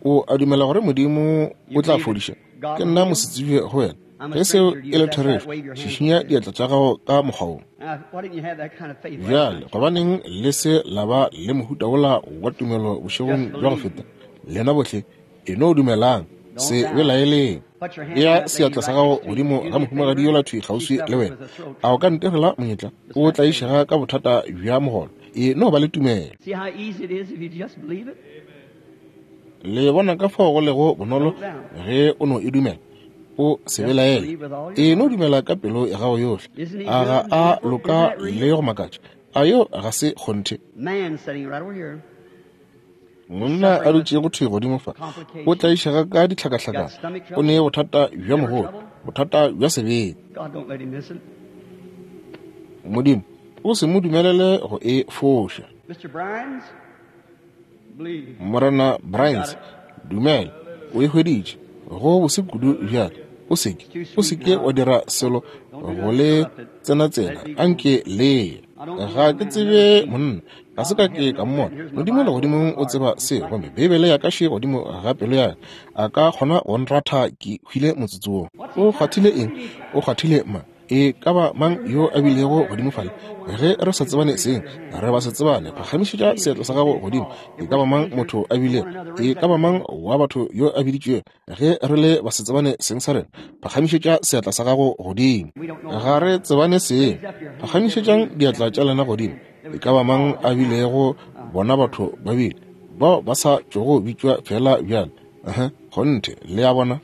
Speaker 2: o a dumela gore Modimo o tla fodiša? Ke nna mosetsebje go wena. Ge seo e le therešo, šišinya diatla tša gago ka mokgwa wo. Bjale, gobaneng le se la ba le mohuta wola wa tumelo bošegong bja go feta? Lena bohle, e no dumelang, se belaeleng. Bea seatla sa gago godimo ga mohumagadi yola thwi kgauswi le wena. A o ka ntirela monyetla? O tlaišega ka bothata bja mogolo. E no ba le tumelo. Le bona ka fao go lego bonolo ge o no e dumela. O se belaele. E no dumela ka pelo ya gago yohle. A ga a loka le go makatša? A yo ga se kgonthe? Monna a dutšego thwi godimo fa, o tlaišega ka ditlhakahlakano, o ne bothata bja mogolo, bothata bja sebete. Modimo, o se mo dumelele go e foša. Morena Bryans, dumela, o e hweditše. Go bose kudu bjale. O seke, o seke wa dira selo go le tsenatsena, anke le. Ga ke tsebe monna, ga se ka ke ka mmona. Modimo legodimong o tseba se, gomme Beibele ya ka še godimo ga pelo ya ka. A ka kgona go nratha ke hwile motsotso wo. O kgwathile eng? O kgwathile mang? E ka ba mang yo a bilego godimo fale? Ge re sa tsebane seng, re ba se tsebane. Phagamišetša seatla sa gago godimo. E ka ba mang motho a bilego? E ka ba mang wa batho yo a biditšwego? Ge re le ba se tsebane seng sa rena, phagamišetša seatla sa gago godimo. Ga re tsebane seng. Phagamišetšang diatla tša lena godimo. E ka ba mang a bilego? Bona batho ba bile bao ba sa tšogo bitšwa fela bjale. Aha, kgonthe, le a bona.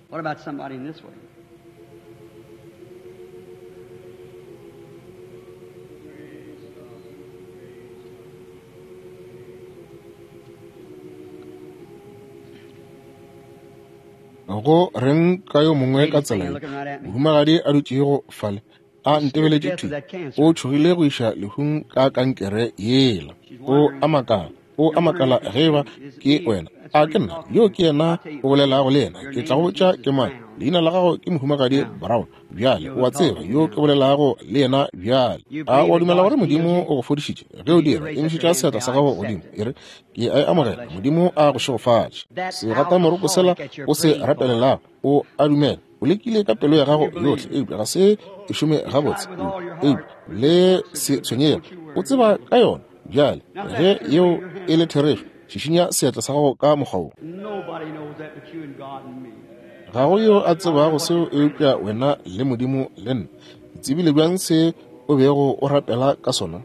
Speaker 2: Go reng ka yo mongwe ka tsela ye? Mohumagadi a dutšego fale a ntebeletše thwi, o tšhogile go iša lehung ka kankere yela. O a makala, o a makala ge eba ke wena. A ke nna yo ke yena o bolelago le yena? Ke tla go botša ke mang. Leina la gago ke mohumagadi Brown. Bjale o a tseba yo ke bolelago le yena bjale. A o a dumela gore Modimo o go fodišitše? Ge o dira, emišetša seatla sa gago godimo, e re, ke a e amogela. Modimo a go šegofatše. Segatamoroko sela o se rapelelago, o a dumela. O lekile ka pelo ya gago yohle, eupša ga se e šome gabotse. Eupša le se tshwenyege, o tseba ka yona. Bjale ge yeo e le therešo, šišinya seatla sa gago ka mokgwa wo. Ga go yo a tsebago seo eupša wena le Modimo le nna. Ke tsebile bjang se o bego o rapela ka sona?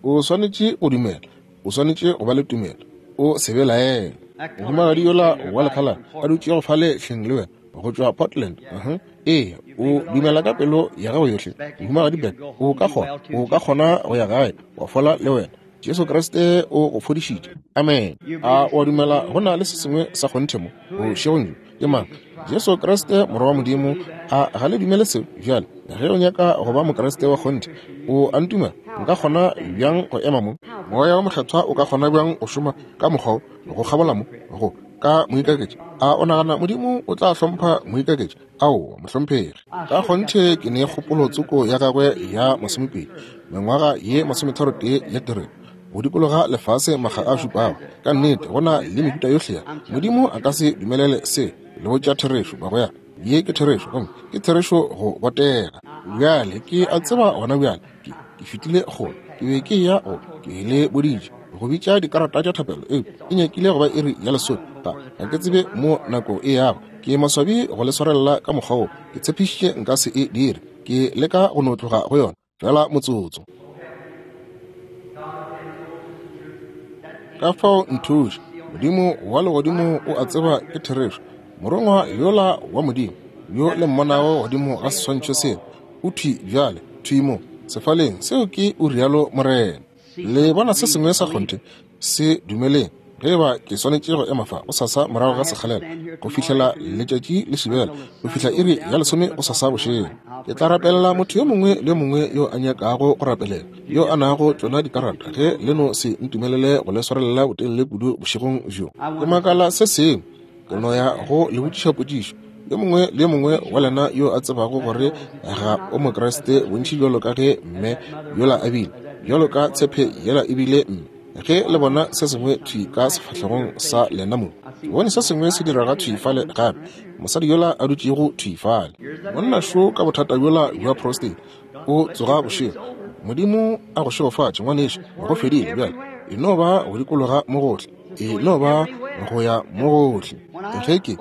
Speaker 2: O swanetše go dumela, o swanetše go ba le tumelo, o se belaele. Mohumagadi yola wa lekhalana a dutšego fale hleng le wena, go tšwa Portland. Uh-huh. Ee, o dumela ka pelo ya gago yohle. Mohumagadi Beck, o ka kgona, o ka kgona go ya gae wa fola le wena. Jesu Kriste o go fodišitše. Amen. A o a dumela go na le se sengwe sa kgonthe mo bošegong bjo? Ke mang? Jesu Kriste, Morwa wa Modimo. A ga le dumele seo? Bjale ge o nyaka go ba Mokriste wa kgonthe, o a ntumela? Nka kgona bjang go ema mo? Moya wa Mokgethwa o ka kgona bjang go šoma ka mokgwa wo, go kgabola mo? Go Ka moikaketši, a o nagana Modimo o tla hlompha moikaketši? Aowa, mohlomphegi. Ka kgonthe ke ne kgopolo tsoko ya gagwe ya masomepedi, mengwaga ye masometharo tee ya tirelo, go dikologa lefase makga a šupago. Ka nnete go na le mehuta yohle ya Modimo a ka se dumelele se. Le botša therešo, bagwera. Ye ke therešo, gomme ke therešo go botega. Bjale ke a tseba gona bjale ke, ke fetile kgole. Ke be ke ya go ke le boditše go bitša dikarata tša thapelo, eupša e nyakile go ba iri ya lesome. Ga ga ke tsebe mo nako e yago. Ke maswabi go le swarelela ka mokgwa wo. Ke tshepišitše nka se e dire. Ke leka go no tloga go yona fela motsotso. Ka fao nthuše, Modimo wa legodimo o a tseba ke therešo. Morongwa yola wa Modimo yo le mmonago godimo ga seswantšho seo o thwi bjale, thwi mo sefaleng seo, ke o rialo Morena. Le bona se sengwe sa kgonthe, se dumeleng. Ge eba ke swanetše go ema fa gosasa morago ga sekgalela go fihlela letšatši le šibela, go fihla iri ya lesome gosasa bošego, ke tla rapelela motho yo mongwe le yo mongwe yo a nyakago go rapelela, yo a nago tšona dikarata, ge le no se ntumelele go le swarelela botelele kudu bošegong bjo. Ke makala se sengwe, ke no ya go le botšiša potšišo. Yo mongwe le yo mongwe wa lena yo a tsebago gore ga o Mokriste, bontši bjalo ka ge mme yola a bile, bjalo ka tshepe yela e bile mme, ge le bona se sengwe thwi ka sefahlegong sa lena mo, bone se sengwe se direga thwi fale gape, mosadi yola a dutšego thwi fale, monna šo ka bothata bjola bja prostate, o tsoga bošego. Modimo a go šegofatše, ngwanešu, go fedile bjale. E no ba go dikologa mo gohle, e no ba go ya mo gohle. Ge ke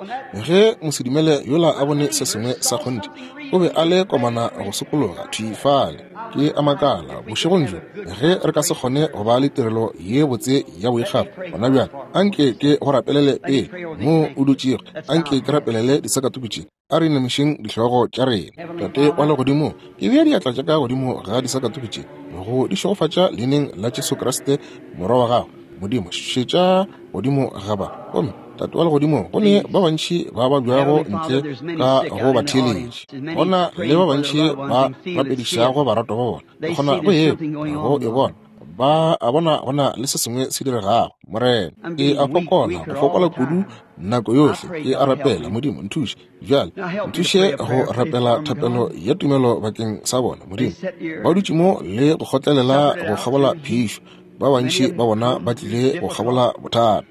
Speaker 2: ge mosedumele yola a bone se sengwe sa kgonthe, o be a le komana go sokologa thwi fale. Ke a makala bošegong bjo ge re ka se kgone go ba le tirelo ye botse ya boikgafo gona bjale. Anke ke go rapelele pele mo o dutšego, anke ke rapelele disakatuku tše. A re inamišeng dihlogo tša rena. Tate wa legodimo, ke bea diatla tša ka godimo ga disakatuku tše go di šegofatša leineng la Jesu Kriste morwa wa gago. Modimo, šetša godimo ga ba. Gomme Tate wa legodimo, go ne ba bantši ba ba bjago ntle ka go ba theeletše, go na le ba bantši ba rapedišago baratwa ba bona. Ke kgona go e go e bona, ba a bona go na le se sengwe se diregago. Morena, ke a fokola, go fokola kudu nako yohle. Ke a rapela, Modimo nthuše bjale, nthuše go rapela thapelo ya tumelo bakeng sa bona. Modimo, ba dutše mo le go kgotlelela go kgabola phišo, ba bantši ba bona ba tlile go kgabola bothata.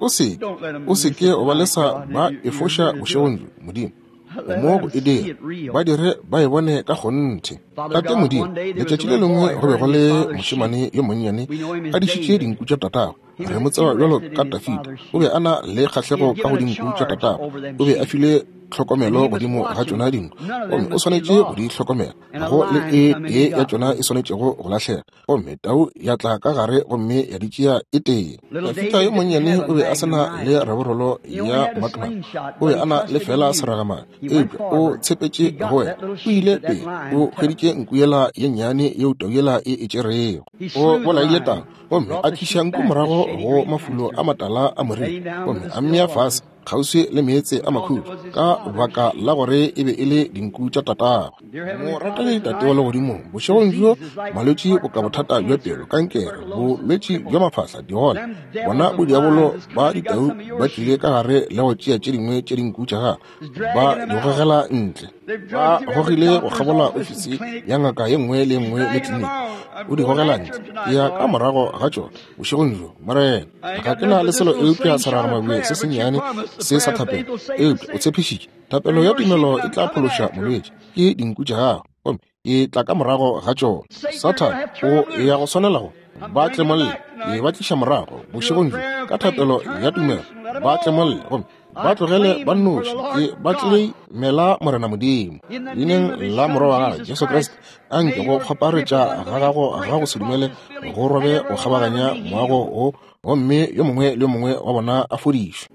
Speaker 2: O se o se ke o ba lesa ba efoša bošegong bjo. Modimo, o mo go e dira, ba dire ba e bone ka kgonthe. Tate Modimo, letšatši le lengwe go be go le mošemane yo monnyane a dišitše dinku tša tatagwe. Re mo tseba bjalo ka Dafida. O be a na le kgahlego ka go dinku tša tatagwe. O be a file tlhokomelo godimo ga tšona dinku, gomme o swanetše go di hlokomela. Go le e tee ya tšona e swanetšego go lahlega, gomme tau ya tla ka gare gomme ya di tšea e tee. Dafida yo monnyane o be a se na le raborolo ya magnum, o be a na le fela seragamane, eupša o tshepetše go wena. O ile pele, o hweditše nku yela ye nnyane yeo tau yela e e tšerego. O bolaile tau gomme a tliša nku morago go mafulo a matala a moriri, gomme a mmea fase kgauswi le meetse a makhutšo, ka baka la gore e be e le dinku tša tatagwe. Morategi Tate wa legodimong, bošegong bjo malwetši boka bothata bja pelo, kankere, bolwetši bja mafahla, digole, bona bodiabolo ba ditau ba tlile ka gare le go tšea tše dingwe tše dinku tša gagwe, ba di gogela ntle. Ba gogile go kgabola ofisi ya ngaka ye nngwe le ye nngwe le kliniki, o di gogela ntle. Ke ya ka morago ga tšona bošegong bjo, Morena. Ga ke na le selo eupša seragamabje se sennyane se sa thapelo, eupša o tshepišitše thapelo ya tumelo e tla phološa molwetši. Ke dinku tša gago, gomme ke tla ka morago ga tšona. Sathane o ya go swanela go ba tlemolle, ke ba tliša morago bošegong bjo ka thapelo ya tumelo. Ba tlemolle gomme ba tlogele ba nnoši, ke ba tleimela Morena Modimo. Leineng la Morwa wa gagwe Jesu Kriste, anke go kgoparetša ga gago ga go se dumele go robe go kgabaganya moago wo, gomme yo mongwe le yo mongwe wa bona a fodišwe.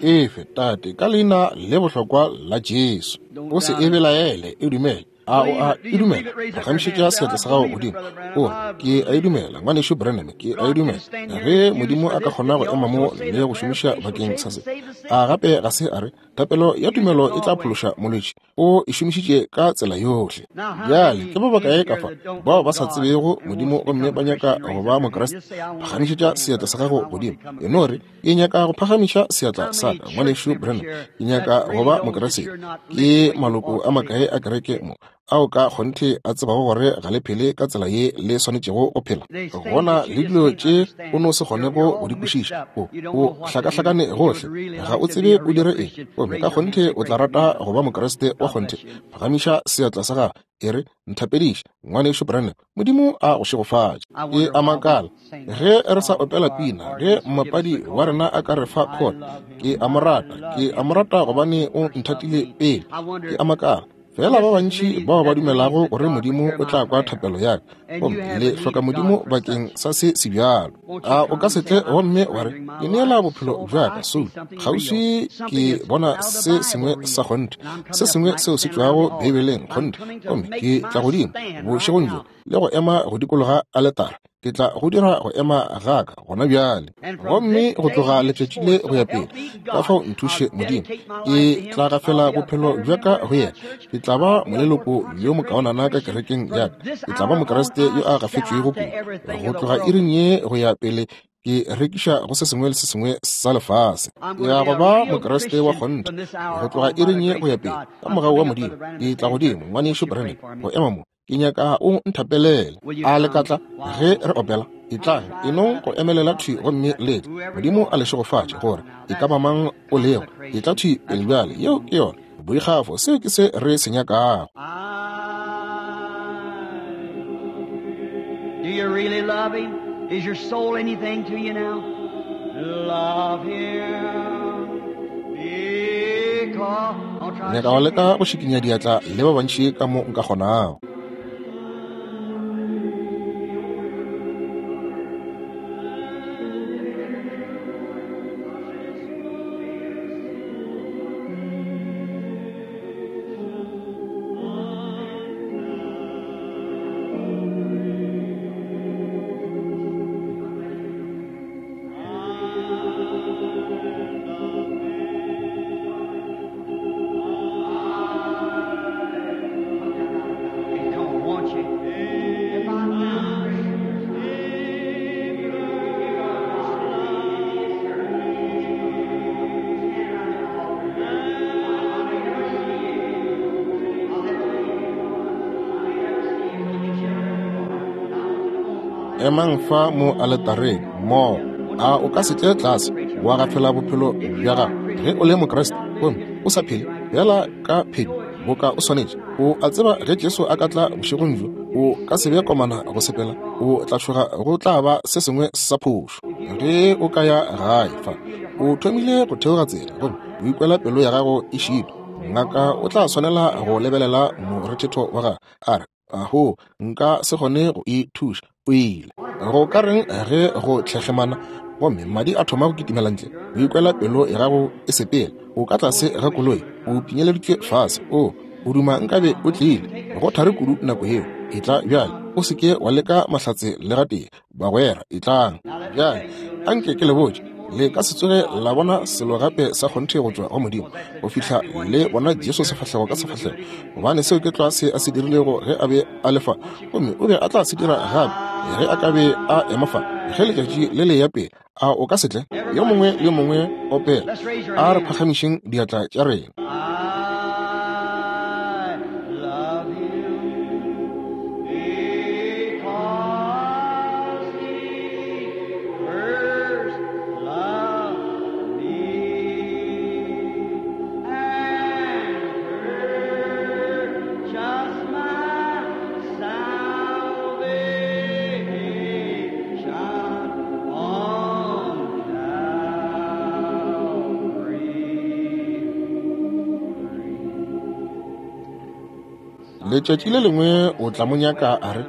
Speaker 2: Efe, Tate, ka leina le bohlokwa la Jesu. O se e belaele, e dumele. A o a e dumela? Phagamišetša seatla sa gago godimo. O re, ke a e dumela, ngwanešu Branham, ke a e dumela. Ge Modimo a ka kgona go ema mo le go šomiša bakeng sa se, a gape ga se a re thapelo ya tumelo e tla phološa molwetši? O e šomišitše ka tsela yohle. Bjale ke ba bakae ka fa bao ba sa tsebego Modimo gomme ba nyaka go ba Mokriste? Phagamišetša seatla sa gago godimo. E no re, ke nyaka go phagamiša seatla sa ka, ngwanešu Branham, ke nyaka go ba Mokriste. Ke maloko a makae a kereke mo ao ka kgonthe a tsebago gore ga le phele ka tsela ye le swanetšego go phela? Gona le dilo tše o no se kgonego go di kwešiša. O o hlakahlakane gohle, ga o tsebe o dire eng, gomme ka kgonthe o tla rata go ba Mokriste wa kgonthe. Phagamiša seatla sa gago, e re, nthapediše, ngwanešu Branham, Modimo a go šegofatše. Ke a makala ge re sa opela pina, ge mmapadi wa rena a ka re fa chord, ke a mo rata, ke a mo rata gobane o nthatile pele. Ke a makala fela ba bantši bao ba dumelago gore Modimo o tla kwa thapelo ya ka, gomme le hloka Modimo bakeng sa se se bjalo. A o ka se tle gomme wa re, ke neela bophelo bja ka soulo kgauswi, ke bona se sengwe sa kgonthe, se sengwe seo se tšwago Beibeleng kgonthe, gomme ke tla godimo bošegong bjo le go ema go dikologa aletara. Ke tla go dira go ema ga ka gona bjale, gomme go tloga letšatši le go ya pele, ka fao nthuše Modimo, ke tla gafela bophelo bja ka go yena. Ke tla ba moleloko yo mokaonana ka kerekeng ya ka. Ke tla ba Mokriste yo a gafetšwego kudu. Go tloga iring ye go ya pele, ke rekiša go se sengwe le se sengwe sa lefase. Ke ya go ba Mokriste wa kgonthe go tloga iring ye go ya pele, ka mogau wa Modimo. Ke tla godimo, ngwanešu Branham, go ema mo. Ke nyaka o nthapelele. A le ka tla ge re opela? E tlang, e nong go emelela thwi gomme le tle. Modimo a le šegofatše gore e ka ba mang o lego. E tla thwi pele bjale. Yeo ke yona boikgafo, seo ke se re se nyakago.
Speaker 1: Do you really love him? Is your soul anything to you now? Love him because...
Speaker 2: Nyaka go leka go šikinya diatla le ba bantši ka mo nka kgonago. Emang fa mo aletareng mo. A o ka se tle tlase wa gafela bophelo bja gago ge o le Mokriste gomme o sa phele bjala ka phedi boka o swanetše? O a tseba ge Jesu a ka tla bošegong bjo, o ka se be komana go sepela, o tla tšhoga go tla ba se sengwe sa phošo. Ge o ka ya gae fa o thomile go theoga tsela gomme o ikwela pelo ya gago e šitwa, ngaka o tla swanela go lebelela morethetho wa gagwe a re, aho, nka se kgone go e thuša, o ile. Go ka reng ge go tlhekgemana gomme madi a thoma go kitimela ntle, o ikwela pelo ya gago e sepela, o ka tlase ga koloi, o pinyeleditšwe fase, o o duma nkabe o tlile go thari kudu nako yeo. E tla bjale, o se ke wa leka mahlatse le gatee, bagwera, e tlang bjale. Anke ke le botše, le ka se tsoge la bona selo gape sa kgonthe go tšwa go Modimo go fihla le bona Jesu sefahlego ka sefahlego, gobane seo ke tlwa se a se dirilego ge a be a le fa, gomme o be a tla se dira gape ge a ka be a ema fa ge letšatši le le ya pele. A o ka se tle? Yo mongwe le yo mongwe opela. A re phagamišeng diatla tša rena. Letšatši le lengwe o tla mo nyaka a re,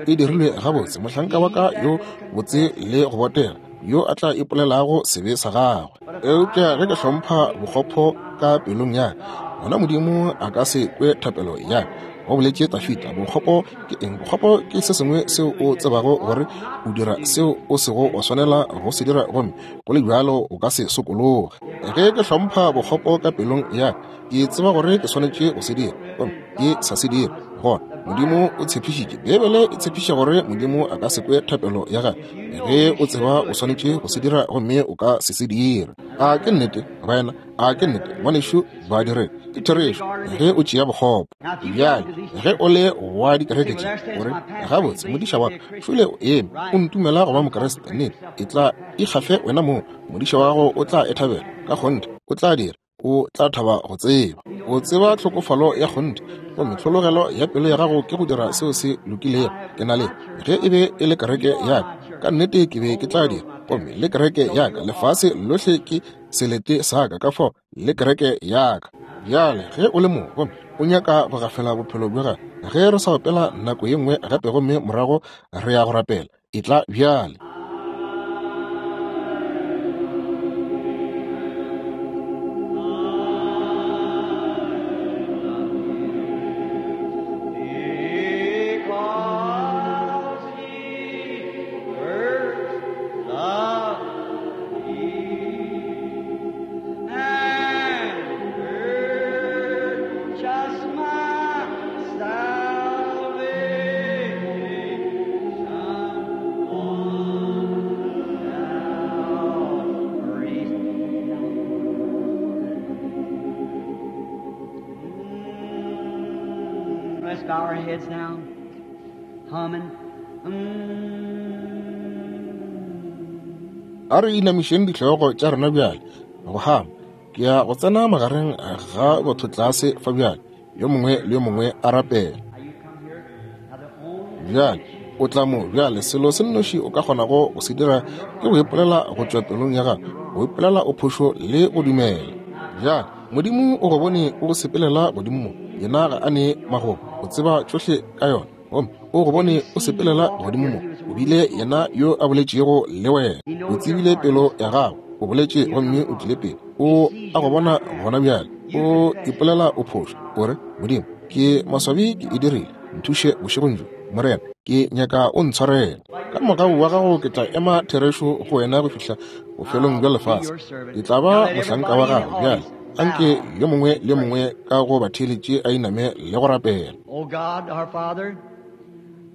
Speaker 2: e dirilwe gabotse, mohlanka wa ka yo botse le go botega, yo a tla ipolelago sebe sa gagwe. Eupša ge ke hlompha bokgopo ka pelong ya ka, gona Modimo a ka se kwe thapelo ya ka. Go boletše Tafita. Bokgopo ke eng? Bokgopo ke se sengwe seo o tsebago gore o dira seo o sego wa swanela go se dira, gomme go le bjalo o ka se sokologe. Ge ke hlompha bokgopo ka pelong ya ka, ke tseba gore ke swanetše go se dira, gomme ke sa se dira. Gona Modimo o tshepišitše, Beibele e tshepiša gore Modimo a ka se kwe thapelo ya gagwe ge o tseba o swanetše go se dira gomme o ka se se dire. A ke nnete, baena? A ke nnete, ngwanešu? Ba dire ke therešo ge o tšea bokgopo. Bjale ge o le wa dikereke tše, o re, gabotse modiša wa ka šole o eme o ntumela go ba Mokriste, nnete e tla ikgafe wena moo. Modiša wa gago o tla e thabela ka kgonthe, o tla dira, o tla thaba go tseba. O tseba tlhokofalo ya kgonthe, gomme tlhologelo ya pelo ya gago ke go dira seo se lokilego. Ke na le, ge e be e le kereke ya ka, ka nnete ke be ke tla dira, gomme le kereke ya ka, lefase lohle ke selete sa ka, ka fao le kereke ya ka. Bjale ge o le mo gomme o nyaka go gafela bophelo bja gago, ge re sa opela nako ye nngwe gape gomme morago re ya go rapela, e tla bjale.
Speaker 1: Because he first loved me and purchased my salvation on Calvary's. Let's bow our heads now, humming. Mm.
Speaker 2: A re inamišeng dihlogo tša rena bjale go hama. Ke ya go tsena magareng ga batho tlase fa bjale, yo mongwe le yo mongwe a rapela.
Speaker 1: Now you come here. Now the only
Speaker 2: Bjale o tla mo bjale, selo se nnoši o ka kgonago go se dira ke go ipolela go tšwa pelong ya gago, go ipolela o phošo le go dumela. Bjale Modimo o go bone o go sepelela godimo mo, yena ga a ne magomo, o tseba tšohle ka yona, gomme o go bone o sepelela godimo mo, o bile yena yo a boletšego le wena, o tsebile pelo ya gago, o boletše gomme o tlile pele. O a go bona gona bjale, o ipolela o phošo, o re, Modimo, ke maswabi ke e dirile, nthuše bošegong bjo, Morena, ke nyaka o ntshwarela. Ka mogau wa gago ke tla ema therešo go wena go fihla bofelong bja lefase. Ke tla ba mohlanka wa gago. Bjale anke yo mongwe le yo mongwe ka go batheeletše a iname le go rapela.
Speaker 1: Oh God, our Father,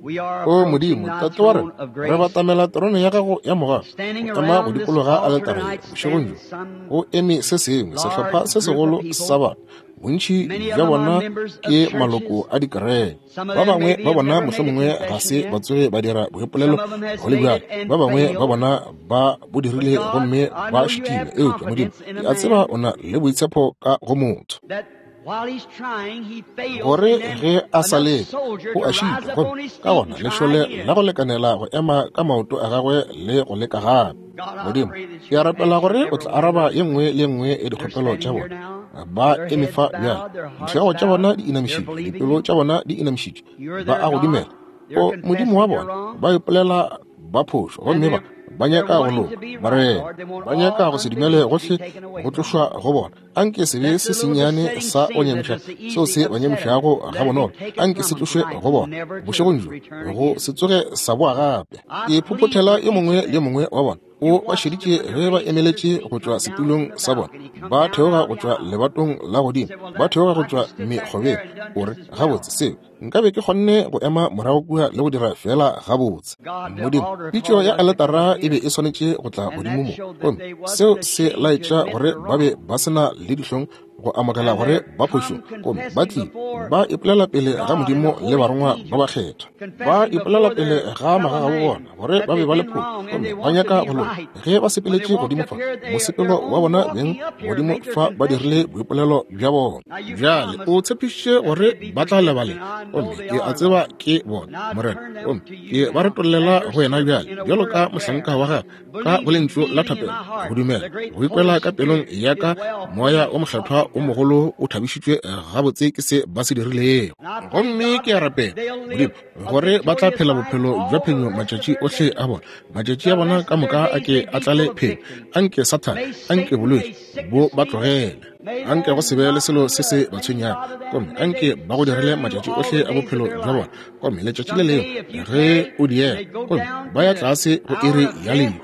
Speaker 1: we are
Speaker 2: O
Speaker 1: approaching
Speaker 2: Modimo,
Speaker 1: thy
Speaker 2: Tate wa
Speaker 1: throne
Speaker 2: rena,
Speaker 1: of
Speaker 2: re
Speaker 1: grace.
Speaker 2: batamela terone ya gago ya mogau,
Speaker 1: Standing
Speaker 2: go ema go
Speaker 1: around this
Speaker 2: dikologa
Speaker 1: altar
Speaker 2: aletare
Speaker 1: tonight
Speaker 2: bošegong bjo.
Speaker 1: stands some
Speaker 2: Go eme se sengwe, sehlopha
Speaker 1: large
Speaker 2: se
Speaker 1: group of
Speaker 2: segolo
Speaker 1: people.
Speaker 2: sa batho. Bontši
Speaker 1: Many of
Speaker 2: bja
Speaker 1: them are
Speaker 2: bona
Speaker 1: members of
Speaker 2: ke
Speaker 1: churches.
Speaker 2: maloko a dikereke.
Speaker 1: Some of
Speaker 2: Ba
Speaker 1: them
Speaker 2: bangwe
Speaker 1: maybe
Speaker 2: ba
Speaker 1: have
Speaker 2: bona
Speaker 1: never made a
Speaker 2: mohlomongwe ga
Speaker 1: confession
Speaker 2: se
Speaker 1: yet.
Speaker 2: ba tsoge ba dira boipolelo
Speaker 1: Some of them has
Speaker 2: go le
Speaker 1: made
Speaker 2: bjalo.
Speaker 1: it and
Speaker 2: Ba bangwe ba
Speaker 1: failed.
Speaker 2: bona ba bo
Speaker 1: But
Speaker 2: dirile
Speaker 1: God,
Speaker 2: gomme
Speaker 1: I
Speaker 2: ba
Speaker 1: know you
Speaker 2: šitilwe.
Speaker 1: have
Speaker 2: Eupša Modimo,
Speaker 1: confidence in a
Speaker 2: ke a tseba
Speaker 1: man
Speaker 2: o na le boitshepo ka go motho,
Speaker 1: that while he's trying, he fails,
Speaker 2: gore
Speaker 1: and then
Speaker 2: ge a sa
Speaker 1: enough
Speaker 2: leka
Speaker 1: soldier
Speaker 2: o
Speaker 1: to
Speaker 2: a
Speaker 1: rise
Speaker 2: šitwa,
Speaker 1: up on
Speaker 2: gomme
Speaker 1: his
Speaker 2: ka
Speaker 1: feet
Speaker 2: gona
Speaker 1: and try
Speaker 2: lešole
Speaker 1: again.
Speaker 2: la go lekanela go ema ka maoto a gagwe le go leka gape.
Speaker 1: God, I
Speaker 2: Modimo,
Speaker 1: pray that
Speaker 2: ke
Speaker 1: you
Speaker 2: a
Speaker 1: would
Speaker 2: rapela
Speaker 1: answer
Speaker 2: gore o
Speaker 1: every
Speaker 2: tla
Speaker 1: one of
Speaker 2: araba
Speaker 1: those.
Speaker 2: ye nngwe le ye nngwe ya
Speaker 1: They're
Speaker 2: dikgopelo tša
Speaker 1: standing here
Speaker 2: bona.
Speaker 1: now,
Speaker 2: Ba
Speaker 1: their
Speaker 2: eme
Speaker 1: heads
Speaker 2: fa bjale,
Speaker 1: bowed, their hearts
Speaker 2: dihlogo tša bona
Speaker 1: bowed,
Speaker 2: di
Speaker 1: they're
Speaker 2: inamišitšwe,
Speaker 1: believing
Speaker 2: dipelo
Speaker 1: you.
Speaker 2: tša bona di inamišitšwe,
Speaker 1: You're
Speaker 2: ba
Speaker 1: their
Speaker 2: a go
Speaker 1: God.
Speaker 2: dumela.
Speaker 1: They're
Speaker 2: O Modimo wa
Speaker 1: confessing they're
Speaker 2: bona,
Speaker 1: wrong.
Speaker 2: ba ipolela ba phošo,
Speaker 1: And
Speaker 2: gomme ba
Speaker 1: they're
Speaker 2: ba
Speaker 1: they're
Speaker 2: nyaka go
Speaker 1: wanting
Speaker 2: loka.
Speaker 1: to be right,
Speaker 2: Morena,
Speaker 1: Lord. They want
Speaker 2: ba nyaka
Speaker 1: all
Speaker 2: go se dumele
Speaker 1: unbelief to be
Speaker 2: gohle
Speaker 1: taken away
Speaker 2: go
Speaker 1: from them.
Speaker 2: tlošwa go bona. Anke sebe
Speaker 1: That's
Speaker 2: se
Speaker 1: the little
Speaker 2: sennyane
Speaker 1: besetting
Speaker 2: sa go
Speaker 1: sin that
Speaker 2: nyamiša
Speaker 1: is the
Speaker 2: seo
Speaker 1: easy
Speaker 2: se ba
Speaker 1: upsetter.
Speaker 2: nyamišago
Speaker 1: Let it be
Speaker 2: gabonolo,
Speaker 1: taken
Speaker 2: anke
Speaker 1: from
Speaker 2: se
Speaker 1: them
Speaker 2: tlošwe
Speaker 1: tonight,
Speaker 2: go bona
Speaker 1: never to
Speaker 2: bošegong bjo,
Speaker 1: return
Speaker 2: go
Speaker 1: again.
Speaker 2: se tsoge sa boa gape.
Speaker 1: I
Speaker 2: Ke
Speaker 1: plead
Speaker 2: phophothela
Speaker 1: with
Speaker 2: yo
Speaker 1: each
Speaker 2: mongwe
Speaker 1: of
Speaker 2: le yo
Speaker 1: them.
Speaker 2: mongwe wa bona.
Speaker 1: You
Speaker 2: O ba
Speaker 1: watched them
Speaker 2: šeditše
Speaker 1: when they
Speaker 2: ge ba
Speaker 1: raised their
Speaker 2: emeletše
Speaker 1: feet,
Speaker 2: go tšwa
Speaker 1: come down
Speaker 2: setulong
Speaker 1: from the
Speaker 2: sa bona,
Speaker 1: balcony, come
Speaker 2: ba
Speaker 1: down
Speaker 2: theoga
Speaker 1: out of
Speaker 2: go
Speaker 1: the
Speaker 2: tšwa
Speaker 1: aisle.
Speaker 2: lebatong la godimo,
Speaker 1: Said, well,
Speaker 2: ba
Speaker 1: that
Speaker 2: theoga go
Speaker 1: I could
Speaker 2: tšwa
Speaker 1: have stood back there
Speaker 2: mekgobeng.
Speaker 1: and done
Speaker 2: O re,
Speaker 1: just as well.
Speaker 2: gabotse seo nka be ke kgonne go ema morago kua le go dira fela gabotse.
Speaker 1: God, the
Speaker 2: Modimo,
Speaker 1: altar
Speaker 2: pitšo
Speaker 1: call
Speaker 2: ya
Speaker 1: was to come
Speaker 2: aletara e be
Speaker 1: here.
Speaker 2: e swanetše go tla
Speaker 1: And
Speaker 2: godimo
Speaker 1: that
Speaker 2: mo,
Speaker 1: showed that
Speaker 2: gomme
Speaker 1: they wasn't
Speaker 2: seo se
Speaker 1: ashamed to
Speaker 2: laetša
Speaker 1: admit
Speaker 2: gore
Speaker 1: they're
Speaker 2: ba be
Speaker 1: wrong.
Speaker 2: ba se na le dihlong go amogela
Speaker 1: And
Speaker 2: gore
Speaker 1: they're
Speaker 2: ba
Speaker 1: come
Speaker 2: phošong, gomme ba
Speaker 1: confessing
Speaker 2: tlile
Speaker 1: before
Speaker 2: ba ipolela pele ga
Speaker 1: God and the
Speaker 2: Modimo le
Speaker 1: holy
Speaker 2: barongwa ba
Speaker 1: angels,
Speaker 2: bakgethwa, ba
Speaker 1: confessing
Speaker 2: ipolela
Speaker 1: before
Speaker 2: pele
Speaker 1: their
Speaker 2: ga
Speaker 1: fellow
Speaker 2: magagabo
Speaker 1: man
Speaker 2: bona gore
Speaker 1: that
Speaker 2: ba be
Speaker 1: they've
Speaker 2: ba le
Speaker 1: been
Speaker 2: phošo,
Speaker 1: wrong and
Speaker 2: gomme
Speaker 1: they
Speaker 2: ba
Speaker 1: want to
Speaker 2: nyaka
Speaker 1: be
Speaker 2: go loka.
Speaker 1: right.
Speaker 2: Ge ba
Speaker 1: When they
Speaker 2: sepeletše
Speaker 1: walked
Speaker 2: godimo
Speaker 1: up
Speaker 2: fa,
Speaker 1: here, they, their
Speaker 2: mosepelo wa
Speaker 1: own
Speaker 2: bona beng
Speaker 1: walking up here
Speaker 2: godimo
Speaker 1: made their
Speaker 2: fa ba dirile
Speaker 1: confession.
Speaker 2: boipolelo bja bona.
Speaker 1: Now you
Speaker 2: Bjale o
Speaker 1: promised
Speaker 2: tshepišitše
Speaker 1: that
Speaker 2: gore
Speaker 1: they'd be
Speaker 2: ba tla
Speaker 1: forgiven,
Speaker 2: lebalela,
Speaker 1: and I know
Speaker 2: gomme
Speaker 1: they
Speaker 2: ke a
Speaker 1: are,
Speaker 2: tseba
Speaker 1: Lord.
Speaker 2: ke bona,
Speaker 1: And I
Speaker 2: Morena,
Speaker 1: turn them
Speaker 2: gomme
Speaker 1: to you
Speaker 2: ke ba
Speaker 1: now
Speaker 2: retollela
Speaker 1: as your
Speaker 2: go wena
Speaker 1: servant
Speaker 2: bjale
Speaker 1: in a
Speaker 2: bjalo
Speaker 1: word
Speaker 2: ka
Speaker 1: of prayer,
Speaker 2: mohlanka wa gagwe ka go
Speaker 1: believing,
Speaker 2: lentšu la
Speaker 1: feeling in
Speaker 2: thapelo,
Speaker 1: my
Speaker 2: go
Speaker 1: heart
Speaker 2: dumela,
Speaker 1: the great
Speaker 2: go ikwela
Speaker 1: Holy
Speaker 2: ka pelong
Speaker 1: Spirit
Speaker 2: ya
Speaker 1: is
Speaker 2: ka
Speaker 1: well
Speaker 2: moya
Speaker 1: pleased
Speaker 2: o
Speaker 1: with what
Speaker 2: mokgethwa
Speaker 1: they've
Speaker 2: o
Speaker 1: done.
Speaker 2: mogolo o thabišitšwe gabotse ke se ba se dirilego.
Speaker 1: And I plead,
Speaker 2: Gomme
Speaker 1: God,
Speaker 2: ke a rapela,
Speaker 1: they'll
Speaker 2: Modimo,
Speaker 1: live a
Speaker 2: gore ba tla
Speaker 1: victorious
Speaker 2: phela
Speaker 1: life
Speaker 2: bophelo bja
Speaker 1: all the
Speaker 2: phenyo
Speaker 1: rest of
Speaker 2: matšatši
Speaker 1: their
Speaker 2: ohle
Speaker 1: days.
Speaker 2: a bona. Matšatši a
Speaker 1: The
Speaker 2: bona
Speaker 1: rest
Speaker 2: ka
Speaker 1: of their
Speaker 2: moka a
Speaker 1: days
Speaker 2: ke
Speaker 1: may
Speaker 2: a
Speaker 1: be
Speaker 2: tlale
Speaker 1: full of
Speaker 2: phenyo.
Speaker 1: victory.
Speaker 2: Anke Sathane,
Speaker 1: May
Speaker 2: anke
Speaker 1: Satan, may
Speaker 2: bolwetši bo
Speaker 1: sickness
Speaker 2: ba
Speaker 1: leave them.
Speaker 2: tlogele. Anke go se be le selo se se ba tshwenyago, gomme anke ba go direle matšatši ohle a bophelo bja bona. Gomme letšatši le lengwe ge o diega, gomme ba ya tlase go iri ya lehu,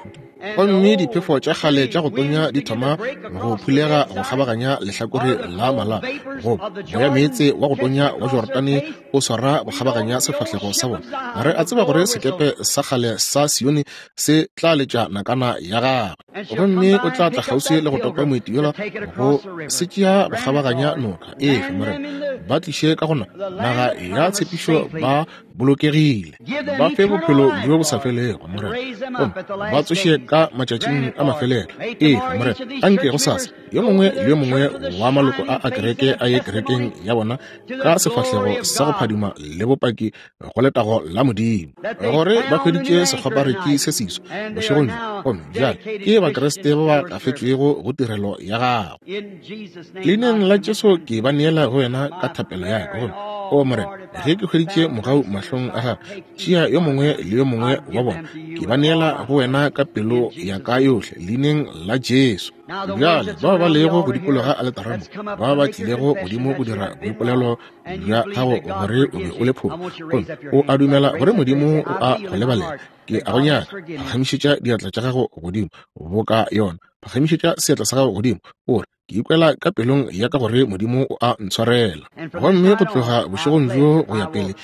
Speaker 2: gomme diphefo tša kgale tša go tonya di thoma go phulega go kgabaganya lehlakore la mala, go moya meetse wa go tonya wa Jordane o swara go kgabaganya sefahlego sa bona. Re a tseba gore sekepe sa kgale sa Sione se tla letša nakana ya gagwe, gomme o tla tla kgauswi le go topa moeti yola go se tšea go kgabaganya noka. Efe Morena, ba tliše ka gona naga ya tshepišo ba bolokegile, ba fe bophelo bjo bo sa felego Morena, gomme ba tsoše ka matšatšing a mafelelo. Efe Morena, anke go sasa yo mongwe le yo mongwe wa maloko a a kereke a ye kerekeng ya bona ka sefahlego sa go phadima le bopaki go letago la Modimo, gore ba hweditše sekgwaparetši se seswa bošegong bjo, gomme bjale ke Bakriste ba ba kafetšwego go tirelo ya gago. Leineng la Jesu ke ba neela go wena ka thapelo ya ka, gomme o Morena, ge ke hweditše mogau mahlong a gago, tšea yo mongwe le yo mongwe wa bona, ke ba neela go wena ka pelo ya ka yohle, leineng la Jesu. Bjale bao ba lego go dikologa aletara mo, ba ba tlilego godimo go dira boipolelo bja gago gore o be o le phofu, gomme o a dumela gore Modimo o a go lebalela, ke a go nyaka, phagamišetša diatla tša gago godimo boka yona, phagamišetša seatla sa gago godimo, o re, ke ikwela ka pelong ya ka gore Modimo o a ntshwarela. Gomme go tloga bošegong bjo go ya pele,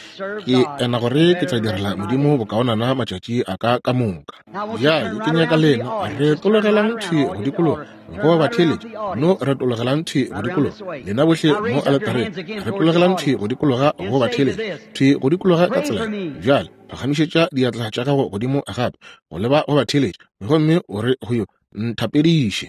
Speaker 2: ke ena gore ke tla direla Modimo bokaonana matšatši a ka ka moka. Bjale ke nyaka lena retologelang thwi go dikologa go batheeletši, no retologelang thwi go dikologa lena bohle mo aletareng, retologelang thwi go dikologa go batheeletši, thwi go dikologa ka tsela. Bjale phagamišetša diatla tša gago godimo gape go leba go batheeletši, gomme o re go yo, nthapediše.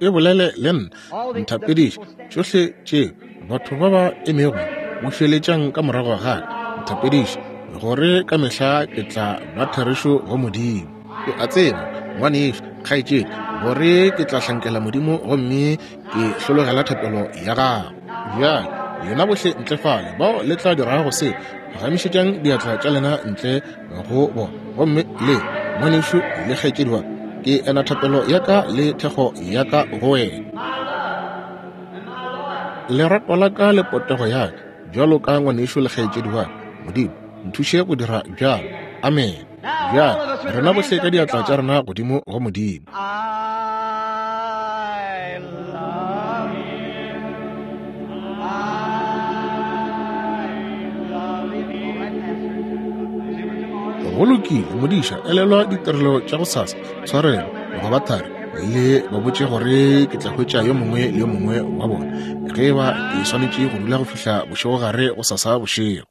Speaker 2: E bolele le nna, nthapediše. Tšohle tše batho ba ba emego bušeletšang ka morago ga ka, nthapediše, gore ka mehla ke tla ba therešo go Modimo. O a tseba, ngwanešo, kgaetšedi, gore ke tla hlankela Modimo gomme ke hlologela thapelo ya gago. Bjale lena bohle ntle fale bao le tla dirago se, phagamišetšang diatla tša lena ntle go bona, gomme le ngwanešo le kgaetšedi wa ka, ke ena thapelo ya ka le thekgo ya ka go wena. Lerato la ka le potego ya ka bjalo ka ngwanešo le kgaetšedi wa ka, Modimo nthuše go dira bjalo. Amen. Bjale rena bohle ka diatla tša rena godimo go Modimo. Go lokile, modiša, elelwa ditirelo tša go sasa, tshwarelo go ba thari, le ba botše gore ke tla hwetša yo mongwe le yo mongwe wa bona ge ba ke swanetše go dula go fihla bošegogare go sasa bošego.